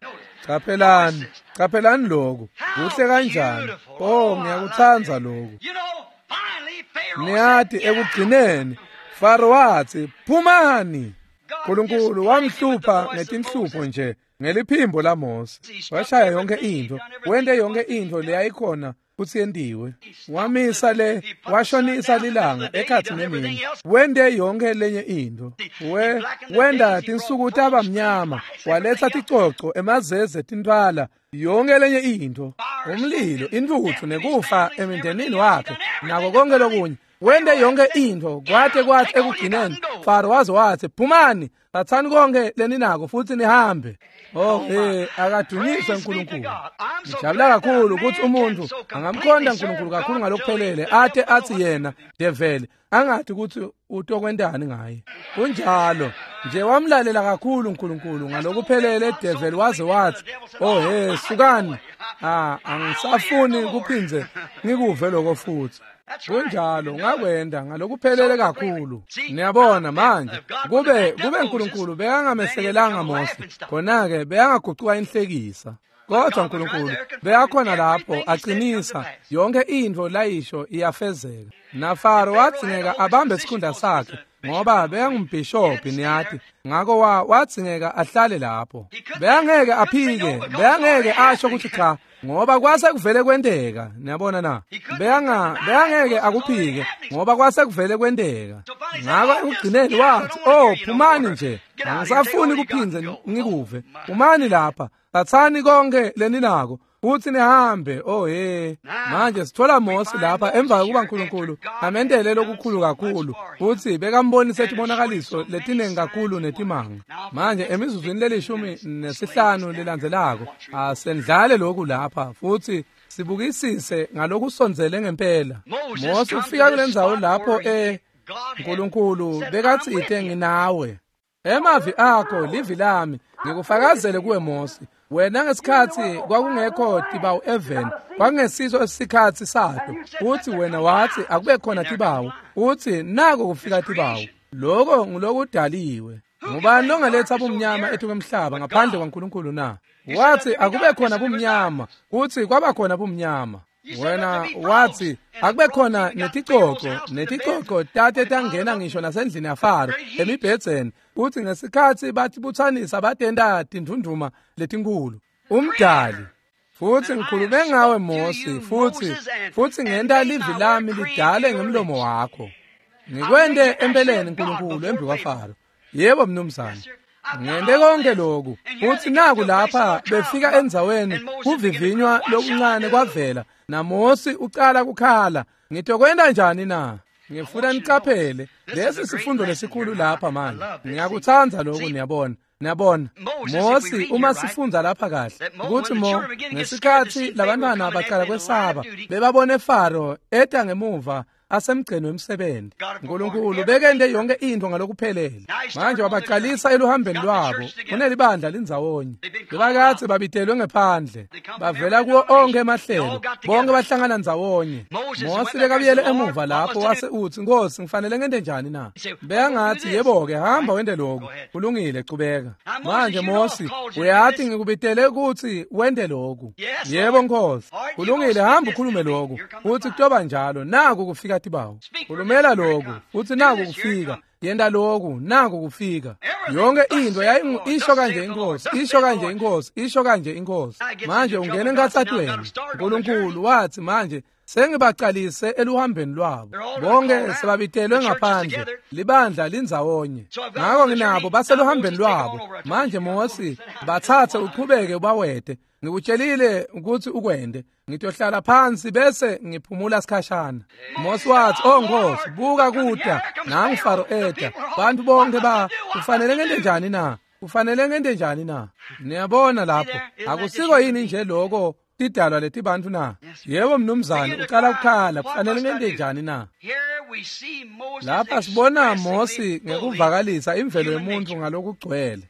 Speaker 1: Qaphelani, qaphelani lokhu. Kuhle kanjani. Oh, ngiyakuthanda lokhu. Niyathi ekugcineni Faro wathi, "Phumani." uNkulunkulu wamhlupha ngetinhlupho nje ngeliphimbo laMose. Washaya yonke into, wente yonke into leyayikhona kutsi yentiwe. Wamisa le, washonisa lilanga ekhatsi nemini. Wente yonke lenye into. We wenda tinsuku taba mnyama, waletha ticoco, emazeze, tintfwala, Yonke lenye into, umlilo, intuthu nekufa emindenini wakhe nako konke lokunye. Wente yonke into kwate kwathi ekugcineni Faro waze wathi phumani, thathani konke leninako futhi nihambe. Oh hey, akadunyiswe uNkulunkulu. Ngijabula kakhulu ukuthi umuntu angamkhonda uNkulunkulu kakhulu ngalokuphelele ate athi yena devil angathi ukuthi utokwentani ngaye. Kunjalo nje wamlalela kakhulu uNkulunkulu ngalokuphelele devil waze wathi oh hey sukani, ah angisafuni kuphinze ngikuve lokho futhi. Kunjalo ngakwenda ngalokuphelele kakhulu. Niyabona manje kube kube uNkulunkulu bekangamesekelanga Mose khona ke bekangagucuka inhlekisa. Kodwa uNkulunkulu beyakhona lapho aqinisa yonke into layisho iyafezeka. NaFaro wadzingeka abambe isikhundla sakhe ngoba beyangumbhishobhi niyathi, ngakho wadzingeka ahlale lapho. Beyangeke aphike, beyangeke asho ukuthi cha ngoba kwase kuvele kwenteka. Niyabona na? Beyanga beyangeke akuphike ngoba kwase kuvele kwenteka. Ngakho ekugcineni wathi oh phumani nje, angisafuni kuphinze ngikuve. Phumani lapha, thathani konke leninako futhi nihambe. Oh hey, manje sithola Mose lapha emva kokuba uNkulunkulu amendele lokukhulu kakhulu futhi bekambonise ibonakaliso letinengi kakhulu netimanga. Manje emizuzwini lelishumi nesihlanu lelandzelako asendlale lokhu lapha futhi sibukisise ngalokusondzele ngempela. Mose ufika kulendzawo lapho eh uNkulunkulu bekathi ite nginawe. Emavi akho livi lami ngikufakazele kuwe Mose. Wena ngesikhathi kwakungekho tibawu even kwakungesiso isikhathi sakho, uthi wena wathi akube khona tibawu, uthi nako kufika tibawu. Lokho ngulokudaliwe. Ngubani longaletha bumnyama ethu kwemhlaba ngaphandle kwaNkulunkulu na? Wathi akube khona bumnyama, uthi kwaba khona bumnyama. Wena wathi akube khona neticoco, neticoco tate tangena ngisho nasendlini yaFaro emibhedzeni, uthi ngesikhathi bathi buthanisa batenda tindunduma letinkulu. Umdali futhi ngikhulume ngawe Mose, futhi futhi ngenta livi lami lidale ngemlomo wakho. Ngikwente empeleni uNkulunkulu embi kwaFaro. Yebo mnumzane. Ngente konke lokhu. Uthi naku lapha befika endzaweni kuvivinywa lokuncane kwavela naMose ucala kukhala. Ngitokwenta njani na? Ngifuna niqaphele lesi sifundo lesikhulu lapha manje. Ngiyakuthanda lokhu niyabona. Niyabona Mose uma sifunda lapha kahle ukuthi mo ngesikhathi labantwana baqala kwesaba bebabone Faro eta ngemuva asemgceni wemsebenzi. uNkulunkulu bekende yonke into ngalokuphelele. Manje wabaqalisa eluhambeni lwabo kunelibandla lindzawonye. Bebakathe babitelwe ngephandle bavela kuwo onke emahlelo, bonke bahlangana ndzawonye. Mose bekabuyele emuva lapho wase uthi Nkosi ngifanele ngente njani na? Beyangathi yebo ke hamba wende lokhu, kulungile qhubeka. Manje Mose uyathi ngikubitele ukuthi wende lokhu. Yebo Nkosi, kulungile hamba ukhulume lokhu. Uthi kutoba njalo naku kufika tibawu. Khulumela lokhu, uthi naku kufika. Yenda lokhu, naku kufika. Yonke into yayi isho kanje inkosi, isho kanje inkosi, isho kanje inkosi. Manje ungena enkathathweni. uNkulunkulu wathi manje sengibaqalise eluhambeni lwabo. Bonke sebabitelwe ngaphandle, libandla lindzawonye. Ngakho nginabo baseluhambeni lwabo. Manje Mose bathathe uqhubeke ubawede. Ngikutshelile ukuthi ukwende. Ngitohlala phansi bese ngiphumula sikhashana. Mose wathi oh Nkosi buka kuda nangu Faro eta. Bantu bonke ba kufanele ngente njani na? Kufanele ngente njani na? Niyabona lapho akusiko yini nje lokho tidalwa letibantu na? Yebo mnumzane uqala kukhala kufanele ngente njani na? Lapha sibona Mose ngekuvakalisa imvelo yomuntu ngalokugcwele.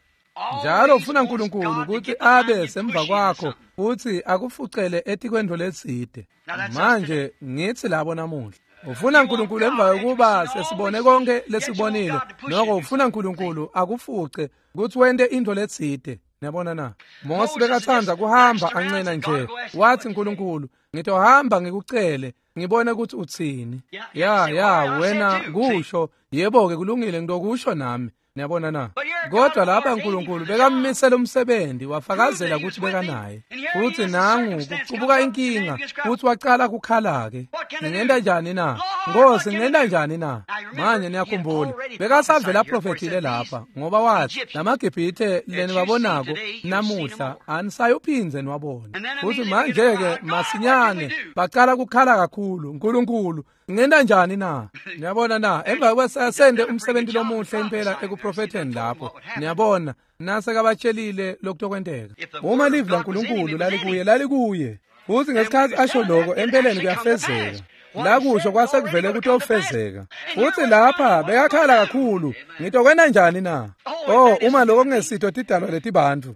Speaker 1: Njalo ufuna uNkulunkulu ukuthi abe semva kwakho futhi akufucele etikwento letside. Manje ngithi labo namuhla ufuna uNkulunkulu emva kokuba sesibone konke lesibonile, noko ufuna uNkulunkulu akufuce ukuthi wente into letside. Niyabona na? Mose bekathanda kuhamba ancena nje. Wathi uNkulunkulu ngitohamba ngikucele ngibone ukuthi uthini. Ya ya wena kusho yebo ke kulungile ngitokusho nami. Niyabona na? Kodwa lapha uNkulunkulu bekammisela umsebenzi wafakazela ukuthi bekanaye. Futhi nangu kuqubuka inkinga futhi waqala kukhala ke. Ngingenta njani na? Nkosi ngingenta njani na? Manje niyakhumbula bekasavele aprofethile lapha ngoba wathi lamaGibhithe leniwabonako namuhla anisayuphindze niwabone. Futhi manje-ke masinyane baqala kukhala kakhulu, Nkulunkulu ngenta njani na? Niyabona na? Emva kwesende umsebenzi lomuhle impela ekuprofetheni lapho. Niyabona nasekabatshelile lokutokwenteka. Uma livi laNkulunkulu lalikuye lalikuye. Futhi ngesikhathi asho lokho empeleni kuyafezeka. La kusho kwasekuvele kutofezeka. Futhi lapha bekakhala kakhulu, ngitokwenta njani na? Oh, uma lokho kungesitho tidalwa letibantfu.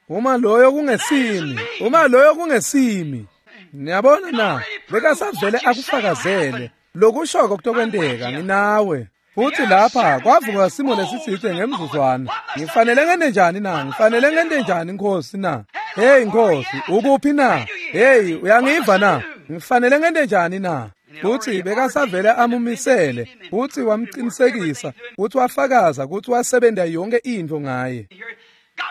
Speaker 1: Uma loyo kungesimi, uma loyo kungesimi. Niyabona na? Bekasavele akufakazele. Lokushoko kutokwenteka nginawe. Futhi lapha kwavuka simo lesitsite ngemzuzwana. Ngifanele ngente njani na? Ngifanele ngente njani Nkosi na? Hey Nkosi, ukuphi na? Hey, uyangiva na? Ngifanele ngente njani na? Futhi bekasavele amumisele, futhi wamqinisekisa, futhi wafakaza ukuthi wasebenza yonke into ngaye.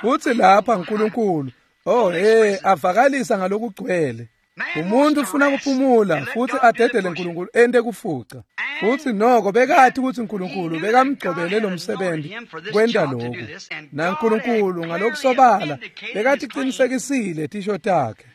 Speaker 1: Futhi lapha uNkulunkulu, oh hey, avakalisa ngalokugcwele. Umuntu ufuna kuphumula futhi adedele uNkulunkulu ente kufuca. Futhi noko bekathi ukuthi uNkulunkulu bekamgcobele lo msebenzi kwenta lokhu. NaNkulunkulu ngalokusobala bekathi qinisekisile tisho takhe.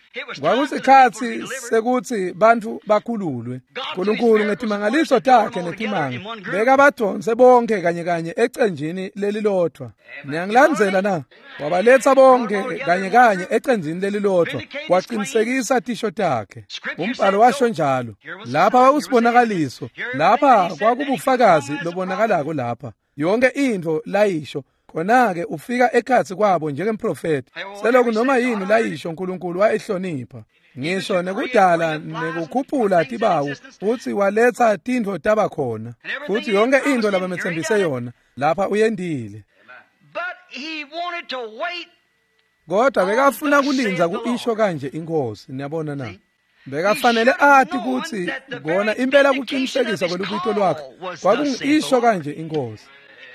Speaker 1: Kwakusikhathi sekuthi bantu bakhululwe. uNkulunkulu ngetimangaliso takhe netimanga bekabadonse bonke kanye kanye ecenjini lelilodwa. Niyangilandzela na? Wabaletha bonke kanye kanye ecenjini lelilodwa, waqinisekisa tisho takhe. Umbhalo washo njalo. Lapha kwakusibonakaliso, lapha kwakubufakazi lobonakalako lapha. Yonke into layisho khona-ke ufika ekhatsi kwabo njengemprofethi. Seloku noma yini layisho uNkulunkulu wayihlonipha. Ngisho nekudala nekukhuphula tibawu futhi waletha tintfo taba khona. Futhi yonke into labametsembise yona lapha uyendile. Kodwa bekafuna kulindza kuisho kanje inkosi, niyabona na? Bekafanele athi kuthi kona impela kuqinisekisa kwelubito lwakhe kwakungisho kanje inkosi.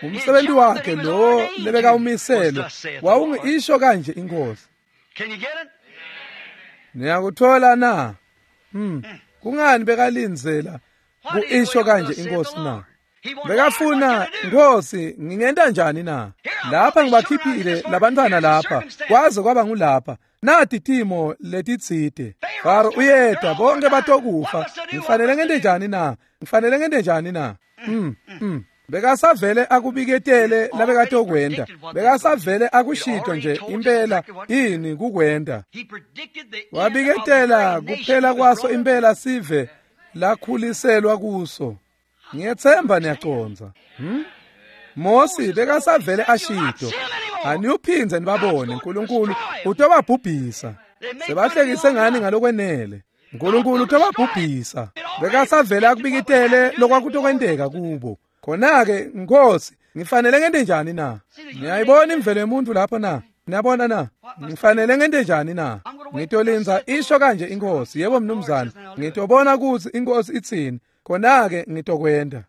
Speaker 1: Umsebenzi wakhe lo lebekawumisele wawungisho kanje inkosi. Niyakuthola na? Hmm. Kungani bekalindzela kuisho kanje inkosi na? Bekafuna Nkosi ngingenta njani na? Lapha ngibakhiphile labantwana lapha kwaze kwaba ngulapha. Nati timo letitsite. Faro uyeda bonke batokufa. Ngifanele ngente njani na? Ngifanele ngente njani na? Mm. Mm. Bekasavele akubiketele labekatokwenda. Bekasavele akushito nje impela ini kukwenda. Wabiketela kuphela kwaso impela sive lakhuliselwa kuso. Ngiyethemba niyacondza. Hmm? Mosi bekasavele ashito. Aniyuphindze nibabone uNkulunkulu utobabhubhisa. Sebahlekise ngani ngalokwenele. uNkulunkulu utobabhubhisa. Bekasavele akubiketele lokwakutokwenteka kubo. Khona-ke Nkosi ngifanele ngente njani na? Niyayibona imvelo yomuntu lapho na? Niyabona na? Ngifanele ngente njani na? Ngitolindza isho kanje inkosi. Yebo mnumzane, ngitobona ukuthi inkosi itsini. Khona-ke ngitokwenda.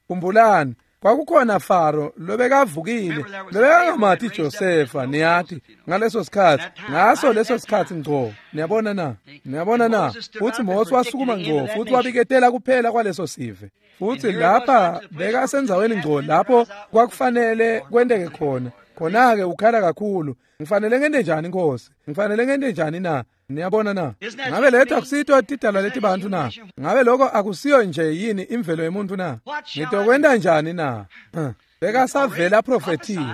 Speaker 1: Khumbulani, kwakukhona Faro lobekavukile, lobekangamati Josefa, niyati, ngaleso sikhathi, ngaso leso sikhathi ngco. Niyabona na? Niyabona na? Futhi Mose wasukuma ngco futhi wabiketela kuphela kwaleso sive. Futhi lapha bekasendzaweni ngco lapho kwakufanele kwenteke khona. Khona-ke ukhala kakhulu. Ngifanele ngente njani Nkosi? Ngifanele ngente njani na? Niyabona na? Ngabe letha akusito tidalwa letibantu na? Ngabe lokho akusiyo nje yini imvelo yomuntu na? Ngitokwenta njani na? Bekasavele aprofethile.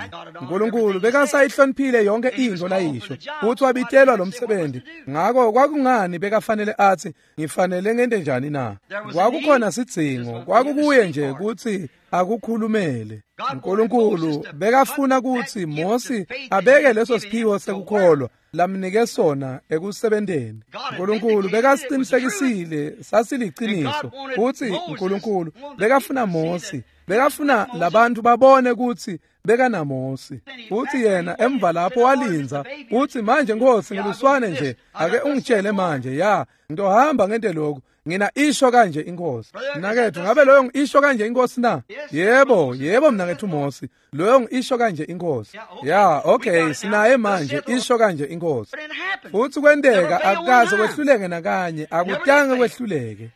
Speaker 1: uNkulunkulu bekasayihloniphile yonke into layisho. Futhi wabitelwa lo msebenzi. Ngakho kwakungani bekafanele athi ngifanele ngente njani na? Kwakukhona sidzingo, kwakukuye nje ukuthi akukhulumele. uNkulunkulu bekafuna ukuthi Mosi abeke leso siphiwo sekukholwa lamnike sona ekusebenteni. uNkulunkulu bekasiqinisekisile sasiliciniso. Futhi uNkulunkulu bekafuna Mosi, bekafuna labantu babone ukuthi bekanaMosi. Futhi yena emva lapho walindza uthi manje Nkosi ngiluswane nje ake ungitshele manje ya ngitohamba ngente lokhu ngina isho kanje inkosi. Mnakethu ngabe loyo ngisho kanje inkosi na? Yebo, yebo mnakethu Mosi, loyo ngisho kanje inkosi. Ya, okay, sinaye manje isho kanje inkosi. Futhi kwenteka akukaze kwehluleke nakanye, akutange kwehluleke.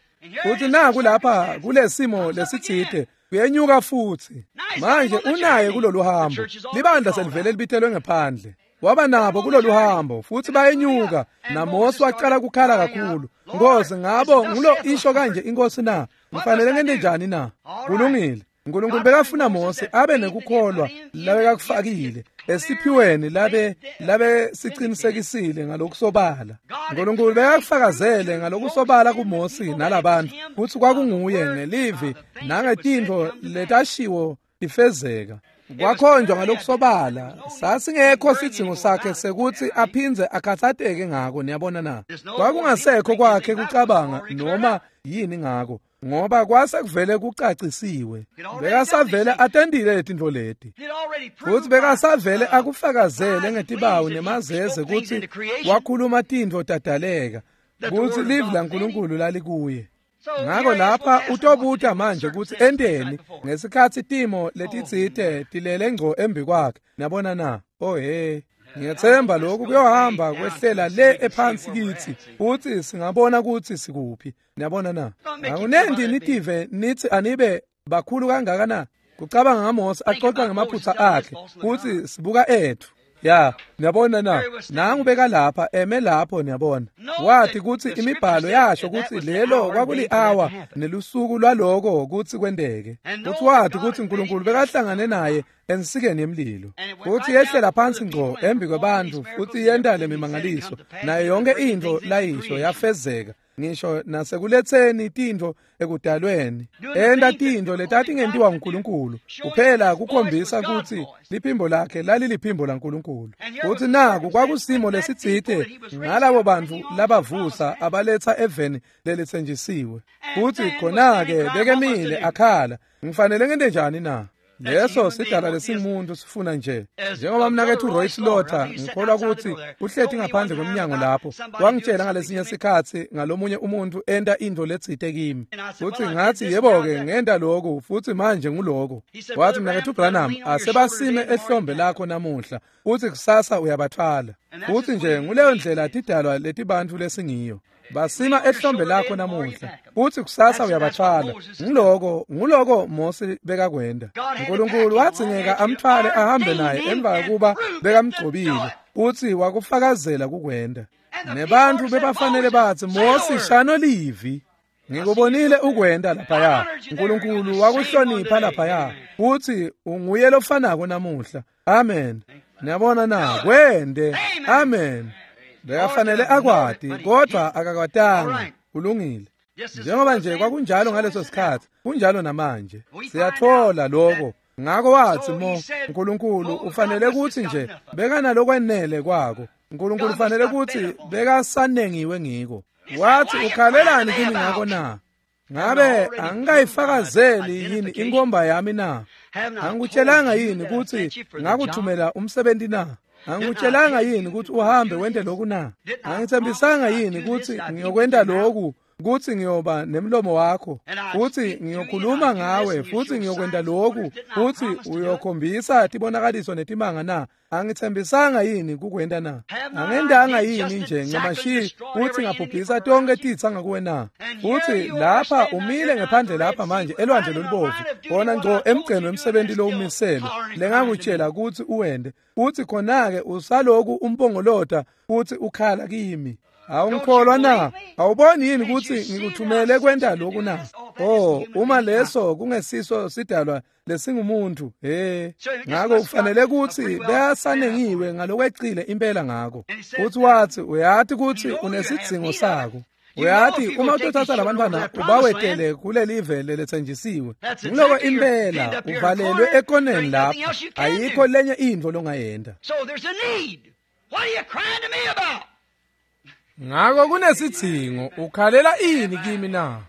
Speaker 1: Futhi naku lapha kulesimo lesitsite kuyenyuka futhi. Manje unaye kulolu hambo. Libandla selivele libitelwe ngephandle. Waba nabo kulolu hambo futhi bayenyuka naMose waqala kukhala kakhulu. Nkosi ngabo ngulo isho kanje inkosi na? Ngifanele ngente njani na? Kulungile. uNkulunkulu bekafuna Mose abe nekukholwa labekakufakile esiphiweni labe labe siqinisekisile ngalokusobala. uNkulunkulu bekakufakazele ngalokusobala kuMose nalabantu kutsi kwakunguye ngelivi nangetintfo letashiwo tifezeka. Kwakhonjwa ngalokusobala sasingekho sidzingo sakhe sekuthi aphindze akhathateke ngako. Niyabona na? Kwakungasekho kwakhe kucabanga noma yini ngako, ngoba kwase kuvele kucacisiwe. Bekasavele atendile letintfo leti futhi bekasavele akufakazele ngetibawu nemazeze kutsi wakhuluma tintfo tadaleka kutsi livi laNkulunkulu lalikuye. Ngako lapha utobuta manje kutsi enteni ngesikhatsi timo letitsite tilele ngco embi kwakhe. Niyabona na? Oh hey, ngiyethemba lokhu kuyohamba kwehlela le ephansi kithi futhi singabona kutsi sikuphi. Niyabona na? Akunenti nitive nithi anibe bakhulu kangaka na? Kucabanga ngaMose axoxa ngamaphutha akhe futhi sibuka ethu. Ya, niyabona na? Nangu beka lapha eme lapho niyabona. Wathi kutsi imibhalo yasho kutsi lelo kwakuli-awa nelusuku lwaloko kutsi kwenteke. Futhi wathi kutsi uNkulunkulu bekahlangane naye ensikeni yemlilo. Futhi yehlela phansi ngco embi kwebantfu futhi yenta lemimangaliso nayo yonke intfo layisho yafezeka. Ngisho nasekuletseni tintfo ekudalweni enta tintfo letatingentiwa nguNkulunkulu kuphela kukhombisa kutsi liphimbo lakhe laliliphimbo laNkulunkulu. Futhi naku kwakusimo lesitsite ngalabo bantfu labavusa abaletha eveni lelitsenjisiwe. Futhi khona-ke bekemile akhala, ngifanele ngente njani na? Leso sidala lesingumuntu sifuna nje. Njengoba mnakethu Roy Slaughter ngikholwa ukuthi uhleti ngaphandle kwemnyango lapho wangitshela ngalesinye sikhatsi ngalomunye umuntu enta intfo letsite kimi. Futhi ngathi yebo-ke ngenta lokhu futhi manje nguloko. Wathi mnakethu Branham asebasime ehlombe lakho namuhla futhi kusasa uyabathwala. Futhi nje nguleyo ndlela tidalwa letibantfu lesingiyo. Basima ehlombe lakho namuhla futhi kusasa uyabathwala. Ngiloko nguloko Mose bekakwenda. uNkulunkulu wadzingeka amthwale ahambe naye emva kokuba bekamgcobile futhi wakufakazela kukwenda. Nebantfu bebafanele batsi Mose shano livi. Ngikubonile ukwenda laphaya. uNkulunkulu wakuhlonipha laphaya futhi unguye lofanako namuhla. Amen. Niyabona na? Kwende. Amen. Bekafanele akwati kodwa akakwatanga. Kulungile. Njengoba nje kwakunjalo ngaleso sikhatsi kunjalo namanje. Siyathola lokho. Ngako wathi mo uNkulunkulu ufanele kutsi nje bekanalokwenele kwako. uNkulunkulu ufanele kutsi bekasanengiwe ngiko. Wathi ukhalelani kimi ngako na? Ngabe angikayifakazeli yini inkomba yami na? Angikutshelanga yini kutsi ngakuthumela umsebenzi na? Angikutshelanga yini ukuthi uhambe wente lokhu na? Angithembisanga yini ukuthi ngiyokwenta lokhu, ukuthi ngiyoba nemlomo wakho, futhi ngiyokhuluma ngawe, futhi ngiyokwenta lokhu, futhi uyokhombisa tibonakaliso netimanga na? Angithembisanga yini kukwenta na? Angendanga yini nje ncamashi futhi ngabhubhisa tonke titsa ngakuwe na? Futhi lapha umile ngephandle lapha manje elwandle lolubovu, khona ngco emgceni wemsebenzi lowumisele lengakutshela ukuthi uwende, futhi khona-ke usaloku umpongolota futhi ukhala kimi. Awungikholwa na? Awuboni yini ukuthi ngikuthumele kwenta lokhu na? Oh, uma leso kungesiso sidalwa lesingumuntu, he. Ngako kufanele ukuthi beyasanengiwe ngalokwecile impela ngako. Futhi wathi uyathi ukuthi unesidzingo sako. Uyathi uma utothatha labantwana ubawetele kulelive leletsenjisiwe. Ngiloko impela uvalelwe ekoneni lapho. Ayikho lenye intfo longayenta.
Speaker 2: So there's a need. What are you crying to me about?
Speaker 1: Ngako kunesidzingo, ukhalela ini kimi na?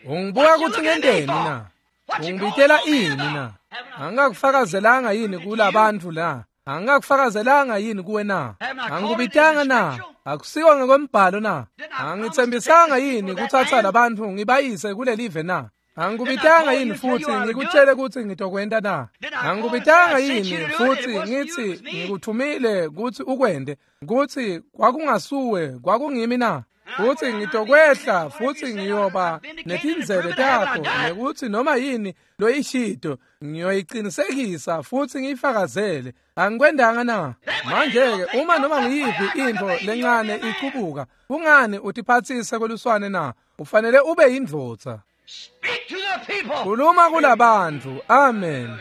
Speaker 1: Ungibuka ukuthi ngenteni na? Ungibitela ini na? Angikakufakazelanga yini kulabantu la? Angikakufakazelanga yini kuwe na? Angikubitanga na? Akusiwo ngokwembhalo na? Angithembisanga yini kuthatha labantu ngibayise kulelive na? Angikubitanga yini futhi ngikutshele ukuthi ngitokwenta na? Angikubitanga yini futhi ngithi ngikuthumile ukuthi ukwende, ukuthi kwakungasuwe kwakungimi na? Futhi ngitokwehla futhi ngiyoba netindzebe takho nekuthi noma yini loyishito ngiyoyiqinisekisa futhi ngiyifakazele. Angikwendanga na? Manje-ke uma noma ngiyiphi into lencane icubuka, kungani utiphatsise kweluswane na? Ufanele ube yindvodza. Khuluma kulabantu. Amen.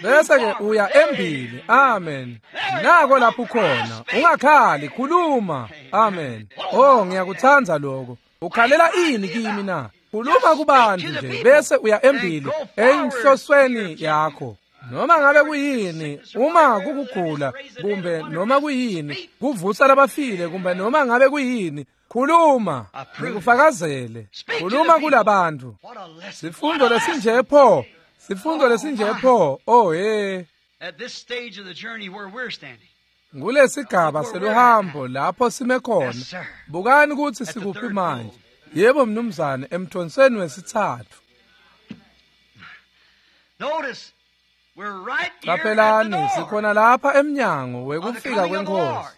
Speaker 1: Bese ke uya embili. Amen. Nako lapho ukhona. Ungakhali, khuluma. Amen. Oh, ngiyakuthanda lokho. Ukhalela ini kimi na? Khuluma kubantu nje bese uya embili enhlosweni yakho. Noma ngabe kuyini, uma kukugula kumbe noma kuyini, kuvusa labafile kumbe noma ngabe kuyini, khuluma, ngikufakazele. Khuluma kulabantu. Sifundo lesinje pho, sifundo lesinje pho. Oh hey.
Speaker 2: At this stage of the journey where we're standing.
Speaker 1: Ngulesigaba seluhambo lapho sime khona. Bukani ukuthi sikuphi manje. Yebo mnumzane, emthonseni wesithathu.
Speaker 2: Notice we're right here.
Speaker 1: Qaphelani, sikhona lapha emnyango wekufika kwenkosi.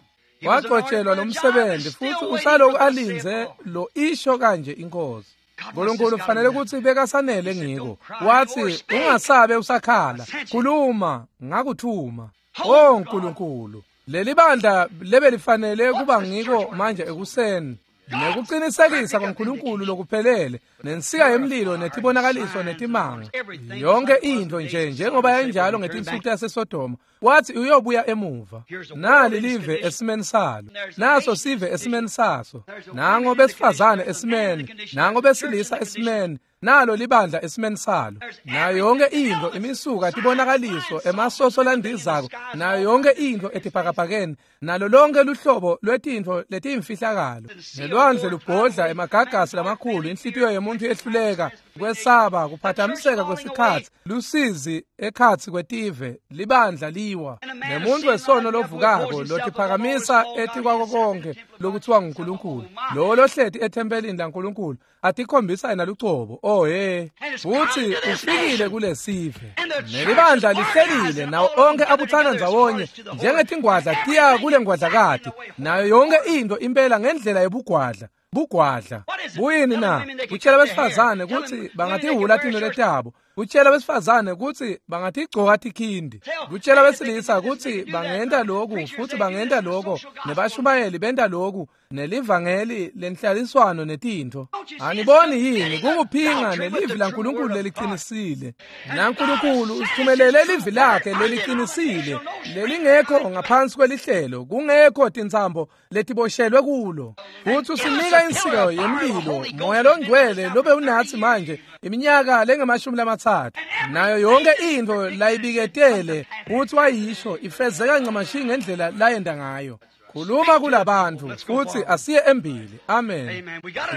Speaker 1: Wagcotshelwa lo msebenzi futhi usaloku alinze lo isho kanje inkosi. uNkulunkulu kufanele ukuthi bekasanele ngiko. Wathi ungasabe usakhala, khuluma ngakuthuma. Oh Nkulunkulu, leli bandla lebe lifanele kuba ngiko manje ekuseni. Nekuqinisekisa kwaNkulunkulu lokuphelele nensika yemlilo netibonakaliso netimanga, yonke into nje njengoba yayinjalo ngetinsuku taseSodoma. Wathi uyobuya emuva. Nali live esimeni salo, naso sive esimeni saso, nango besifazane esimeni, nango besilisa esimeni, nalo libandla esimeni salo, nayo yonke into imisuka tibonakaliso emasoso landizako, nayo yonke into etibhakabhakeni, nalo lonke luhlobo lwetintfo letiyimfihlakalo. Nelwandle lubhodla emagagasi lamakhulu, inhlitiyo yemuntu yehluleka kwesaba, kuphathamiseka kwesikhatsi, lusizi ekhatsi kwetive, libandla liwa. Nemuntu wesono lovukako lotiphakamisa etikwako konke lokuthiwa nguNkulunkulu, lowo lohleti ethempelini laNkulunkulu atikhombisa yena lucobo. Oh hey, futhi ufikile kulesive. Nelibandla lihlelile nawo onke abuthana ndzawonye njengetingwadla tiya kule ngwadlakati, nayo yonke into impela ngendlela yebugwadla. Bugwadla buyini na? Kutshela besifazane ukuthi bangatihula tinwele tabo, kutshela besifazane ukuthi bangatigcoka tikhindi, kutshela besilisa ukuthi bangenta lokhu futhi bangenta lokho, nebashumayeli benta lokhu, nelivangeli lenhlaliswano netintfo. Aniboni yini kukuphinga nelivi laNkulunkulu leliqinisile? NaNkulunkulu usithumelele livi lakhe leliqinisile, lelingekho ngaphansi kwelihlelo, kungekho tintsambo letiboshelwe kulo. Futhi usinika insika yemlilo, moya longcwele lobe unathi manje iminyaka lengamashumi lamathathu, nayo yonke into layibiketele futhi wayisho ifezeka ncamashi ngendlela layenda ngayo. Khuluma kulabantu futhi asiye embili. Amen.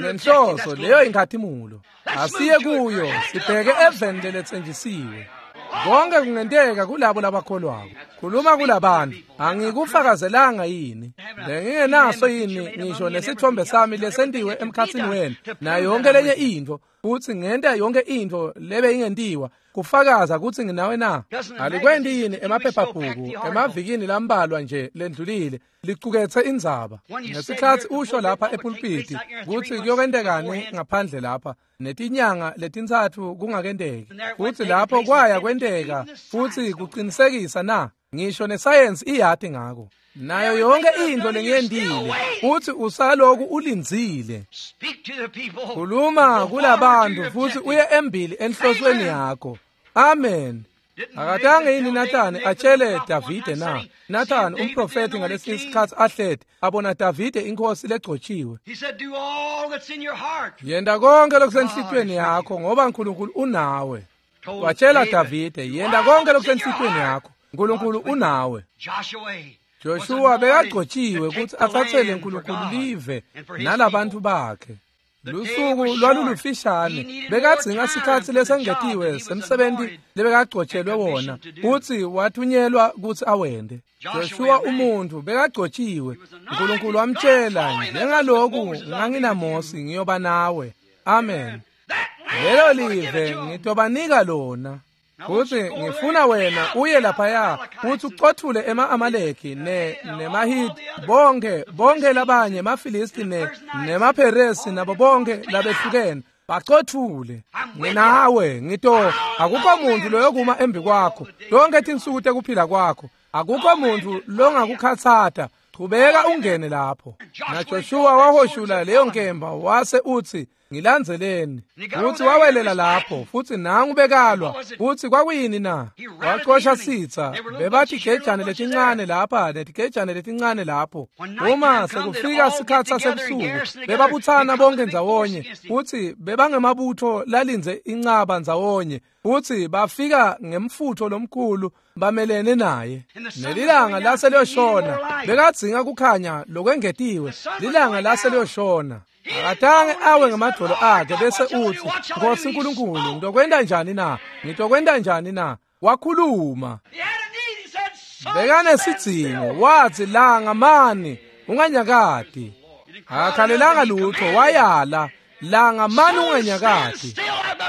Speaker 1: Nenhloso leyo inkhatimulo, asiye kuyo, sibheke eveni leletsenjisiwe. Konke kungenteka kulabo labakholwako. Khuluma kulabantu. Angikufakazelanga yini? Bengingenaso yini ngisho nesithombe sami lesentiwe emkhatsini wenu, nayo yonke lenye into, futhi ngenta yonke into lebe ingentiwa kufakaza ukuthi nginawe na? Alikwendi yini emaphephabhuku emavikini lambalwa nje lendlulile licukethe indzaba ngesikhathi usho lapha epulpiti ukuthi kuyokentekani ngaphandle lapha netinyanga letintsatfu kungakenteki, futhi lapho kwaya kwenteka futhi kuqinisekisa na? Ngisho nesayensi iyati ngako, nayo yonke into lengiyendile, futhi usaloku ulindzile. Khuluma kulabantu futhi uye embili enhlosweni yakho. Amen. Akatange yini Nathani atshele Davide na? Nathani umprofeti ngalesi sikhathi ahleti abona Davide inkosi legcotshiwe. Yenda konke lokusenhlitweni yakho ngoba uNkulunkulu unawe. Watshela Davide, yenda konke lokusenhlitweni yakho, uNkulunkulu unawe. Joshua bekagcotshiwe ukuthi athathele uNkulunkulu live nalabantu bakhe. Lusuku lwalulufishane, bekadzinga sikhatsi lesengetiwe semsebenzi lebekagcotshelwe wona kutsi wathunyelwa kutsi awende. Joshua umuntu bekagcotshiwe, uNkulunkulu wamtshela, njengaloku nganginaMosi ngiyoba nawe. Amen. Lelo live ngitobanika lona. Futsi ngifuna wena uye laphaya futsi ucothule ema-Amaleki ne nemaHiti bonke bonke labanye emaFilisti ne nemaPheresi nabo bonke labehlukene bacothule. Nginawe ngito akukho muntu loyokuma embi kwakho tonke tinsuku tekuphila kwakho, akukho muntu longakukhatsata. Chubeka ungene lapho. Na Joshua wahoshula leyo nkemba wase utsi ngilandzeleni, futsi wawelela lapho futsi nangu bekalwa. Futsi kwakuyini na? Wacosha sitsa. Bebatigejane letincane lapha netigejane letincane lapho. Uma sekufika sikhatsi sasebusuku bebabutsana bonke ndzawonye, futsi bebangemabutho lalindze incaba ndzawonye, futsi bafika ngemfutho lomkhulu bamelene naye. Nelilanga lase liyoshona, bekadzinga kukhanya lokwengetiwe. Lilanga lase liyoshona. Akatange awe ngemadvolo akhe bese utsi Nkosi Nkulunkulu ngitokwenta njani na? Ngitokwenta njani na? Wakhuluma. Bekanesidzingo, watsi langa mani unganyakati. Akakhalelanga lutho, wayala langa mani unganyakati.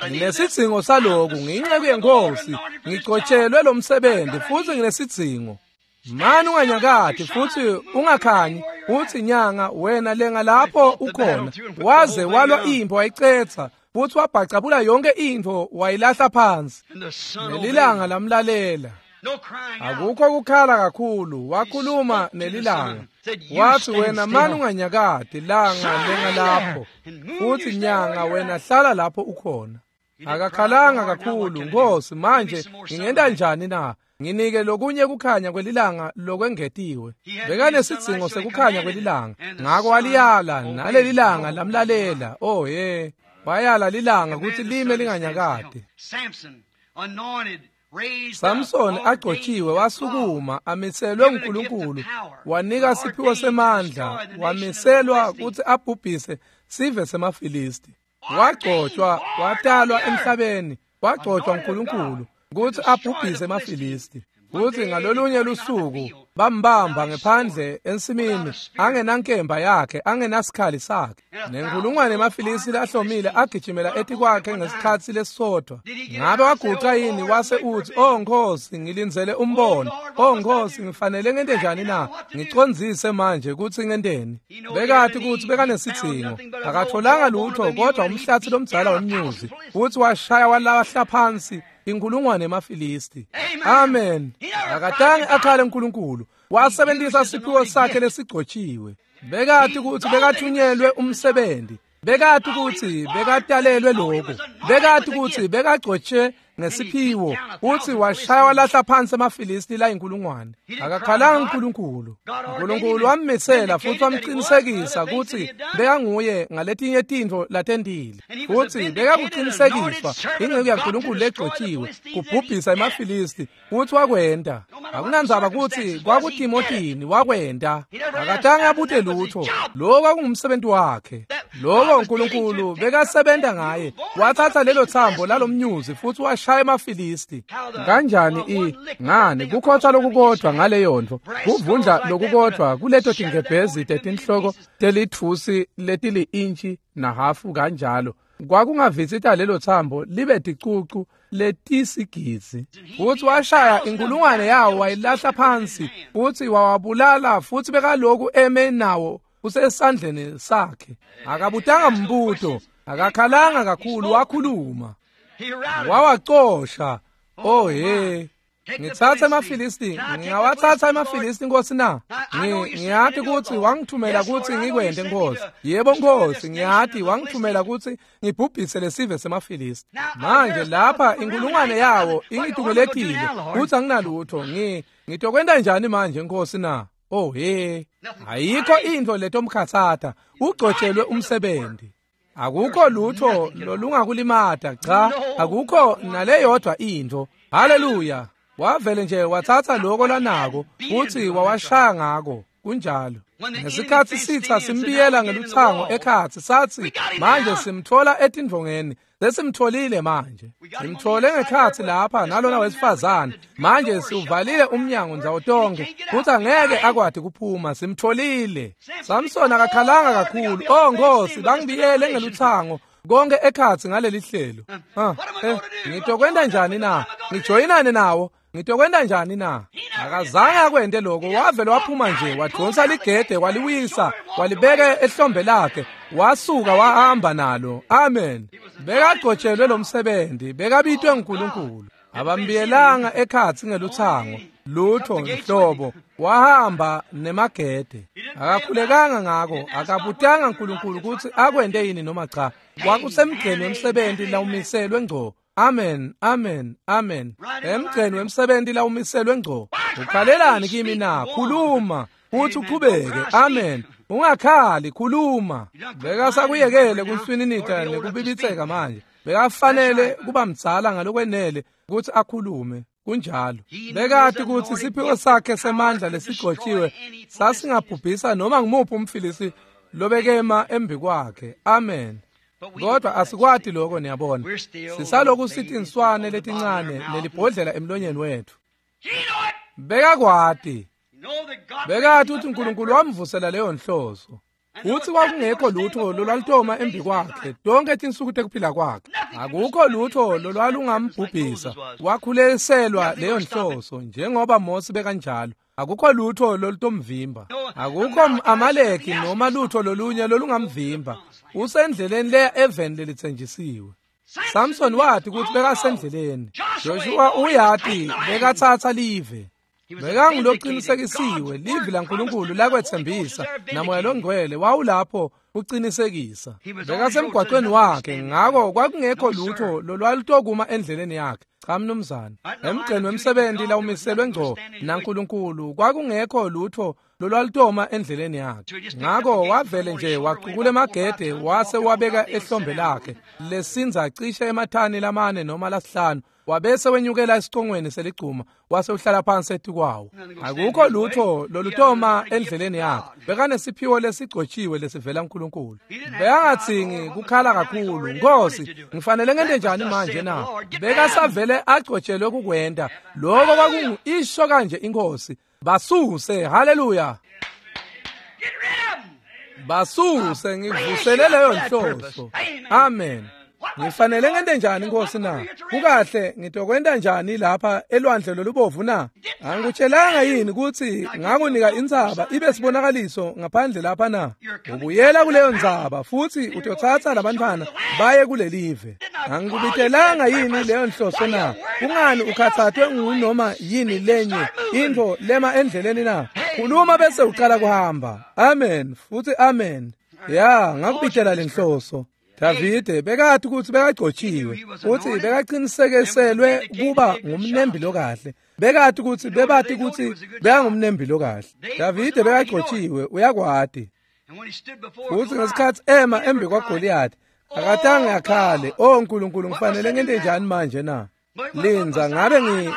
Speaker 1: Nginesidzingo saloku, ngiyinceku yeNkosi, ngigcotshelwe lo msebenzi futsi nginesidzingo. Mani unganyakati futsi ungakhanyi, utsi nyanga wena lenga lapho ukhona. Waze walwa impi wayicetsa, futsi wabhacabula yonke intfo wayilahla phansi. Nelilanga lamlalela. Akukho kukhala kakhulu, wakhuluma nelilanga. Watsi wena mani unganyakati, langa lenga lapho, futsi nyanga wena hlala lapho ukhona. Akakhalanga kakhulu, Nkosi manje ngingenta njani na? Nginike lokunye kukhanya kwelilanga lokwengetiwe. Bekanesidzingo sekukhanya kwelilanga, ngako waliyala nalelilanga lamlalela. Oh ye, wayala lilanga kutsi lime linganyakati. Samson agcotshiwe wasukuma amiselwe uNkulunkulu, wanika siphiwo semandla, wamiselwa kutsi abhubhise sive semaFilisti. Wagcotshwa, watalwa emhlabeni, wagcotshwa uNkulunkulu kutsi abhubhise emaFilisti. Kutsi ngalolunye lusuku bambamba ngephandle ensimini angenankemba yakhe, angenasikhali sakhe. Nenkulungwane emaFilisti lahlomile agijimela etikwakhe ngesikhatsi lesisodvwa. Ngabe waguca yini wase utsi oh Nkosi ngilindzele umbono, oh Nkosi ngifanele ngente njani na? Ngicondzise manje kutsi ngenteni. Bekati kutsi bekanesidzingo, akatholanga lutho kodwa umhlatsi lomdzala wemnyuzi, futsi washaya walahla phansi inkulungwane emaFilisti. Amen. Akatange akhale uNkulunkulu, wasebenzisa siphiwo sakhe lesigcotshiwe. Bekati kutsi bekathunyelwe umsebenzi, bekati kutsi bekatalelwe lokho, bekati kutsi bekagcotshe ngesiphiwo, futsi washaya walahla phansi emaFilisti la inkulungwane. Akakhalanga uNkulunkulu. uNkulunkulu wammisela futsi wamqinisekisa kutsi bekanguye ngaletinye tintfo latentile, futsi bekakuqinisekiswa inceku yaNkulunkulu legcotshiwe kubhubhisa emaFilisti, futsi wakwenta. Akunandzaba kutsi kwakutimotini, wakwenta. Akatange abute lutho, lokho kwakungumsebenzi wakhe. Lokho uNkulunkulu bekasebenta ngaye. Wathatha lelo thambo lalomnyuzi futsi washaya emaFilisti. Kanjani i ngani kukhotha lokukodvwa ngaleyo ntfo, kuvundla lokukodvwa kuleto tingebhezi tetinhloko telitfusi letili-intshi nahafu kanjalo, kwakungavitsita lelo thambo libe ticucu letisigidzi. Futsi washaya inkulungwane yawo wayilahla phansi, futsi wawabulala, futsi bekaloku eme nawo usesandleni sakhe. Akabutanga mbuto, akakhalanga kakhulu, wakhuluma. Wawacosha. Oh he, ngitsatsa emaFilisti, ngingawathatha emaFilisti Nkosi na? Ngiyati kutsi wangithumela kutsi ngikwente Nkosi. Yebo Nkosi, ngiyati wangithumela kutsi ngibhubhise lesive semaFilisti. Manje lapha inkulungwane yawo ingitumeletile, kutsi anginalutho. Ngi ngitokwenta njani manje Nkosi na? Oh he, ayikho intfo letomkhatsata, ugcotshelwe umsebenzi. Akukho lutho lolungakulimata, cha, akukho naleyodwa intfo. Haleluya. Wavele nje wathatha lokho lanako futsi wawashaya ngako. Kunjalo. Ngesikhatsi sitsa simbiyela ngelutsango ekhatsi, satsi manje simthola etindvongeni, sesimtholile manje. Simthole ngekhatsi lapha nalona wesifazane, manje siuvalile umnyango ndzawo tonke, futsi angeke akwati kuphuma, simtholile. Samson akakhalanga kakhulu, oh Nkosi bangibiyele ngelutsango konke ekhatsi ngaleli hlelo. Ah, eh, ngitokwenta njani na? Ngijoyinane nawo. Ngitokwenta njani na? Akazange akwente lokho. Wavele waphuma nje, wadonsa ligede, waliwisa, walibeka ehlombe lakhe, wasuka wahamba nalo. Amen. Bekagcotshelwe lo msebenzi, bekabitwe nguNkulunkulu. Abambiyelanga ekhatsi ngeluthango, lutho nhlobo. Wahamba nemagede. Akakhulekanga ngako, akabutanga uNkulunkulu ukuthi akwente yini noma cha. Kwakusemgceni wemsebenzi lawumiselwe ngco. Amen, amen, amen. Emgceni wemsebenzi lawumiselwe ngco. Ukhalelani kimi na? Khuluma futhi uqhubeke. Amen. Ungakhali, khuluma. Bekasakuyekele kunswininita nekubibitseka manje. Bekafanele kuba mdzala ngalokwenele ukuthi akhulume. Kunjalo. Bekati ukuthi isiphiwo sakhe semandla lesigcotshiwe sasingabhubhisa noma ngimuphi umfilisi lobekema embi kwakhe. Amen. Kodwa asikwati lokho, niyabona. Sisaloku sithi inswane letincane nelibhodlela emlonyeni wethu. Bekakwati. Bekati ukuthi uNkulunkulu wamvusela leyo nhloso. Uthi kwakungekho lutho lolwalutoma embi kwakhe tonke tinsuku tekuphila kwakhe. Akukho lutho lolwalungambhubhisa. Wakhuleselwa leyo nhloso njengoba Mose bekanjalo. Akukho lutho lolutomvimba. Akukho Amaleki noma lutho lolunye lolungamvimba. Usendleleni leya eveni lelitsenjisiwe. Samson wathi ukuthi bekasendleleni. Joshua uyati bekathatha live. Bekanguloqinisekisiwe, livi laNkulunkulu lakwethembisa, namoya longcwele wawulapho uqinisekisa. Bekasemgwaqweni wakhe, ngakho kwakungekho lutho lolwalutokuma endleleni yakhe. Cha mnumzane. Emgceni wemsebenzi lawumiselwe ngco naNkulunkulu kwakungekho lutho lolwalutoma endleleni yakhe. Ngakho wavele nje waqukula emagede wase wabeka ehlombe lakhe lesinza cishe emathani lamane noma lasihlanu. Wabese wenyukela esicongweni seligcuma wase uhlala phansi etikwawo. Akukho lutho lolutoma endleleni yakhe. Bekanesiphiwo lesigcotshiwe lesivela kuNkulunkulu. Bekangathingi kukhala kakhulu, Nkosi, ngifanele ngente njani manje na? Bekasavele agcotshelwe kukwenta. Lokho kwakungu isho kanje inkosi. Basuse, haleluya. Basuse, ngivusele leyo nhloso. Amen. Ngifanele ngente njani Nkosi na? Kukahle ngitokwenta njani lapha elwandle lolubovu na? Angikutshelanga yini ukuthi ngakunika intsaba ibe sibonakaliso ngaphandle lapha na? Ubuyela kuleyo ntsaba futhi utothatha labantwana baye kulelive. Angikubitelanga yini leyo nhloso na? Kungani ukhathathwe ngunoma yini lenye into lema endleleni na? Khuluma bese uqala kuhamba. Amen futhi amen. Ya, ngakubitela lenhloso. Davide bekathi ukuthi bekagcotshiwe futhi bekaqinisekiselwe kuba ngumnembi lokahle. Bekathi ukuthi bebathi ukuthi bekangumnembi lokahle. Davide bekagcotshiwe uyakwati. Futhi ngesikhathi ema embi kwaGoliath akatange akhale, "Oh uNkulunkulu ngifanele ngente njani manje na?" Linza ngabe ngi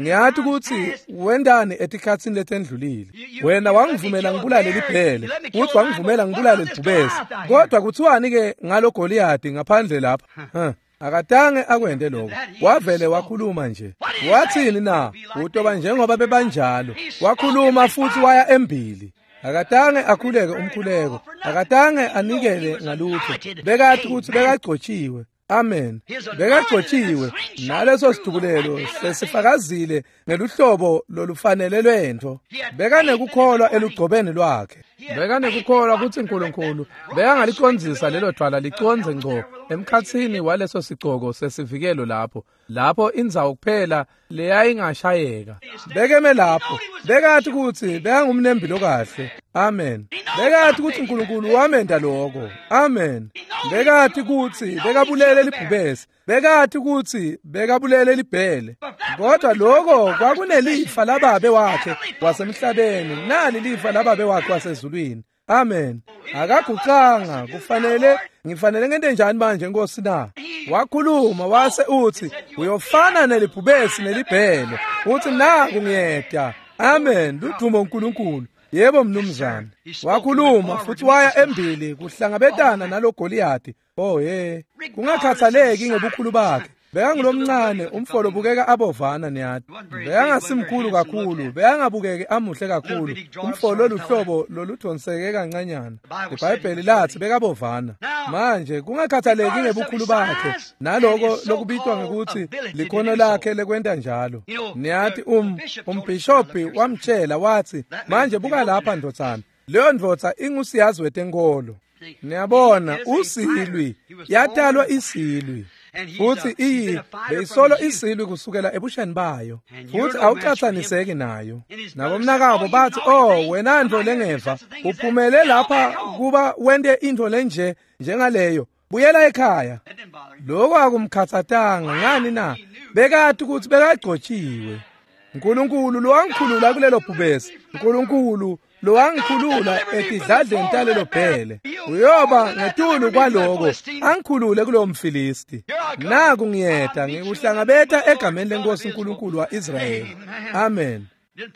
Speaker 1: ngiyathi ukuthi wendani etikhatsini letendlulile. Wena wangivumela ngibulale libhele, uthi wangivumela ngibulale libhubesi. Kodwa kuthiwani ke ngalo Goliath ngaphandle lapha? Huh. Akatange akwente lokho. Wavele wakhuluma nje. Wathini na? Utoba njengoba bebanjalo. Wakhuluma futhi waya embili. Akatange akhuleke umkhuleko. Akatange anikele ngalutho. Bekathi ukuthi bekagcotshiwe. Amen. Bekagcotshiwe naleso sidubulelo sesifakazile ngeluhlobo lolufanele lwento. Bekanekukholwa elugcobeni lwakhe. Bekanekukholwa ukuthi uNkulunkulu bekangalicondzisa lelo dwala licondze ngco emkhatsini waleso sigcoko sesivikelo lapho. Lapho indzawo kuphela leyayingashayeka. Bekeme lapho. Bekathi ukuthi bekangumnembi lokahle. Amen. Bekathi ukuthi uNkulunkulu wamenda lokho. Amen. Bekathi ukuthi bekabulele libhubesi. Bekathi ukuthi bekabulele libhele. Kodwa lokho kwakunelifa lababe wakhe wasemhlabeni, nali lifa lababe wakhe wasezulwini. Amen. Akagucanga, kufanele ngifanele ngente njani manje Nkosi na? Wakhuluma wase uthi uyofana nelibhubesi nelibhele. Uthi naku ngiyeda. Amen. Ludumo uNkulunkulu. Yebo mnumzane. Wakhuluma futhi waya embili kuhlangabetana nalo Goliath. Oh hey. Kungakhathaleki ngebukhulu bakhe. Bekangulomncane umfolo bukeka abovana niyati. Bekangasimkhulu kakhulu, bekangabukeki amuhle kakhulu. Umfolo luhlobo loludonseke kancanyana. IBhayibheli lathi bekabovana. Manje kungakhathaleki ngebukhulu bakhe naloko lokubitwa ngekuthi likhono lakhe lekwenta njalo. Niyati um umbhishobhi wamtshela wathi, manje buka lapha ndodzana. Leyo ndvodza ingusiyazi wetenkolo. Niyabona usilwi yatalwa isilwi. Futhi iyi beyisolo isilwi kusukela ebusheni bayo, futhi awucathaniseki nayo. Nabomnakabo bathi, oh wena ntfo lengeva, uphumele lapha kuba wente intfo lenje njengaleyo, buyela ekhaya. Lokho akumkhathatanga ngani na? Bekati ukuthi bekagcotshiwe. Nkulunkulu lowangikhulula kulelo bhubesi, Nkulunkulu lowangikhulula etidladleni talelo bhele, uyoba ngetulu kwaloko angikhulule kulowo mFilisti. Naku ngiyeta ngikuhlangabeta egameni lenkosi uNkulunkulu wa-Israyeli. Amen.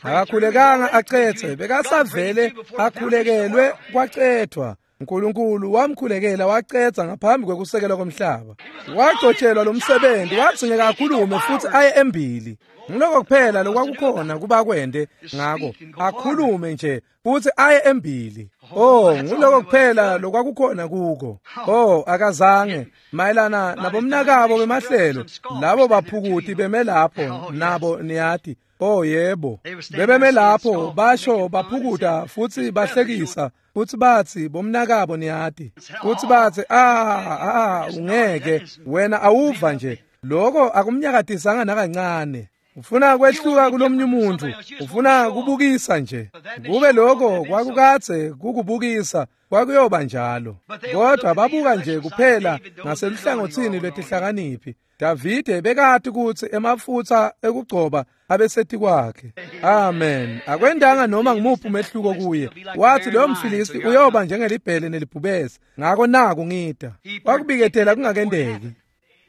Speaker 1: Akakhulekanga acethe, bekasavele akhulekelwe kwacethwa. uNkulunkulu wamkhulekela wacetha ngaphambi kwekusekelwa komhlaba. Wagcotshelwa lo msebenzi, wadzingeka akhulume futhi aye embili. Ngiloko kuphela lokwakukhona kuba kwende ngako, akhulume nje futhi aye embili. Oh, ngiloko kuphela lokwakukhona kuko. Oh, akazange mayelana nabomnakabo bemahlelo, labo baphukuti beme lapho nabo niyati. Oh yebo, bebeme lapho basho baphukuta futhi bahlekisa futhi bathi bomnakabo niyati, futhi bathi ah ah ungeke wena awuva nje. Lokho akumnyakatisanga nakancane. Ufuna kwehluka kulomnye umuntu, ufuna kubukisa nje. Kube lokho kwakukadze kukubukisa kwakuyoba njalo. Kodwa babuka nje kuphela ngaseluhlangothini lwetihlakaniphi. Davide bekati kutsi emafutsa ekugcoba abeseti kwakhe. Amen. Akwendanga noma ngimuphi umehluko kuye. Wathi loyo mFilisti uyoba njengelibhele nelibhubesi. Ngako naku ngida. Wakubiketela kungakendeki.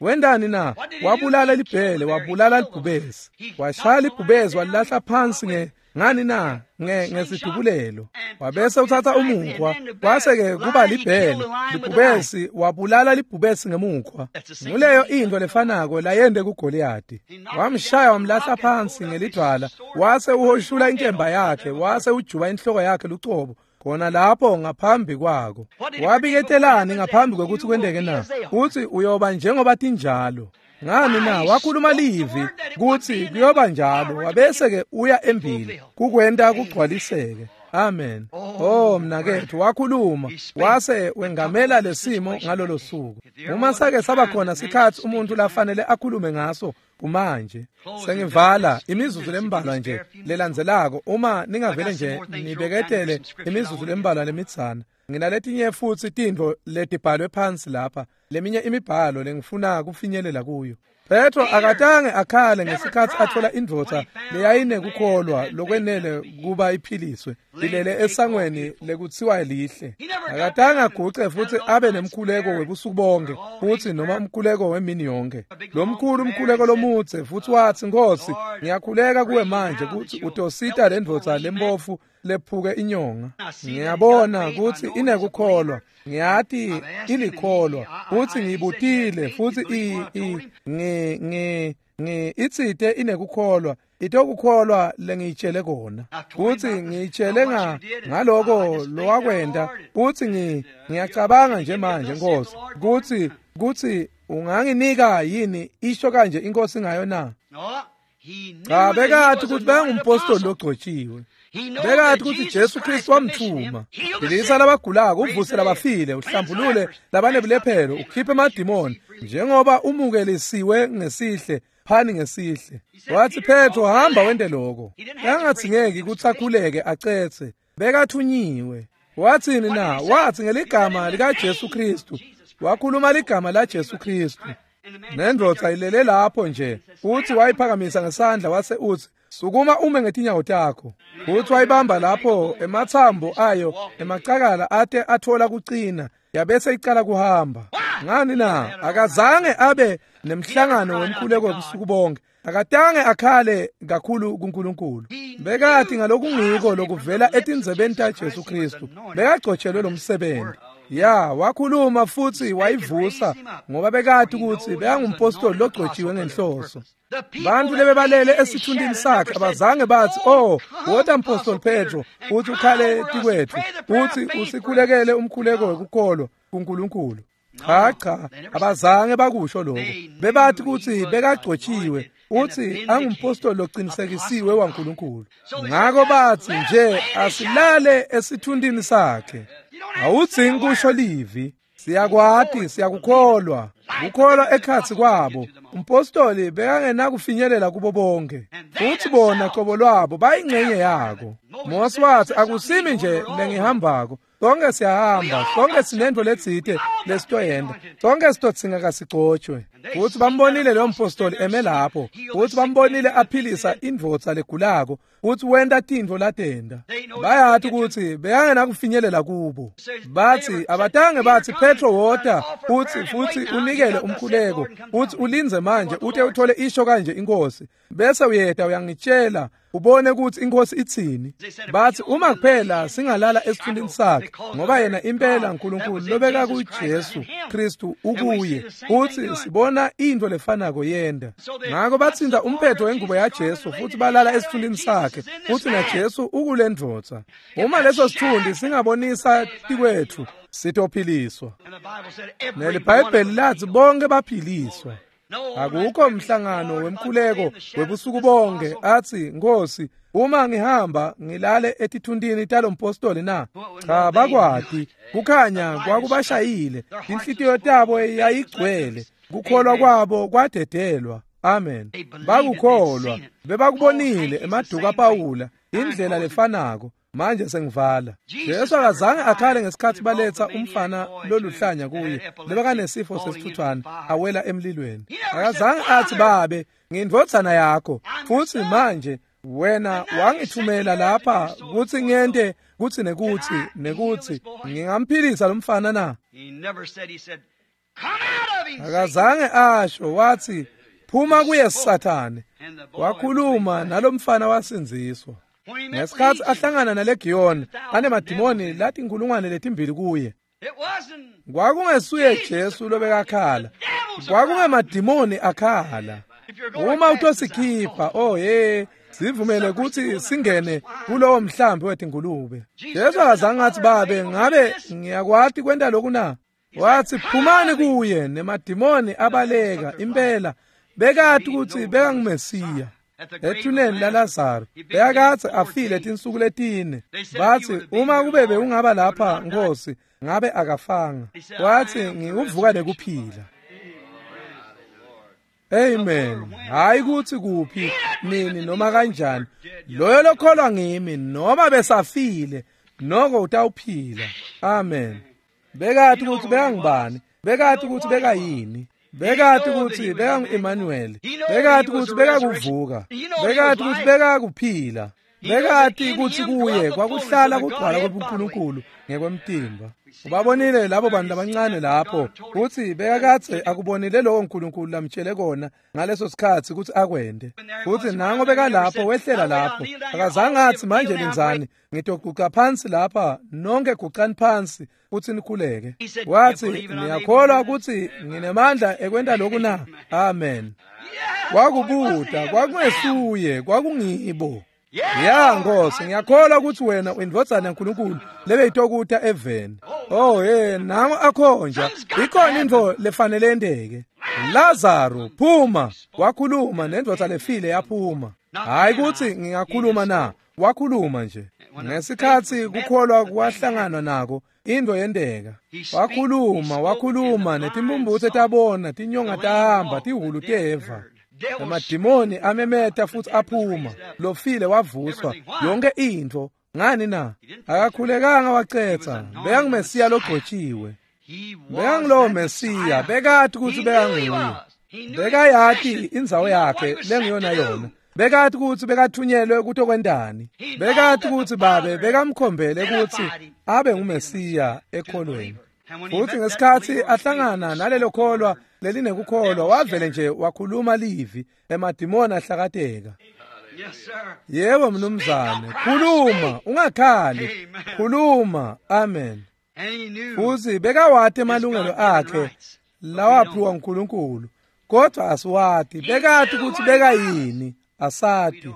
Speaker 1: Wendani na? Wabulala libhele, wabulala libhubesi. Washaya libhubesi walahla phansi nge ngani na? Nge ngesidubulelo. Wabese uthatha umukhwa, kwase-ke kuba libhele, libhubesi, wabulala libhubesi ngemukhwa. Nguleyo into lefanako layente kuGoliyati. Wamshaya wamlahla phansi ngelidvwala, wase uhoshula inkemba yakhe, wase ujuba inhloko yakhe lucobo. Khona lapho ngaphambi kwako. Wabiketelani ngaphambi kwekuthi kwenteke na? Uthi uyoba njengoba tinjalo. Ngani na? Wakhuluma livi kuthi kuyoba njalo, wabese ke uya embili kukwenta kugcwaliseke. Amen. Oh mnakethu, wakhuluma wase wengamela lesimo ngalolo suku. Uma sake saba khona sikhathi umuntu lafanele akhulume ngaso kumanje. Sengivala imizuzu lembalwa nje lelandzelako, uma ningavele nje nibeketele imizuzu lembalwa lemitsana. Nginaletinye futhi tintfo letibhalwe phansi lapha, leminye imibhalo lengifuna kufinyelela kuyo. Petro akatange akhale ngesikhathi athola indvodza leyayinekukholwa lokwenele kuba iphiliswe ilele esangweni lekutsiwa lihle. Akatange aguce futhi abe nemkhuleko webusuku bonke futhi noma umkhuleko wemini yonke. Lo mkhulu umkhuleko lomudze futhi wathi, Nkosi, ngiyakhuleka kuwe manje kuthi utosita le ndvodza lembofu lephuke inyonga. Ngiyabona ukuthi inekukholwa, ngiyati ilikholwa, futhi ngibutile futhi i i ngi ngi ngi itsite inekukholwa, itokukholwa lengiyitshele kona. Futhi ngiyitshele nga ngaloko lowakwenda, futhi ngi ngiyacabanga nje manje Nkosi kuthi kuthi unganginika yini isho kanje inkosi ngayo na? Cha, bekathi ukuthi bengumpostoli logcotshiwe. Bekathi ukuthi Jesu Kristu wamthuma. Philisa labagulako, uvuse labafile, uhlambulule labanebulephero, ukhiphe amadimoni, njengoba umukelisiwe ngesihle, phani ngesihle. Wathi Petro, hamba wente lokho. Yangathingeki ukuthi akhuleke acethe. Bekathunyiwe. Wathini na? Wathi ngeligama lika Jesu Kristu. Wakhuluma ligama la Jesu Kristu. Nendvodza ilele lapho nje, uthi wayiphakamisa ngesandla wase uthi, sukuma ume ngetinyawo takho. Uthi wayibamba lapho emathambo ayo emacakala ate athola kucina, yabese icala kuhamba. Ngani na? Akazange abe nemhlangano wemkhuleko webusuku bonke. Akatange akhale kakhulu kuNkulunkulu. Bekathi ngalokungiko lokuvela etindzebeni taJesu Kristu. Bekagcotshelwe lo msebenzi. Ya, wakhuluma futsi wayivusa ngoba bekati kutsi bekangumpostoli logcotjiwe ngenhloso. Bantfu lebebalele esithuntini sakhe abazange batsi, "Oh, wota mpostoli Petro, uthi ukhale tikwetfu, uthi usikhulekele umkhuleko wekukholwa kuNkulunkulu." Cha cha, abazange bakusho lokho. Bebathi kutsi bekagcotjiwe, uthi angumpostoli locinisekisiwe waNkulunkulu. Ngako batsi nje asilale esithuntini sakhe. Awudzingi kusho livi. Siyakwati, siyakukholwa. Kukholwa ekhatsi kwabo. Umpostoli bekangenakufinyelela kubo bonke. Futsi bona qobo lwabo bayingcenye yako. Mose watsi akusimi nje lengihambako. Sonke siyahamba, sonke sinento letsite lesitoyenda. Sonke sitotsinga kasigcotshwe. Futsi bambonile lo mpostoli eme lapho. Futsi bambonile aphilisa indvodza legulako. Futsi wenta tintfo latenda. Bayati kutsi bekangenakufinyelela kubo. Batsi abatange batsi Petro wota futsi futsi unikele umkhuleko. Futsi ulindze manje ute uthole isho kanje inkosi. Bese uyeta uyangitshela ubone kutsi inkosi itsini. Batsi uma kuphela singalala esithuntini sakhe ngoba yena impela uNkulunkulu lobeka kuJesu Kristu ukuye. Futsi sibona into lefanako yenda. Ngako batsinda umphetho wengubo yaJesu futsi balala esithuntini sakhe. Futsi naJesu ukulendvodza. Uma leso sithundi singabonisa tikwetfu sitophiliswa. NeliBhayibheli lathi bonke baphiliswa. Akukho mhlangano wemkhuleko webusuku bonke athi Nkosi uma ngihamba ngilale etithuntini talompostoli na. Cha, bakwati kukhanya kwakubashayile, inhlitiyo tabo yayigcwele, kukholwa kwabo kwadedelwa. Amen. Bakukholwa, bebakubonile emaduka Pawula indlela lefanako. Manje sengivala. Jesu akazange akhale ngesikhathi baletha umfana loluhlanya kuye lebekanesifo sesithuthwane awela emlilweni. Akazange athi babe ngindvodzana yakho futsi manje wena wangithumela lapha kutsi ngente kutsi nekuthi nekuthi ngingamphilisa lo mfana na. Akazange asho, wathi phuma kuye Sathane. Wakhuluma nalomfana wasindziswa. Ngesikhathi ahlangana nalegiyoni anemadimoni lathi inkulungwane letimbili kuye. Kwakungesuye Jesu lobekakhala, kwakungemadimoni akhala. Uma utosikhipha, oh hey, sivumele kutsi singene kulowo mhlambi wetingulube. Jesu akazange athi babe ngabe ngiyakwati kwenta lokhu na. Wathi phumani kuye, nemadimoni abaleka. Impela bekati kutsi bekangumesiya. Ethuneni laLazaro bekakadze afile tinsuku letine. Batsi uma kube bewungaba lapha Nkosi ngabe akafanga. Wathi ngiuvuka nekuphila. Amen. Hayi kutsi kuphi nini noma kanjani, loyo lokholwa ngimi noma besafile noko utawuphila. Amen. Bekati kutsi bekangubani, bekati kutsi bekayini. Bekati kutsi bekangu-Emmanuel, bekati kutsi bekakuvuka, bekati kutsi bekakuphila, bekati kutsi kuye kwakuhlala kugcwala kwebuNkulunkulu ngekwemtimba. Ubabonile labo bantu labancane lapho kutsi bekakadze akubonile lowo Nkulunkulu lamtshele kona ngaleso sikhatsi kutsi akwente. Futsi nango bekalapho wehlela lapho, akazange athi manje lindzani ngitoguca phansi lapha, nonke gucani phansi futsi nikhuleke. Wathi niyakholwa kutsi nginemandla ekwenta lokhu na? Amen. Kwakubuta, kwakungesuye, kwakungibo. Ya Nkosi, ngiyakholwa ukuthi wena uyindvodzana yaNkulunkulu lebeyitokuta eveni. Oh hey, nango akhonja, ikhona intfo lefanele yenteke. Lazaro phuma, wakhuluma nendvodza lefile yaphuma. Hayi kutsi ngingakhuluma na, wakhuluma nje. Ngesikhatsi kukholwa kwahlangana nako, intfo yenteka. Wakhuluma, wakhuluma netimphumphutse tabona, tinyonga tahamba, tihhulu teva. Emadimoni amemeta futsi aphuma, lofile wavuswa, yonke intfo. Ngani na? Akakhulekanga wacetsa, bekangumesiya logcotjiwe. Bekangulowo Mesiya, bekati kutsi bekanguye. Bekayati indzawo yakhe lengiyona yona. Bekati kutsi bekathunyelwe kutokwentani. Bekati kutsi babe bekamkhombele kutsi abe nguMesiya ekholweni. Futsi ngesikhatsi ahlangana nalelo kholwa lelinekukholwa, wavele nje wakhuluma livi, emadimoni ahlakateka. Yebo mnumzane, khuluma, ungakhali, khuluma. Amen. Futhi bekawati emalungelo akhe lawaphiwa uNkulunkulu, kodwa asiwati. Bekati ukuthi bekayini, asati.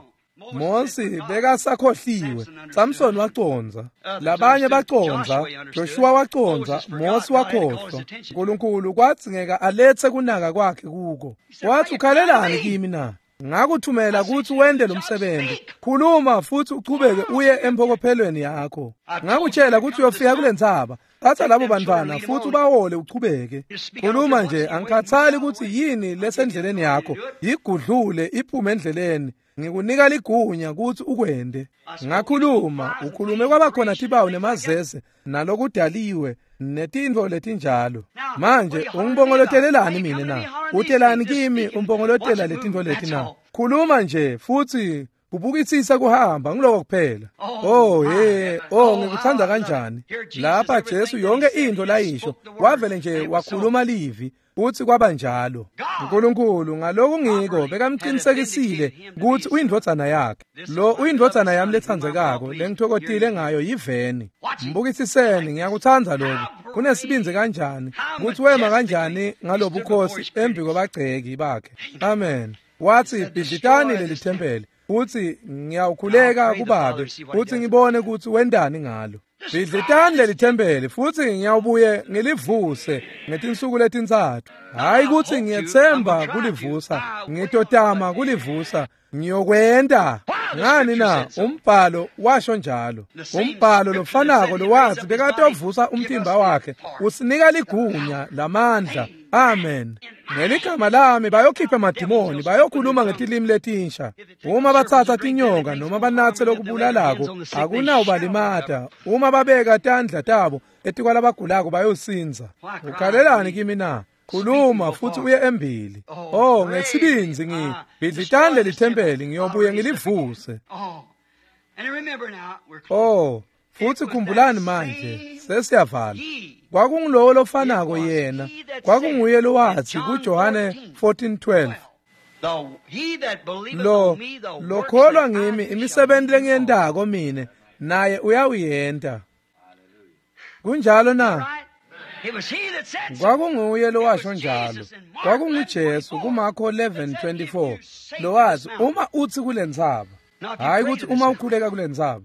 Speaker 1: Mosi bekasakhohliwe, Samson wacondza, labanye bacondza, Joshua wacondza, Mosi wakhohlwa. uNkulunkulu kwadzingeka aletse kunaka kwakhe kuko. Wathi, ukhalelani kimi na? Ngakuthumela ukuthi wende lo msebenzi. Khuluma futhi uchubeke uye empokophelweni yakho. Ngakutshela ukuthi uyofika kule ntsaba. Thatha labo bantwana futhi ubahole uchubeke. Khuluma nje, angikhathali ukuthi yini lesendleleni yakho. Yigudlule iphume endleleni. Ngikunika ligunya ukuthi ukwende. Ngakhuluma, ukhulume kwabakhona tibawu nemazeze nalokudaliwe netintfo letinjalo. Manje ungibongolotelelani mina na? Utelani kimi umbongolotela letintfo leti na? Khuluma nje futhi kubukisisa kuhamba ngiloko kuphela. Oh hey, oh ngikuthanda kanjani. Lapha Jesu yonke into layisho wavele nje wakhuluma livi uthi kwaba njalo. uNkulunkulu ngaloku ngiko bekamqinisekisile ukuthi uyindvodzana yakhe. Lo uyindvodzana yami letsandzekako lengithokozile ngayo yiveni. Mbukisiseni, ngiyakuthanda lokho. Kunesibindzi kanjani ukuthi wema kanjani ngalobukhosi embi kwabagceki bakhe. Amen. Wathi bhidlitani leli thempeli uthi ngiyawukhuleka kubabe uthi ngibone ukuthi wendani ngalo. Bhidlitani leli thempeli futhi ngiyawubuye ngilivuse ngetinsuku letintsatfu. Hayi ukuthi ngiyethemba kulivusa, ngitotama kulivusa, ngiyokwenda. Ngani na? Umbhalo washo njalo. Umbhalo lofanako lowathi bekatovusa umtimba wakhe usinika ligunya lamandla. Amen. Ngeligama lami bayokhipha amadimoni, bayokhuluma ngetilimi letinsha. Uma batsatsa tinyoka noma banatse lokubulalako akunawubalimata. Uma babeka tandla tabo etikwalabagulako bayosinza. Ukhalelani kimi na? Khuluma futhi uye embili. Oh, ngesibindzi ngi bhidlitani leli thempeli ngiyobuye ngilivuse. Oh, futhi khumbulani manje sesiyavala. Kwakungulowo lofanako yena, kwakunguye lowathi kuJohane fourteen twelve, lo lokholwa ngimi imisebenzi lengiyentako mine naye uyawuyenta. Kunjalo na? Kwakunguye lowasho njalo. KwakunguJesu kuMarko eleven twenty-four lowathi uma uthi kule ntsaba, hayi ukuthi uma ukhuleka kule ntsaba,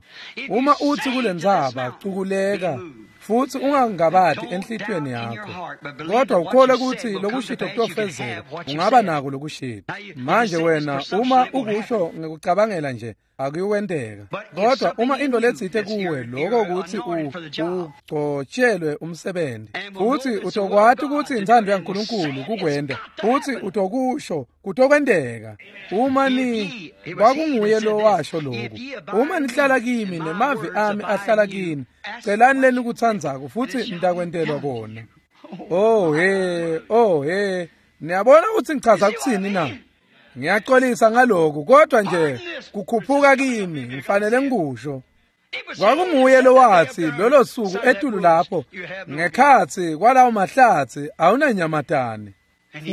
Speaker 1: uma uthi kule ntsaba cukuleka futhi ungangabadi enhlitiyweni yakho, kodwa ukholwe ukuthi lokushito kutofezeka, ungaba nako lokushito. Manje wena uma ukusho ngikucabangela nje akuyikwenteka, kodwa uma into letsite kuwe lokho ukuthi ugcotshelwe umsebenzi futhi utokwati ukuthi inthando yaNkulunkulu kukwenda futhi utokusho kutokwenteka. Uma ni kwakunguye lo washo lokhu, uma nihlala kimi nemavi ami ahlala kini, celani leni kutsandzako futhi nitakwentelwa kona. Oh he, oh he, niyabona ukuthi ngichaza kuthini na? Ngiyaxolisa ngalokhu, kodwa nje kukhuphuka kimi ngifanele ngikusho. Kwakunguye lowathi lolo suku etulu lapho ngekhatsi kwalawo mahlatsi awunanyamatane.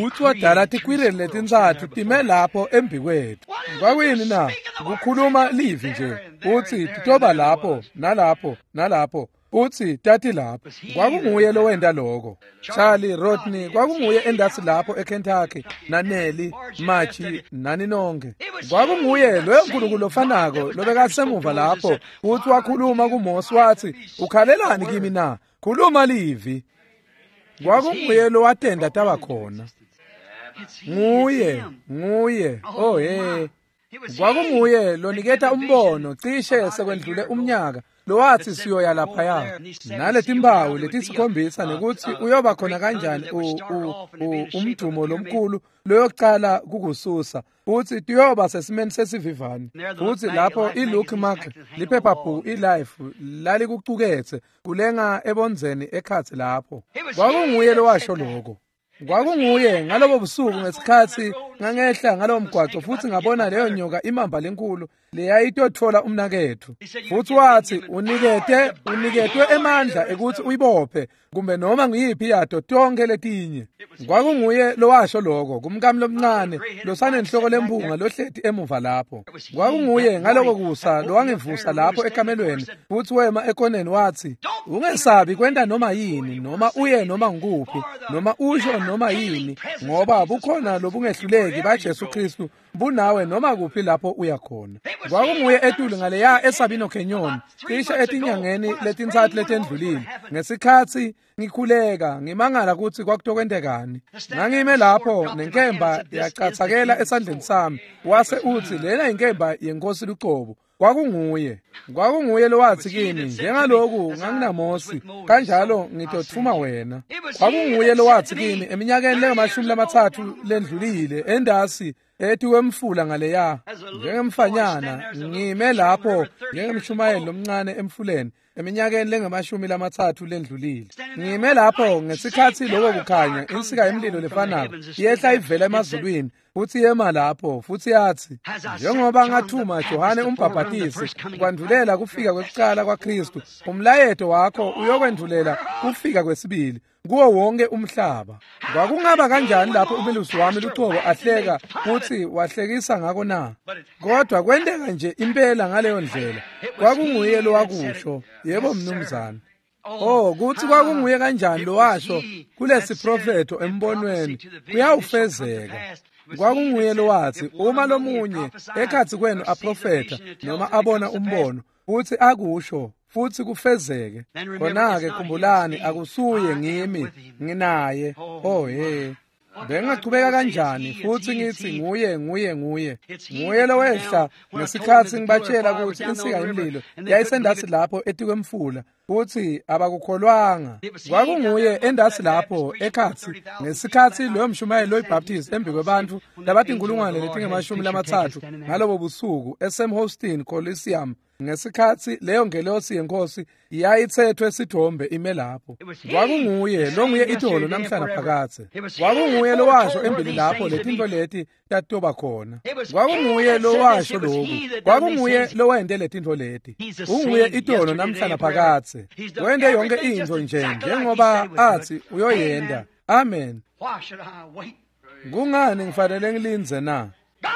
Speaker 1: Uthi wadala tikwireli letintsatfu time lapho embi kwethu. Kwakuyini na? Kukhuluma livi nje uthi titoba lapho nalapho nalapho, uthi tati lapho. Kwakunguye lowenda lokho. Charlie Rodney kwakunguye endasi lapho eKentucky, naNelly Machi nani nonke. Kwakunguye loyo Nkulunkulu lofanako lobekasemuva lapho uthi wakhuluma kuMose wathi ukhalelani kimi na? Khuluma livi. Kwakunguye lowatenda taba khona. Nguye, nguye. Oh hey. Kwakunguye loniketa umbono cishe sekwendlule umnyaka lowathi siyoya laphaya naletimpawu letisikhombisa nekuthi uyoba khona kanjani umdumo lomkhulu loyokucala kukususa uthi tiyoba sesimeni sesivivane. Futhi lapho iLuke Mark liphephabhuku iLife lalikucukethe kulenga ebonzeni ekhatsi lapho. Kwakunguye lowasho lokho. Kwakunguye ngalobo busuku ngesikhatsi Ngangehla ngalowo mgwaco futhi ngabona leyo nyoka imamba lenkulu leyayitotfola umnaketfu. Futhi wathi unikete uniketwe emandla ekuthi uyibophe kumbe noma nguyiphi yato tonke letinye. Kwakunguye lowasho lokho kumkami lomncane losanenhloko lempunga lohleti emuva lapho. Kwakunguye ngaloko kusa lowangivusa lapho ekamelweni futhi wema ekoneni wathi ungesabi kwenta noma yini noma uye noma ngukuphi noma usho noma yini ngoba bukhona lobungehluleki baJesu Kristu bunawe noma kuphi lapho uya khona. Kwakunguye etulu ngaleya eSabino Canyon cishe etinyangeni letintsatfu letendlulile ngesikhatsi ngikhuleka ngimangala kutsi kwakutokwentekani. Ngangime lapho nenkemba yacatsakela esandleni sami wase utsi lena inkemba yenkosi lucobo. Kwakunguye kwakunguye lowathi kimi njengaloku nganginaMosi kanjalo ngitotfuma wena. Kwakunguye lowathi kimi eminyakeni lengamashumi lamatsatfu lendlulile endasi ethi wemfula ngaleya njengemfanyana ngime lapho njengemshumayeli lomncane emfuleni eminyakeni lengamashumi lamatsatfu lendlulile. Ngime lapho ngesikhatsi lokho kukhanya insika yemlilo lefanako yehla ivela emazulwini futhi yema lapho futhi yathi njengoba ngathuma Johane umbhabhatisi kwandvulela kufika kwekucala kwaKristu umlayeto wakho uyokwendvulela kufika kwesibili kuwo wonke umhlaba. Kwakungaba kanjani lapho umelusi wami lucobo ahleka futhi wahlekisa ngako na? Kodwa kwenteka nje impela ngaleyo ndlela. Kwakunguye lowakusho. Yebo mnumzane. Oh kuthi kwakunguye kanjani lowasho kulesi profetho embonweni kuyawufezeka. Kwakunguye lowathi uma lomunye ekhatsi kwenu aprofetha noma abona umbono futhi akusho futhi kufezeke khona-ke khumbulani akusuye ngimi nginaye. Oh he bengingachubeka kanjani futhi ngithi nguye nguye nguye nguye lowehla ngesikhatsi ngibatshela kutsi insika yemlilo yayisendatsi lapho etikwemfula futhi abakukholwanga. Kwakunguye endasi lapho ekhatsi ngesikhatsi loyo mshumayeli loyibaptist embi kwebantfu labatinkulungwane letingemashumi lamatsatfu ngalobo busuku eSam Houston Coliseum ngesikhatsi leyo ngelosi yenkosi yayitsethwe sithombe ime lapho. Kwakunguye longuye itolo namhla naphakadze. Kwakunguye lowasho embili lapho letintfo leti tatoba khona. Kwakunguye lowasho loku. Kwakunguye lowente letintfo leti. Unguye itolo namhla naphakadze. Wente yonke intfo nje njengoba athi uyoyenta. Amen. Kungani ngifanele ngilindze na?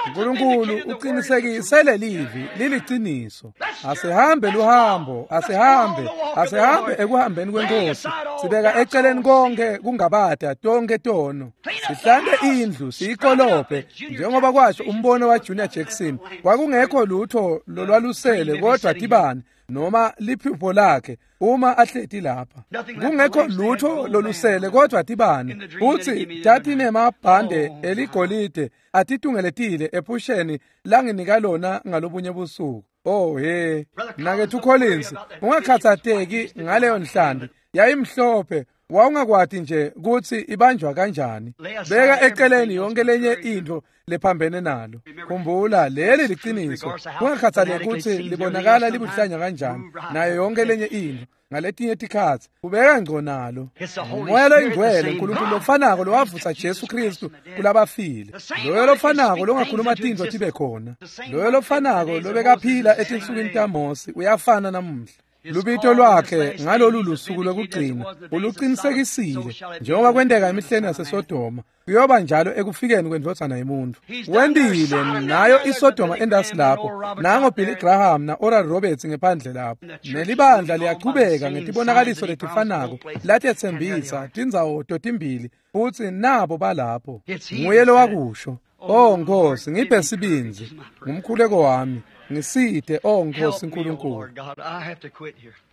Speaker 1: uNkulunkulu uqinisekise lelivi liliciniso. Asihambe luhambo, asihambe, asihambe ekuhambeni kwenkosi. Sibeka eceleni konke kungabada tonke tono. Sihlante indlu siyikolophe njengoba kwasho umbono wa Junior Jackson. Kwakungekho lutho lolwalusele kodwa tibane noma liphupho lakhe uma ahleti lapha. Kungekho lutho lolusele kodwa tibane. Uthi tatinemabhande eligolide atitungeletile ephusheni langinika lona ngalobunye busuku. Oh he Mnaketfu Collins ungakhathateki ngaleyo nhlanti yayimhlophe wawungakwati nje kutsi ibanjwa kanjani. Beka eceleni yonke lenye intfo lephambene nalo. Khumbula leli liciniso kungakhathaleki kutsi libonakala libuhlanya kanjani nayo yonke lenye intfo ngaletinye tikhatsi ubeka ngco nalo. Umoya loyingcwele uNkulunkulu lofanako lowavusa Jesu Kristu kulabafile, loyo lofanako longakhuluma tintfo tibe khona, loyo lofanako lobekaphila etinsukwini taMosi uyafana namuhla. Lubito lwakhe ngalolu lusuku lokugcina uluqinisekisile njengoba kwenteka emihleni yaseSodoma kuyoba njalo ekufikeni kwendvodzana yemuntfu. Wentile nayo iSodoma endasi lapho nango Billy Graham na Oral Roberts ngephandle lapho nelibandla liyachubeka ngetibonakaliso letifanako latetsembisa tindzawo totimbili futsi nabo balapho. Nguye lowakusho. Oh Nkosi ngiphe sibindzi ngumkhuleko wami ngisite oh Nkosi uNkulunkulu.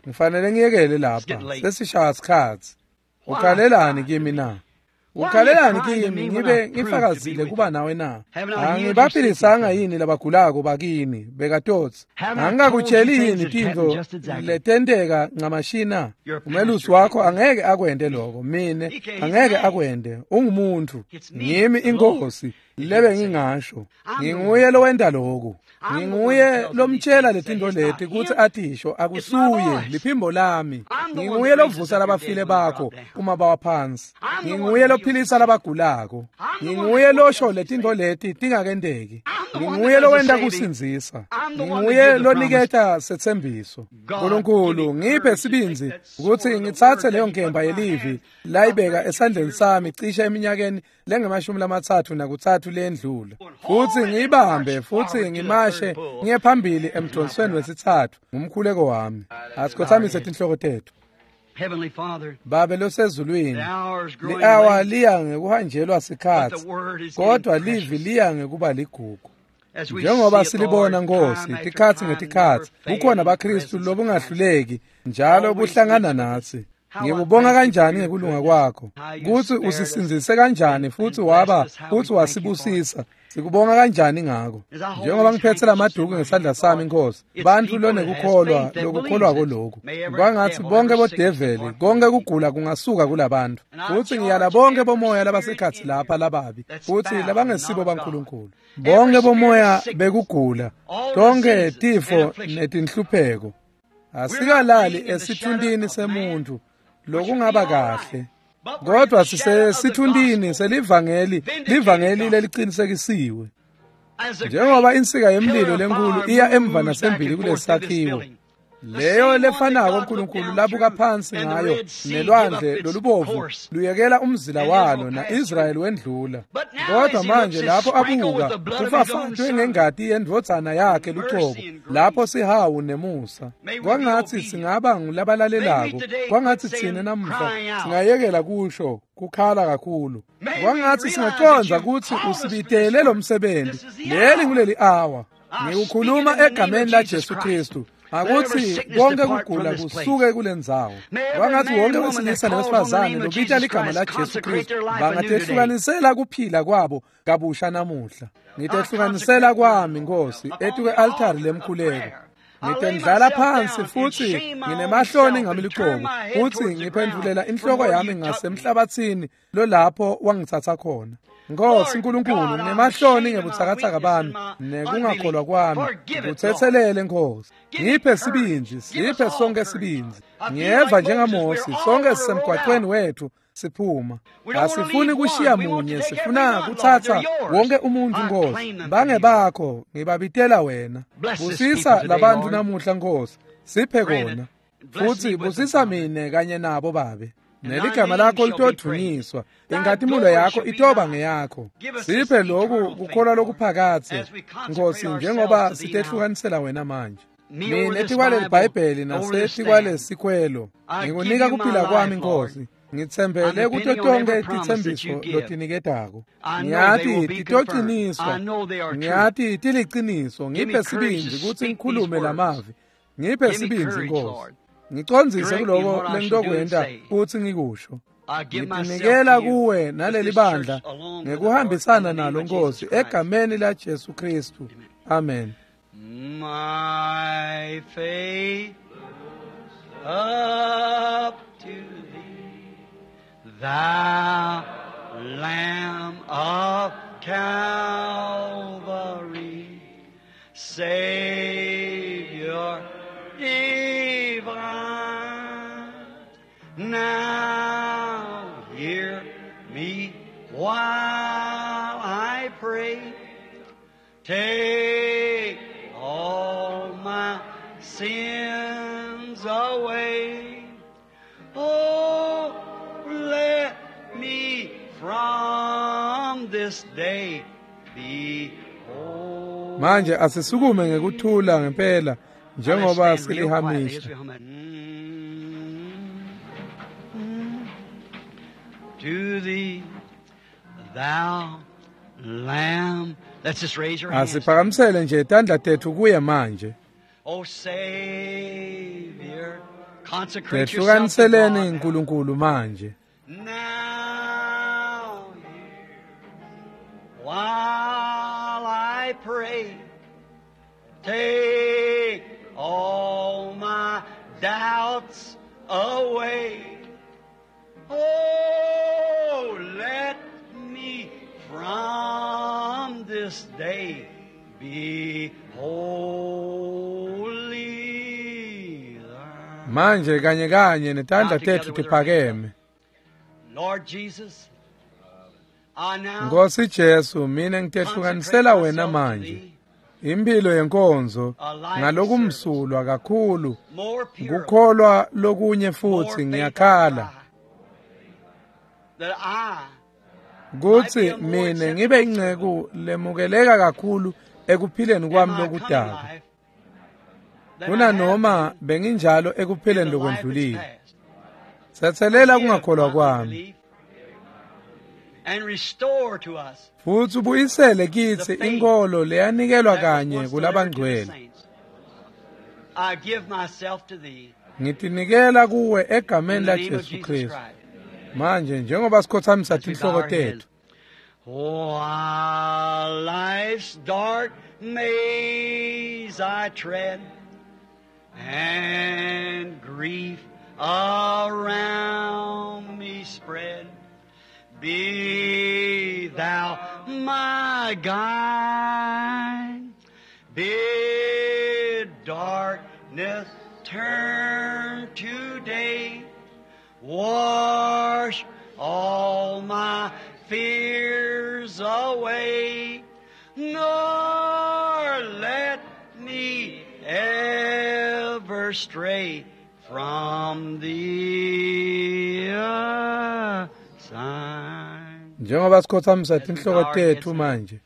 Speaker 1: Ngifanele ngiyekele lapha sesishaya sikhatsi. Ukhalelani kimi na? Ukhalelani kimi ngibe ngifakazile kuba nawe na? Angibaphilisanga yini labagulako bakini bekatotsi? Angikakutsheli yini tintfo letenteka ncamashina? Umelusi wakho angeke akwente lokho, mine angeke akwente. Ungumuntfu, ngimi inkosi. Lebe ngingasho nginguye lowenta lokhu, nginguye lomtshela letinto leti kutsi atisho, akusuye liphimbo lami. Nginguye lovusa labafile bakho uma bawa phansi, nginguye lophilisa labagulako, nginguye losho letinto leti tingakenteki, nginguye lowenta kusindzisa, nginguye loniketa setsembiso. Nkulunkulu ngiphe sibindzi kutsi ngitsatse leyo nkemba yelivi layibeka esandleni sami cishe eminyakeni lengemashumi lamatsatfu nakutsatfu lendlula, futsi ngiyibambe futsi ngimashe ngiye phambili emdonsweni wesitsatfu. Ngumkhuleko wami. Asikhothamise tinhloko tetfu. Babe losezulwini, li-awa liya ngekuhanjelwa sikhatsi, kodwa livi liya ngekuba ligugu. Njengoba silibona Nkosi tikhatsi ngetikhatsi kukhona baKristu lobungahluleki njalo buhlangana natsi. Ngikubonga kanjani ngekulunga kwakho, kutsi usisindzise kanjani futsi waba futsi wasibusisa. Sikubonga kanjani ngako. Njengoba ngiphetse lamaduku ngesandla sami Nkosi, bantfu lonekukholwa lokukholwako lokhu, kwangatsi bonke bodeveli, konke kugula kungasuka kulabantu. Futsi ngiyala bonke bomoya labasekhatsi lapha lababi futsi labangesibo baNkulunkulu, bonke bomoya bekugula, tonke tifo netinhlupheko. Asikalali esithuntini semuntu lokungaba kahle, kodwa sisesithuntini selivangeli, livangeli leliqinisekisiwe. Njengoba insika yemlilo lenkulu iya emva nasembili kulesakhiwo, leyo lefanako uNkulunkulu labuka phansi ngayo nelwandle lolubovu luyekela umzila walo na-Israyeli wendlula. Kodwa manje lapho abuka kufafatwe ngengati yendvodzana yakhe lucobo, lapho sihawu nemusa. Kwangatsi singaba ngulabalalelako, kwangatsi tsine namuhla singayekela kusho kukhala kakhulu. Kwangatsi singacondza kutsi usibitele lo msebenzi, leli nguleli awa. Ngikukhuluma egameni la Jesu Kristu, akuthi konke kugula kusuke kulendzawo. Kwangatsi wonke wesilisa nowesifazane lobita ligama la Jesu Kristu bangatehlukanisela kuphila kwabo kabusha namuhla. Ngitehlukanisela kwami Nkosi etukwe-altari lemkhuleko. Ngitendlala phansi futsi nginemahloni ngami lucobo, futsi ngiphendvulela inhloko yami ngasemhlabatsini lolapho wangitsatsa khona. Nkosi Nkulunkulu, nginemahloni ngebutsakatsaka bami nekungakholwa kwami, ngikutsetselele Nkosi. Ngiphe sibindzi, siphe sonke sibindzi. Ngiyeva njengaMosi, sonke sisemgwaqweni wethu siphuma. Asifuni kushiya munye, sifuna kutsatsa wonke umuntu Nkosi. Bangebakho, ngibabitela wena. Busisa labantu namuhla Nkosi, siphe kona. Futsi busisa mine kanye nabo Babe. Neligama lakho litodvunyiswa, inkhatimulo yakho itoba ngeyakho. Siphe lokhu kukholwa lokuphakatse Nkosi, njengoba sitehlukanisela wena manje. Mina etikwaleli Bhayibheli nasetikwalesikwelo ngikunika kuphila kwami Nkosi. Ngitsembele kuto tonke titsembiso lotiniketako. Ngiyati titociniswa, ngiyati tiliciniso. Ngiphe sibindzi kutsi ngikhulume lamavi, ngiphe sibindzi Nkosi. Ngicondzise kuloko lengitokwenta kutsi ngikusho. Ngitinikela kuwe naleli bandla ngekuhambisana nalo Nkosi, egameni la Jesu Kristu. Amen.
Speaker 2: My faith up to thee, thou Lamb of Calvary, Savior divine. Now hear me while I pray. Take all my sins away. Oh, let me from this day be whole.
Speaker 1: Manje asisukume ngekuthula ngempela njengoba silihamisha.
Speaker 2: To thee, thou Lamb. Let's just raise your hands.
Speaker 1: Asiphakamisele nje tandla tethu kuye manje.
Speaker 2: Oh Savior, consecrate yourself to
Speaker 1: Tehlukaniseleni
Speaker 2: God.
Speaker 1: uNkulunkulu manje.
Speaker 2: Now, while I pray, take all my doubts away. Oh, let me from this day be holy thine.
Speaker 1: Manje kanye kanye netandla tetfu tiphakeme.
Speaker 2: Lord Jesus, I now
Speaker 1: Nkosi Jesu, mina ngitehlukanisela
Speaker 2: consecrate
Speaker 1: wena
Speaker 2: myself to
Speaker 1: manje.
Speaker 2: thee,
Speaker 1: Impilo yenkonzo
Speaker 2: a life
Speaker 1: ngalokumsulwa kakhulu
Speaker 2: more pure,
Speaker 1: kukholwa lokunye
Speaker 2: more
Speaker 1: futhi
Speaker 2: faith I
Speaker 1: ngiyakhala
Speaker 2: cry, that I
Speaker 1: kutsi mine ngibe inceku lemukeleka kakhulu ekuphileni
Speaker 2: in
Speaker 1: kwami
Speaker 2: my coming
Speaker 1: lokudala
Speaker 2: life than I
Speaker 1: kuna
Speaker 2: have
Speaker 1: noma
Speaker 2: been
Speaker 1: benginjalo
Speaker 2: in
Speaker 1: ekuphileni
Speaker 2: the life that's
Speaker 1: lokwendlulile.
Speaker 2: past.
Speaker 1: Tsetselela
Speaker 2: Forgive
Speaker 1: kungakholwa
Speaker 2: my
Speaker 1: kwami
Speaker 2: unbelief and restore to us
Speaker 1: futhi ubuyisele
Speaker 2: the
Speaker 1: kitsi
Speaker 2: faith
Speaker 1: inkolo leyanikelwa
Speaker 2: that was
Speaker 1: kanye
Speaker 2: once delivered to the
Speaker 1: kulabangcwele.
Speaker 2: saints. I give myself to thee
Speaker 1: Ngitinikela kuwe
Speaker 2: in
Speaker 1: egameni
Speaker 2: the
Speaker 1: la
Speaker 2: name of
Speaker 1: Jesu
Speaker 2: Jesus
Speaker 1: Kristu.
Speaker 2: Christ.
Speaker 1: Manje njengoba sikhothamisa
Speaker 2: As we bow
Speaker 1: tinhloko
Speaker 2: our heads.
Speaker 1: tethu,
Speaker 2: While life's dark maze I tread, and grief around me spread, be thou my guide. Bid darkness turn to day. Wash all my fears away, nor let me ever stray from thee. Aside.
Speaker 1: njengoba sikhothamisa
Speaker 2: As we bow
Speaker 1: tinhloko
Speaker 2: our heads
Speaker 1: tethu
Speaker 2: now,
Speaker 1: manje,
Speaker 2: if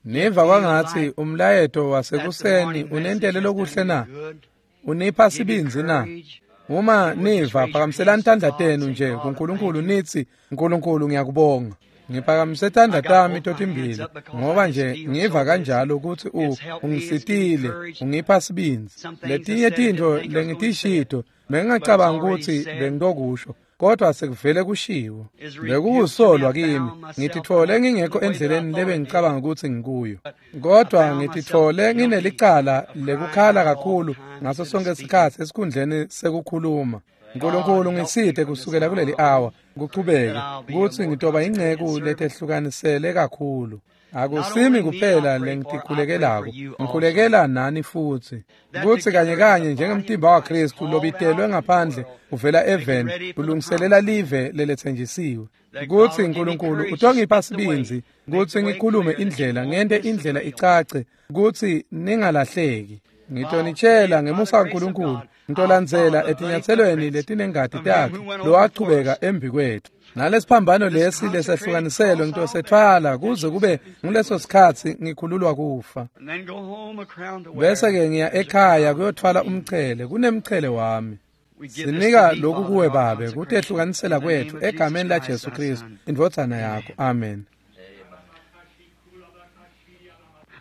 Speaker 1: niva
Speaker 2: you
Speaker 1: kwangatsi
Speaker 2: like
Speaker 1: umlayeto
Speaker 2: that the
Speaker 1: wasekuseni
Speaker 2: morning message
Speaker 1: unentele
Speaker 2: has done
Speaker 1: lokuhle
Speaker 2: you
Speaker 1: na?
Speaker 2: good,
Speaker 1: Unipha
Speaker 2: give you
Speaker 1: sibindzi na?
Speaker 2: courage,
Speaker 1: Uma
Speaker 2: you would just
Speaker 1: niva
Speaker 2: raise your
Speaker 1: phakamiselani
Speaker 2: hands to
Speaker 1: tandla
Speaker 2: God,
Speaker 1: tenu
Speaker 2: say,
Speaker 1: nje
Speaker 2: God, I thank
Speaker 1: kuNkulunkulu
Speaker 2: you.
Speaker 1: nithi nkulunkulu ngiyakubonga. Ngiphakamise tandla
Speaker 2: I got
Speaker 1: tami
Speaker 2: both my hands
Speaker 1: totimbili
Speaker 2: up because I
Speaker 1: ngoba
Speaker 2: just
Speaker 1: nje
Speaker 2: feel
Speaker 1: ngiva
Speaker 2: so busy.
Speaker 1: kanjalo ukuthi u
Speaker 2: It's helped me, it's given me
Speaker 1: ungisitile,
Speaker 2: courage.
Speaker 1: ungipha sibindzi.
Speaker 2: Some things I
Speaker 1: Letinye
Speaker 2: said I didn't
Speaker 1: tintfo
Speaker 2: think I was going to say it,
Speaker 1: lengitishito
Speaker 2: but it's
Speaker 1: bengingacabanga
Speaker 2: already
Speaker 1: ukuthi
Speaker 2: said.
Speaker 1: bengitokusho kodwa sekuvele kushiwo.
Speaker 2: Is rebuked to me.
Speaker 1: Bekukusolwa
Speaker 2: I
Speaker 1: kimi,
Speaker 2: found myself
Speaker 1: ngititfole
Speaker 2: not in
Speaker 1: ngingekho
Speaker 2: the way that I
Speaker 1: endleleni
Speaker 2: thought I did,
Speaker 1: lebengicabanga ukuthi ngikuyo.
Speaker 2: but I
Speaker 1: Kodwa
Speaker 2: found myself
Speaker 1: ngititfole
Speaker 2: guilty
Speaker 1: nginelicala
Speaker 2: of crying
Speaker 1: lekukhala
Speaker 2: out all the
Speaker 1: kakhulu
Speaker 2: time
Speaker 1: ngaso
Speaker 2: instead of
Speaker 1: sonke
Speaker 2: speaking.
Speaker 1: isikhathi esikhundleni sekukhuluma.
Speaker 2: God
Speaker 1: nkulunkulu
Speaker 2: help me
Speaker 1: ngisite
Speaker 2: from this
Speaker 1: kusukela
Speaker 2: hour
Speaker 1: kuleli
Speaker 2: on
Speaker 1: awa
Speaker 2: that
Speaker 1: kuchubeke
Speaker 2: I'll be a
Speaker 1: kutsi
Speaker 2: more
Speaker 1: ngitoba
Speaker 2: consecrated
Speaker 1: inceku
Speaker 2: servant.
Speaker 1: letehlukanisele kakhulu.
Speaker 2: Not
Speaker 1: Akusimi
Speaker 2: only me I
Speaker 1: kuphela
Speaker 2: pray for, I pray for
Speaker 1: lengitikhulukelako,
Speaker 2: you also.
Speaker 1: ngikhulekela nani futsi.
Speaker 2: That
Speaker 1: Kutsi kanye
Speaker 2: together as
Speaker 1: kanye
Speaker 2: the body of
Speaker 1: njengemtimba
Speaker 2: Christ
Speaker 1: waKristu
Speaker 2: called
Speaker 1: lobitelwe
Speaker 2: out of the
Speaker 1: ngaphandle
Speaker 2: world,
Speaker 1: uvela
Speaker 2: making
Speaker 1: eveni
Speaker 2: ready for the
Speaker 1: ulungiselela
Speaker 2: promised land,
Speaker 1: live leletsenjisiwe.
Speaker 2: that God
Speaker 1: Kutsi
Speaker 2: will give me
Speaker 1: nkulunkulu
Speaker 2: courage to
Speaker 1: utongipha
Speaker 2: speak the way,
Speaker 1: sibindzi
Speaker 2: make
Speaker 1: kutsi
Speaker 2: the way
Speaker 1: ngikhulume
Speaker 2: clear that you
Speaker 1: indlela
Speaker 2: won't
Speaker 1: ngente
Speaker 2: miss the
Speaker 1: indlela
Speaker 2: trail.
Speaker 1: icace kutsi ningalahleki.
Speaker 2: While
Speaker 1: Ngitonitshela
Speaker 2: may, by the
Speaker 1: ngemusa
Speaker 2: grace of
Speaker 1: kaNkulunkulu
Speaker 2: God, I'll follow
Speaker 1: ngitolandzela
Speaker 2: the bloody
Speaker 1: etinyatselweni
Speaker 2: footprints
Speaker 1: letinengati
Speaker 2: of him
Speaker 1: takhe
Speaker 2: who went on before
Speaker 1: lowachubeka
Speaker 2: us.
Speaker 1: embi kwethu. Nalesiphambano
Speaker 2: This
Speaker 1: lesi
Speaker 2: consecrated
Speaker 1: lesehlukaniselwe
Speaker 2: cross I'll bear
Speaker 1: ngitosethwala kuze
Speaker 2: until she
Speaker 1: kube
Speaker 2: set me free
Speaker 1: nguleso
Speaker 2: once more.
Speaker 1: sikhatsi ngikhululwa kufa.
Speaker 2: And then go home a crown to wear.
Speaker 1: Bese-ke ngiya
Speaker 2: There's a
Speaker 1: ekhaya
Speaker 2: crown for
Speaker 1: kuyothwala
Speaker 2: me.
Speaker 1: umchele kunemchele wami.
Speaker 2: We give this to
Speaker 1: Sinika
Speaker 2: thee,
Speaker 1: lokhu
Speaker 2: Father,
Speaker 1: kuwe
Speaker 2: our
Speaker 1: Babe
Speaker 2: consecration,
Speaker 1: kutehlukaniselwa
Speaker 2: in the name
Speaker 1: kwethu
Speaker 2: of Jesus
Speaker 1: egameni
Speaker 2: Christ,
Speaker 1: laJesu
Speaker 2: thy
Speaker 1: Kristu
Speaker 2: Son.
Speaker 1: indvodzana yakho.
Speaker 2: Amen.
Speaker 1: Amen.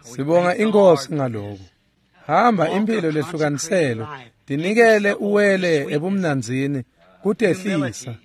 Speaker 2: We
Speaker 1: Sibonga
Speaker 2: thank the Lord
Speaker 1: inkosi
Speaker 2: for
Speaker 1: ngalokho.
Speaker 2: this.
Speaker 1: Hamba
Speaker 2: Walk a
Speaker 1: impilo
Speaker 2: consecrated
Speaker 1: lehlukaniselwe,
Speaker 2: life. Give
Speaker 1: tinikele
Speaker 2: yourself over to
Speaker 1: uwele
Speaker 2: sweetness,
Speaker 1: ebumnandzini kutehlisa.
Speaker 2: humility.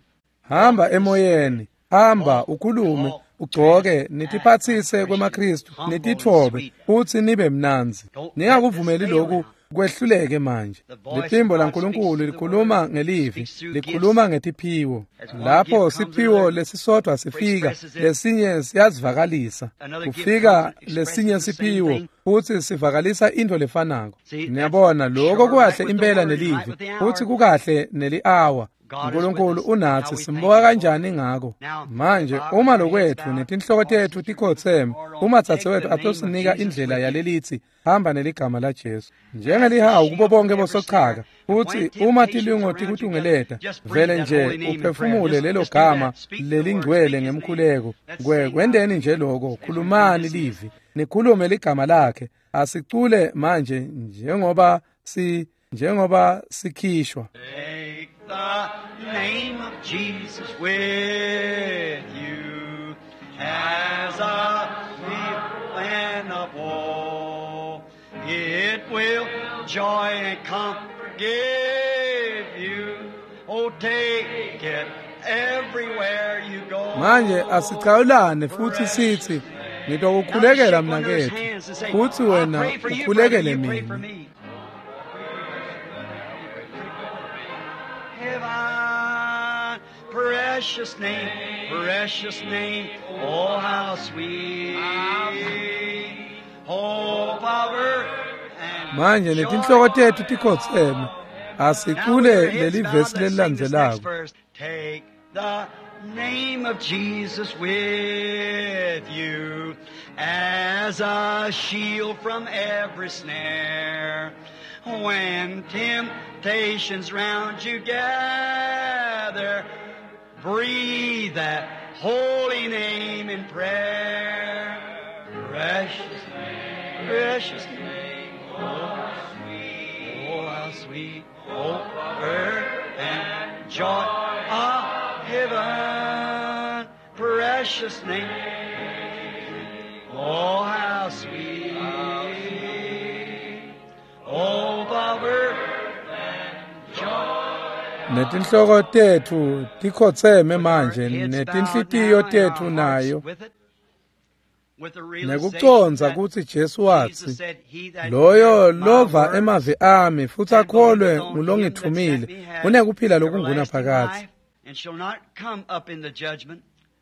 Speaker 1: Hamba
Speaker 2: Walk in the Spirit.
Speaker 1: emoyeni, hamba
Speaker 2: Walk,
Speaker 1: ukhulume,
Speaker 2: talk, dress,
Speaker 1: ugcoke,
Speaker 2: act like
Speaker 1: nitiphatsise
Speaker 2: Christians,
Speaker 1: kwemaKristu,
Speaker 2: humble and
Speaker 1: nititfobe
Speaker 2: sweet.
Speaker 1: futsi nibe mnandzi.
Speaker 2: Don't let this
Speaker 1: Ningakuvumeli
Speaker 2: fail
Speaker 1: lokhu
Speaker 2: now.
Speaker 1: kwehluleke manje.
Speaker 2: The voice of
Speaker 1: Liphimbo
Speaker 2: God speaks
Speaker 1: laNkulunkulu
Speaker 2: through the
Speaker 1: likhuluma
Speaker 2: Word,
Speaker 1: ngelivi,
Speaker 2: speaks through gifts.
Speaker 1: likhuluma ngetiphiwo.
Speaker 2: As one gift
Speaker 1: Lapho
Speaker 2: comes,
Speaker 1: siphiwo
Speaker 2: another
Speaker 1: lesisodwa sifika,
Speaker 2: expresses it.
Speaker 1: lesinye siyazivakalisa.
Speaker 2: Another gift comes
Speaker 1: Kufika
Speaker 2: and expresses
Speaker 1: lesinye
Speaker 2: the same
Speaker 1: siphiwo
Speaker 2: thing.
Speaker 1: futsi sivakalisa intfo lefanako.
Speaker 2: See, that's
Speaker 1: Niyabona lokho
Speaker 2: sure right
Speaker 1: kukahle
Speaker 2: with the
Speaker 1: impela
Speaker 2: Word and right
Speaker 1: nelivi
Speaker 2: with the
Speaker 1: futsi
Speaker 2: hour.
Speaker 1: kukahle neli-awa.
Speaker 2: God is with
Speaker 1: nkulunkulu
Speaker 2: us. How
Speaker 1: unatsi
Speaker 2: we thank
Speaker 1: simbuka
Speaker 2: Him for it.
Speaker 1: kanjani ngako.
Speaker 2: Now,
Speaker 1: Manje
Speaker 2: if our
Speaker 1: uma
Speaker 2: heads
Speaker 1: lokwethu
Speaker 2: bowed,
Speaker 1: netinhloko
Speaker 2: our
Speaker 1: tethu
Speaker 2: sisters with
Speaker 1: tikhotseme,
Speaker 2: heart on,
Speaker 1: uma
Speaker 2: take
Speaker 1: dzadzewetfu
Speaker 2: the name of
Speaker 1: atosinika
Speaker 2: Jesus
Speaker 1: indlela
Speaker 2: with you.
Speaker 1: yalelithi hamba neligama laJesu
Speaker 2: As the
Speaker 1: njengelihawu kubo
Speaker 2: shield for
Speaker 1: bonke
Speaker 2: every snare,
Speaker 1: bosochaka
Speaker 2: and when
Speaker 1: futsi uma
Speaker 2: temptations
Speaker 1: tilingo
Speaker 2: around you gather,
Speaker 1: tikutungeleta
Speaker 2: just breathe
Speaker 1: vele
Speaker 2: that
Speaker 1: nje
Speaker 2: holy name in prayer.
Speaker 1: uphefumule
Speaker 2: Just,
Speaker 1: lelo
Speaker 2: just do
Speaker 1: gama
Speaker 2: that. Speak the word.
Speaker 1: lelingcwele
Speaker 2: Speak His name.
Speaker 1: ngemkhuleko.
Speaker 2: Let's
Speaker 1: Kwe
Speaker 2: sing out
Speaker 1: kwenteni nje lokho,
Speaker 2: as we be
Speaker 1: khulumani
Speaker 2: dismissed.
Speaker 1: livi, nikhulume ligama lakhe. Asicule manje njengoba si njengoba sikhishwa.
Speaker 2: Take the name of Jesus with you as a plan of woe. It will joy and comfort give you. Oh, take it everywhere you
Speaker 1: Manje
Speaker 2: go.
Speaker 1: asicawulane futhi
Speaker 2: Precious
Speaker 1: sithi
Speaker 2: name. Now just
Speaker 1: ngitokukhulekela
Speaker 2: shake one another's
Speaker 1: mnakethu
Speaker 2: hands and say,
Speaker 1: futhi
Speaker 2: I'll
Speaker 1: wena
Speaker 2: pray for you, brother,
Speaker 1: ukhulekele
Speaker 2: you pray for
Speaker 1: mina.
Speaker 2: me. Heaven, precious name Precious name, oh how sweet. Hope of earth and
Speaker 1: Manje netinhloko tetfu tikhotseme. Asicule leli vesi lelilandzelako.
Speaker 2: Take the name of Jesus with you as a shield from every snare. When temptations round you gather, breathe that holy name in prayer. Precious name, precious name, oh sweet, oh how sweet, oh earth and joy of heaven. Precious name, oh how sweet, oh of earth and joy.
Speaker 1: Netinhloko tetfu tikhotseme manje netinhlitiyo tetfu nayo nekucondza kutsi Jesu watsi loyo lova emavi ami futsi akholwe ngulongitfumile unekuphila lokungunaphakadze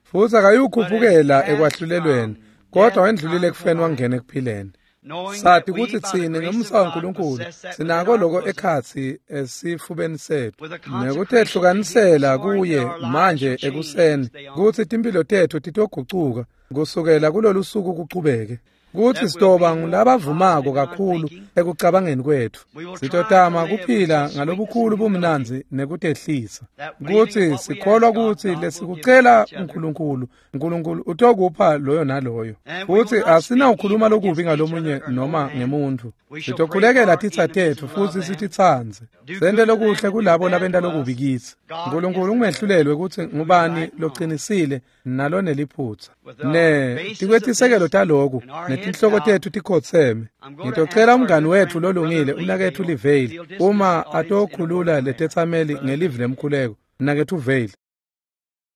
Speaker 1: futsi akayukhuphukela ekwahlulelweni kodwa wendlulile ekufeni wangena ekuphileni. Sati kutsi tsine ngemusa waNkulunkulu sinako loko ekhatsi esifubeni setfu nekutehlukanisela kuye manje ekuseni kutsi timphilo tetfu titogucuka kusukela kulolu suku kuchubeke kutsi sitoba ngulabavumako kakhulu ekucabangeni kwetfu sitotama kuphila ngalobukhulu bumnandzi nekutehlisa kutsi sikholwa kutsi lesikucela uNkulunkulu uNkulunkulu utokupha loyo naloyo futsi asinawukhuluma lokubi ngalomunye noma ngemuntfu sitokhulekela titsa tetfu futsi sititsandze sente lokuhle kulabo labenta lokubi kitsi. uNkulunkulu ungehlulelwe kutsi ngubani loqinisile naloneliphutsa ne tikwetisekelo taloku netinhloko tetfu tikhotseme. Ngitocela umngani wetfu lolungile umnaketfu Livale uma atokhulula letetsameli ngelivi lemkhuleko. Mnaketfu Vale.